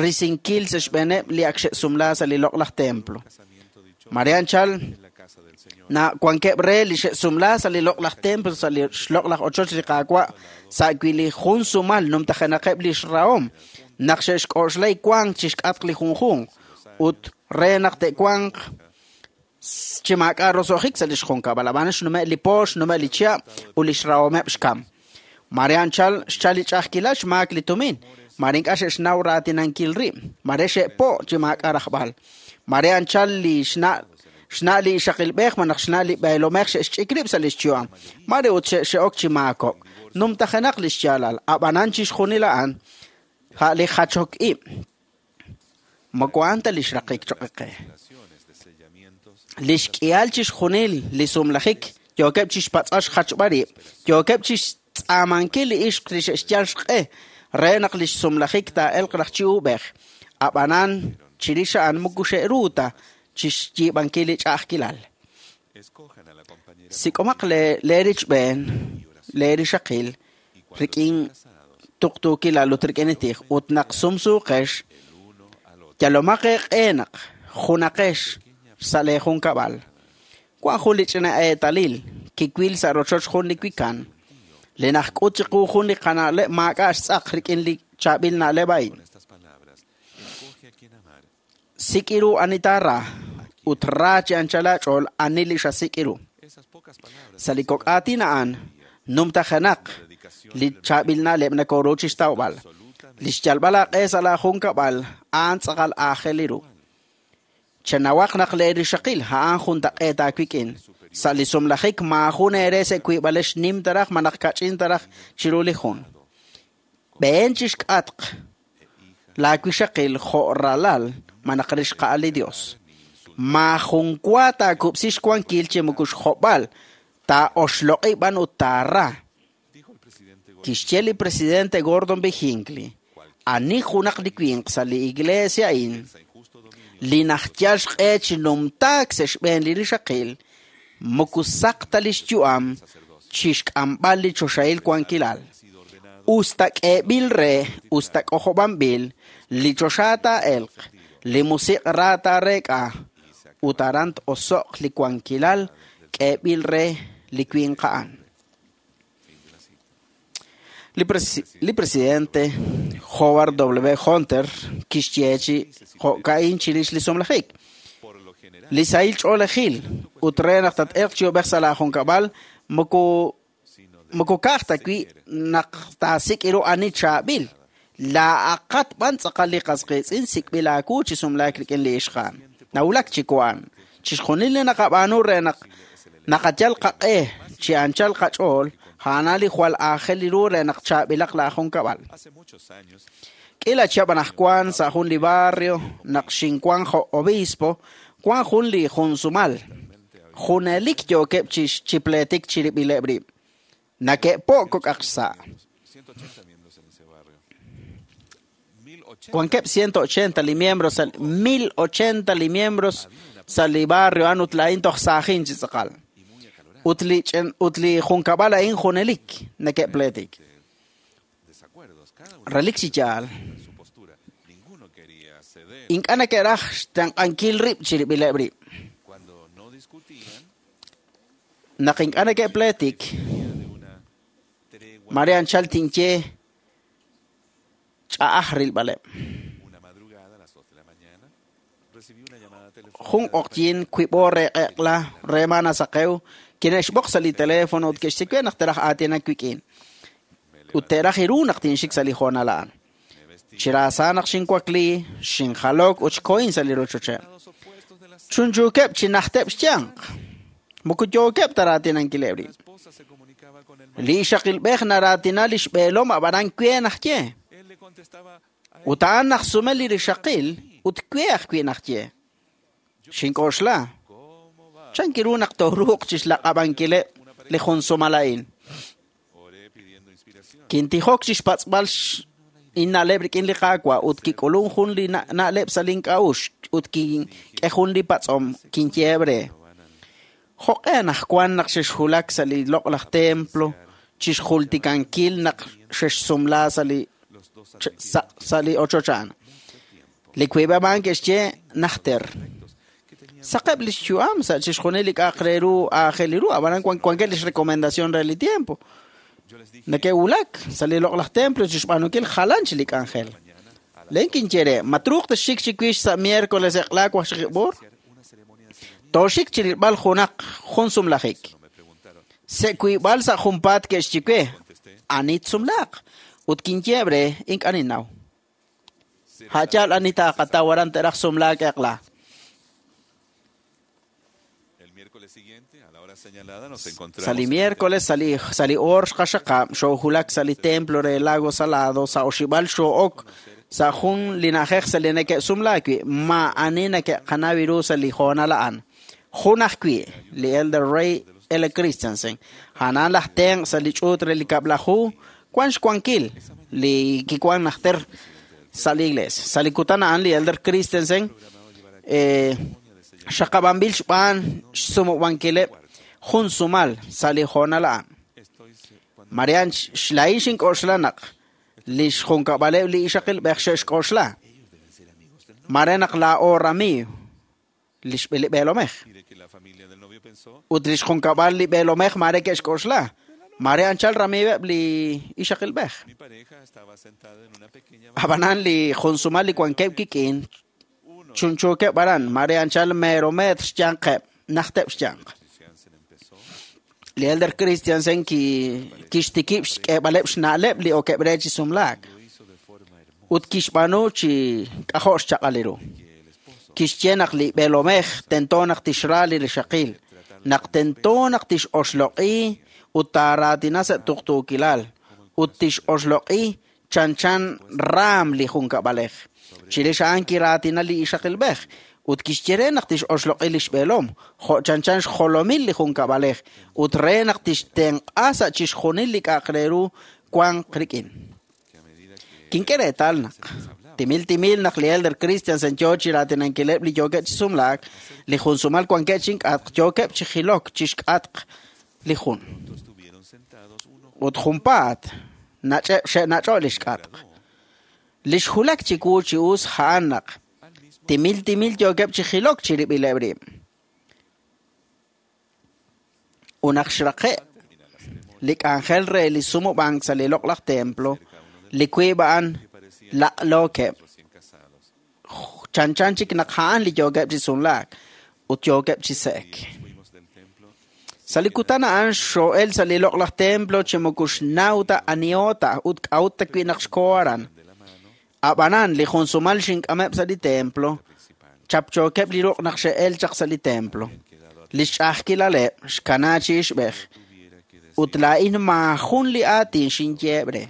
risinkil sa' xb'eeneb' li ak xe'sumla sa' li loq'laj templo. Mare anchal na wankeb' re li xe'sumla sa' li loq'laj templo, sa' li xloq'laj ochoch li Qaawa', sa' wi' li jun sumal numtajenaqeb' li xrahom, naq xe'xk'oxla wank chixk'atq li junjunq ut re naq te'wanq chi maak'a' roso'jik sa' li xjunkab'al. Ab'an xnume' li po, xnume' li chihab' ut li xrahomeb' xkam. Mare anchal xchal li ch'a'ajkilal xmaak li tumin, mare ink'a' xe'xnaw raatinankil rib', mare xe'po' chi maak'a' rajb'al. Mare anchal li xna' li ixaqilb'ej malaj xna' li b'eelomej xe'xch'ik rib' sa' li xyu'am, mare ut xe'ok chi maakok'. Numtajenaq li xyaalal, ab'anan chixjunil a'an a' li jachok ib'. Moko a'an ta li xraqik choq' qe. Li xk'ihal chixjunil li sumlajik yookeb' chixpatz'al xjachb'al rib', yookeb' chixtz'aamankil li ixq li xe'xyal xq'e re naq li xsumlajik taa'elq raj chi ub'ej. Ab'anan chirix a'an moko xe'ru ta chixyiib'ankil li ch'a'ajkilal. Sik'omaq leerichb'een, leerixaqil rik'in tuqtuukilal ut rik'in li tij, ut naq sumsuuqex, yalomaq eeq'e naq junaqex sa' leejunkab'al. Wank jun li ch'ina eetalil kiwil sa' rochoch jun li wikan, li najk'ut chiqu jun li qana'leb' maak'a' xtz'aq rik'in li chaab'il na'leb' a'in. Sik' ru ani taara ut ra chi anchal aach'ool ani li xasik' ru. Sa' li kok' aatin a'an numtajenaq li chaab'il na'leb' nakoru chixtawb'al. Li xyalb'al aaq'e sa' laajunkab'al a'an tz'aqal aajel ru. Chenawaq naq leerixaqil a'an juntaq'eet aawik'in. Sa' li sumlajik maajun eere sa' wiib'alex nim taraj malaj kach'in taraj chiru li jun. B'een chixk'atq laawixaqil jo' ralal malaj rixqa'al li Dios. Maajun wa taakub'si xwankil chi moko xjob'al, taa'oxloq'i b'an ut taara. Kixye li presidente Gordon B. Hinckley, ani junaq li winq sa' li iglesia a'in li najyal xq'e chi numtaak sa' xb'een li rixaqil, moko saq ta li xyu'am chixk'amb'al li choxahil wankilal. Usta k'eeb'il re, usta k'ojob'anb'il, li choxa taa'elq, li musiq' ra taareek'a, ut aran t-oso'q li wankilal k'eeb'il re li winq a'an. Li presidente Howard W. Hunter kixye chi jo'ka'in chirix li sumlajik. Li sahil ch'oolejil ut re naq tat-elq chi ub'ej sa' laajunkab'al moko ka'aj ta wi' naq taasik' ru ani chaab'il. Laa'aqat b'an tz'aqal li qas qiitz'in sik'b'il aawu chi sumlaak rik'in li ixq a'an. Nawulak chi wan. Chixjunil li naqab'aanu re naq naqayal qaq'e chi anchal qach'ool, a'an li jwal aajel ru re naq chaab'ilaq laajunkab'al. K'ila chihab' anaqwan sa' jun li barrio naq xinwan jo' obispo, wan jun li junsumal. Junelik yookeb' chi pleetik chirib'ileb' rib'. Nake'po' kok'aq xsa'. Wankeb' 180 li miembros sa' 1080 li miembros sa' li barrio a'an ut laa'in toj saajin chi tz'aqal. Ut li ch'en- ut li junkab'al a'in junelik neke'pleetik. Relik chi yaal. Ink'a' neke'raj xtenq'ankil rib' chirib'ileb' rib'. Naq ink'a' neke'pleetik, mare anchal tinye ch'a'aj rilb'aleb'. Jun q'oqyin wib'o re q'eq'la re maanasaqew kine'xb'oq sa' li teléfono ut ke'xye we naq teraj aatinak wik'in. Ut te'raj iru naq tinxik sa' li hoonal a'an. Chiraasa naq xinwakli, xinjalok ut xkohin sa' li rochocheb'. Chunchuukeb' chi najteb' xyanq. Moko yookeb' ta raatinankileb' rib'. Li ixaqilb'ej naraatina li xb'eelom ab'anan we najye. Ut a'an najsume li rixaqil ut we ajwi' najye. Xink'oxla. Chanki ru naq tooruuq chixlaq'ab'ankileb' li jun sumal a'in. Kintijok chixpatz'b'al inna'leb' rik'in li Qaawa' ut kik'ulun jun li na'leb' sa' link'a'uxl ut kink'e jun li patz'om kinyeeb' re. Jo'q'e anaqwan naq xexwulak sa' li loq'laj templo chixjultikankil naq xexsumla sa' li sa' li ochoch a'an. Li wiib'eb' a'an ke'xye najter. Saqeb' lix yu'am sa' chixjunil li k'a'aq re ru aajel ru, ab'anan wankeb' lix recomendación re li tiempo. Neke'wulak sa' li loq'laj templo chixb'aanunkil jalan chi li k'anjel. Len kinye re, ma truuq texxik chiwix sa' miércoles eq'la waqxaqib' b'oor? Tooxik chirilb'al junaq jun sumlajik. Se' wiib'al sa' junpaat ke'xye we, ani tsumlaaq? Ut kinyeeb' re, ink'a' ninnaw. Ha'yaal ani taaqataw aran te'raj sumlaak eq'la. Sa' li miércoles sa' li sa' li oor xqaxaqab' xoowulak sa' li templo re Lago Salado sa' oxib'al xoo'ok sa' jun li na'ajej sa' li neke'sumlaak wi' maa'ani neke'qanaw ru sa' li hoonal a'an. Jun ajwi' li Elder Ray L. Christensen, a'an laj tenq' sa' li ch'uut re li kab'laju wan xwankil li kiwan najter sa' li iglesia. Sa' li kutan a'an li Elder Christensen xaqab'anb'il xb'aan xsumub'ankileb' jun sumal sa' li hoonal a'an. Marian xlaa'in xink'oxla naq li xjunkab'aleb' li ixaqilb'ej xe'xk'oxla. Mare naq laa'o ramiiw li xb'eelomej. Ut li xjunkab'al li b'eelomej mare ke'xk'oxla. Mare anchal ramiiweb' li ixaqilb'ej. Ab'anan li jun sumal li wankeb' kik'in chunchuukeb' aran mare anchal mero metr xyanqeb' najteb' xyanq. Li Elder Christiansen kixtikib' xk'eeb'aleb' xna'leb' li okeb' re chi sumlaak. Ut kixb'aanu chi k'ajo' xchaq'al ru. Kixye naq li b'eelomej tento naq tixra li rixaqil, naq tento naq tix'oxloq'i ut taaraatina sa' tuqtuukilal, ut tix'oxloq'i chanchan raam li junkab'alej. Chirix a'an kiraatina li ixaqilb'ej ut kixye re naq tix'oxloq'i li xb'eelom, jo' chanchan xjolomil li junkab'alej ut re naq tixtenq'a sa' chixjunil li k'a'aq re ru wanq rik'in. Kink'e reetal naq timil timil naq li Elder Christiansen yoo chi raatinankileb' li yookeb' chi sumlaak, li jun sumal wankeb' chink'atq yookeb' chi jilok chixk'atq li jun. Ut junpaat nach'eb' xe'nach'o' li xk'atq. Li xwulak chiwu chi us a'an naq timil timil yookeb' chi jilok chirib'ileb' rib'. Ut naq xraqe' li k'anjel re li sumub'ank sa' li loq'laj templo, li wiib' a'an laq'lookeb'. Chanchan chik naq a'an li yookeb' chi sumlaak ut yookeb' chi se'ek. Sa' li kutan a'an xoo'el sa' li loq'laj templo chi moko xnaw ta aniho ta ut k'a'ut ta wi' naq xkoo aran. Ab'anan li jun sumal xink'ameb' sa' li templo, chapchookeb' li ruq' naq xe'el chaq sa' li templo. Li xch'a'ajkilaleb' xkana chi ixb'ej ut laa'in maajun li aatin xinyeeb' re.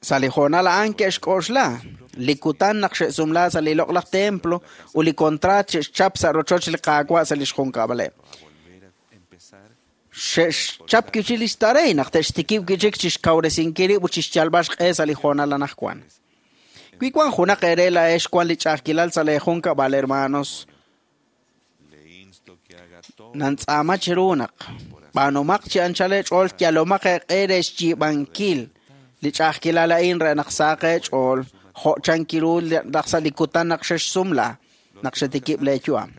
Sa' li hoonal a'an ke'xk'oxla li kutan naq xe'sumla sa' li loq'laj templo ut li kontraat xe'xchap sa' rochoch li Qaawa' sa' li xjunkab'aleb'. Xe'xchap kichi lix tarey naq te'xtikib' kichik chixkawresinkil rib' ut chixyalb'al xq'e sa' li hoonal anaqwan. Wi wan junaq eere laa'ex wan li ch'a'ajkilal sa' lee junkab'al, hermanos, nantz'aama chiru naq b'aanumaq chi anchal eech'ool yalomaq eeq'e re xyiib'ankil li ch'a'ajkilal a'in re naq saq eech'ool jo' chankiru naq sa' li kutan naq xexsumla naq xetikib' lee yu'am.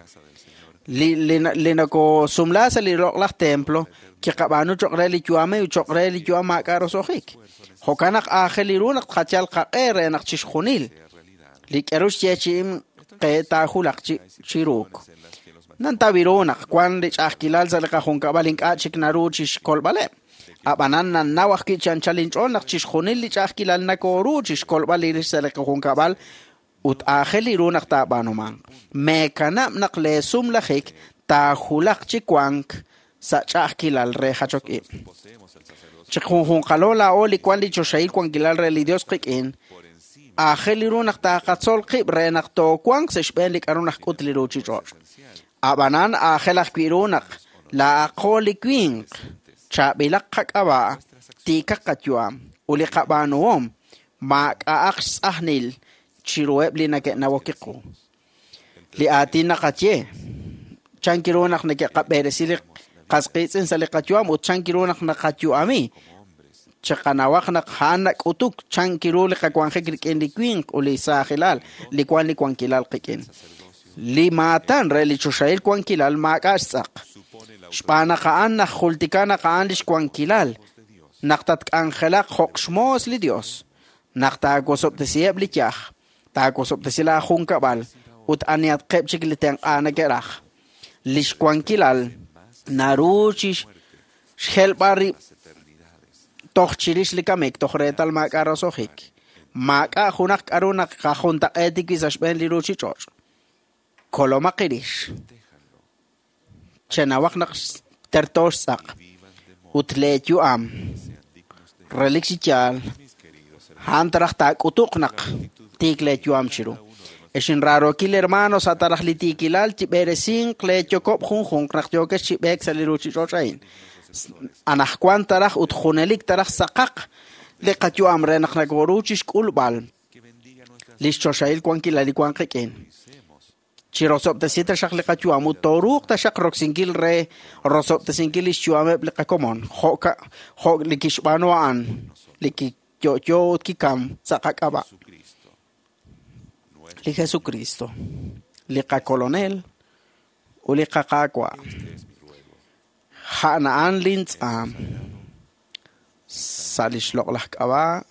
Li nakosumla sa' li loq'laj templo kiqab'aanu cho'q re li yu'am ut cho'q re li yu'am maak'a' roso'jik. Jo'kan naq aajel ru naq tqachal qaq'e re naq chixjunil li k'aru xyeechi'im qe taajulaq chiruuk. Nantaw ru naq wan li ch'a'ajkilal sa' li qajunkab'al ink'a' chik naru chixkolb'aleb'. Ab'anan nannaw ajwi' chi anchal inch'ool naq chixjunil li ch'a'ajkilal nakoru chixkolb'al li rix sa' li qajunkab'al ut aajel ru naq taab'aanumanq. Meekanab' naq lee sumlajik taajulaq chi wank sa' ch'a'ajkilal re jachok ib'. Chiqjunjunqalo laa'o li wan li choxahil wankilal re li Dios qik'in, aajel ru naq taaqatzol qib' re naq toowanq sa' xb'een li k'aru najk'ut li ruuchich'och'. Ab'anan aajel ajwi' ru naq laa'aqo li winq, chaab'ilaq qak'ab'a', tiikaq qayu'am, ut li qab'aanuhom maak'a'aq xtz'ajnil chiruheb' li neke'nawok kiqu. Li aatin naqaye, chankiru naq neke'qab'eresi li qasqiitz'in sa' li qayu'am ut chankiru naq naqayu'ami, chiqanawaq naq a'an nak'utuk chankiru li qawanjik rik'in li winq ut li saajilal li wan li wankilal qik'in. Li maatan re li choxahil wankilal maak'a' xtz'aq. Xb'aan naq a'an najultika naq a'an lix wankilal, naq tatk'anjelaq jo'q xmoos li Dios, naq taawosob'tesiheb' li yaj, taawosob'tesi laa junkab'al ut anihatqeb' chik li tenq'a neke'raj. Lix wankilal naru chi xjelb'al rib' toj chirix li kamik, toj reetal maak'a' roso'jik. Maak'a' junaq k'aru naq qajuntaq'eetik wi' sa' xb'een li ruuchich'och'. Kolomaq irix. Chenawaq naq terto xtz'aq ut lee yu'am. Relik chi yaal, a'an taraj taak'utuq naq tiik lee yu'am chiru. Ex inraarookil hermanos sa' taraj li tiikilal chib'eresinq lee yokob' junjunq naq yookex chi b'eek sa' li ruuchich'och' a'in. Anaqwan taraj ut junelik taraj saqaq li qayu'am re naq nakoru chixk'ulb'al lix choxahil wankilal li wan qik'in. Chirosob'tesi taxaq li qayu'am ut tooruuq taxaq roksinkil re rosob'tesinkil lix yu'ameb' li qakomon jo' li kixb'aanu a'an li kiyo'yo ut kikam sa' qak'ab'a'. Li Jesucristo, li qakolonel ut li qaqaawa'. A'an a'an lintz'aam sa' lix loq'laj k'ab'a'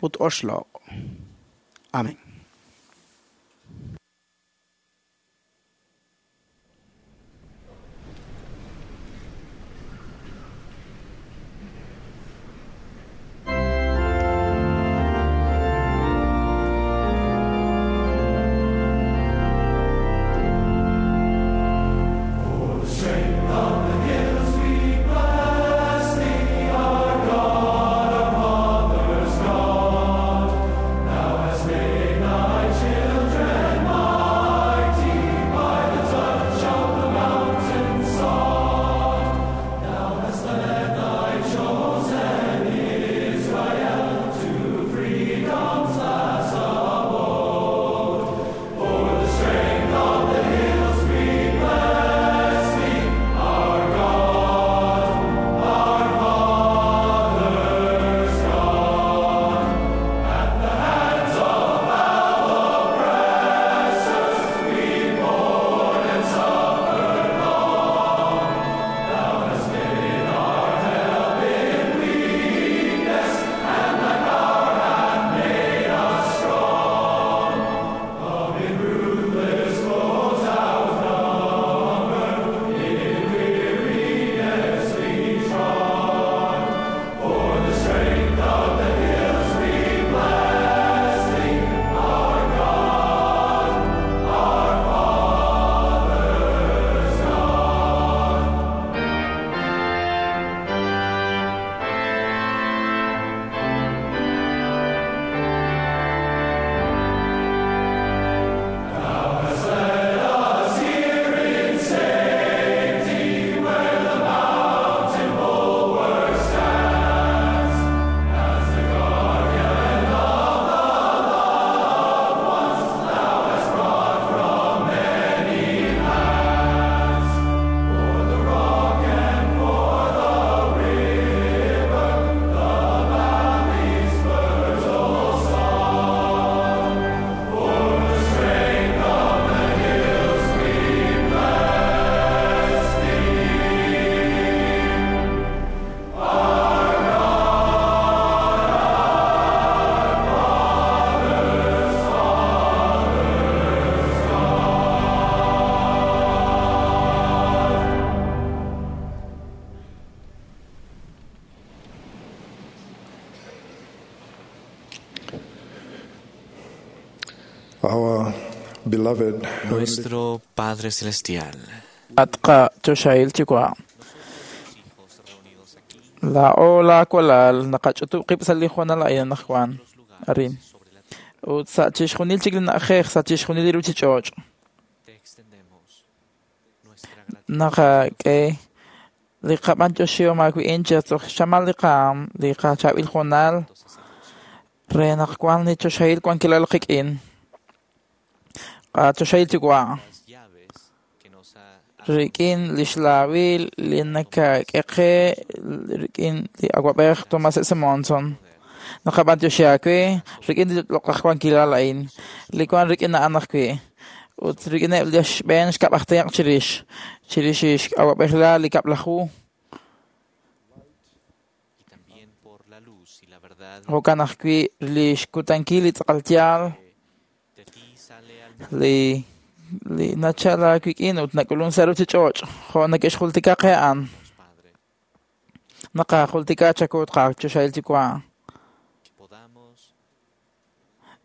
ut oxloq'. Amén. God, our Father's God, thou hast made Beloved Nuestro Padre Celestial, At qachoxahil Yuwa'. Laa'o laawalal naqach'utub' qib' sa' li hoonal a'in anaqwan arin. Ut sa' chixjunil chik li na'ajej, sa' chixjunil li ruchich'och'. Naqak'e li qab'antioxihom aawi'in chi xchamal li qaam, li qachaab'il hoonal re naq wan li choxahil wankilal qik'in. Qachoxahil Yuwa'. Rik'in lix laawil li nakak'e qe rik'in li awab'ej Thomas S. Monson. Naqab'antioxi aawe rik'in li loq'laj wankilal a'in li wan rik'in a'an ajwi' ut rik'ineb' li xb'een xkab' aj tenq' chirix chirix x'awab'ejilal li kab'laju. Jo'kan ajwi' li xkutankil li tz'aqal yaal li li nachal aawik'in ut nak'ulun sa' ruchich'och' jo' neke'xjultika qe a'an. Naqajultika chaku ut qachoxahil Yuwa'.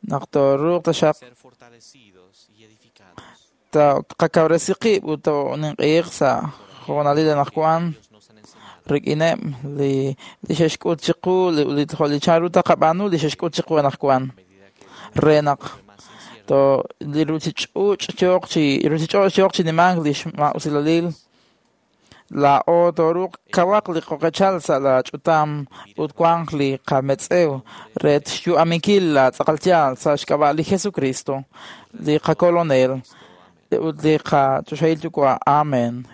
Naq tooruuq taxaq taqakawresi qib' ut tooninq'ehiq sa' hoonalil anaqwan rik'ineb' li li xe'xk'ut chiqu li jo' li chanru taqab'aanu li xe'xk'ut chiqu anaqwan re naq to li ruchich'uch' yooq chi ruchich'och' yooq chi nimank li xma'usilalil laa'o tooruuq kawaq li qoqechal sa' la ch'utam ut wanq li qametz'ew re xyu'aminkil la tz'aqal yaal sa' xk'ab'a' li Jesucristo li qakolonel ut li qachoxahil Yuwa'. Amen.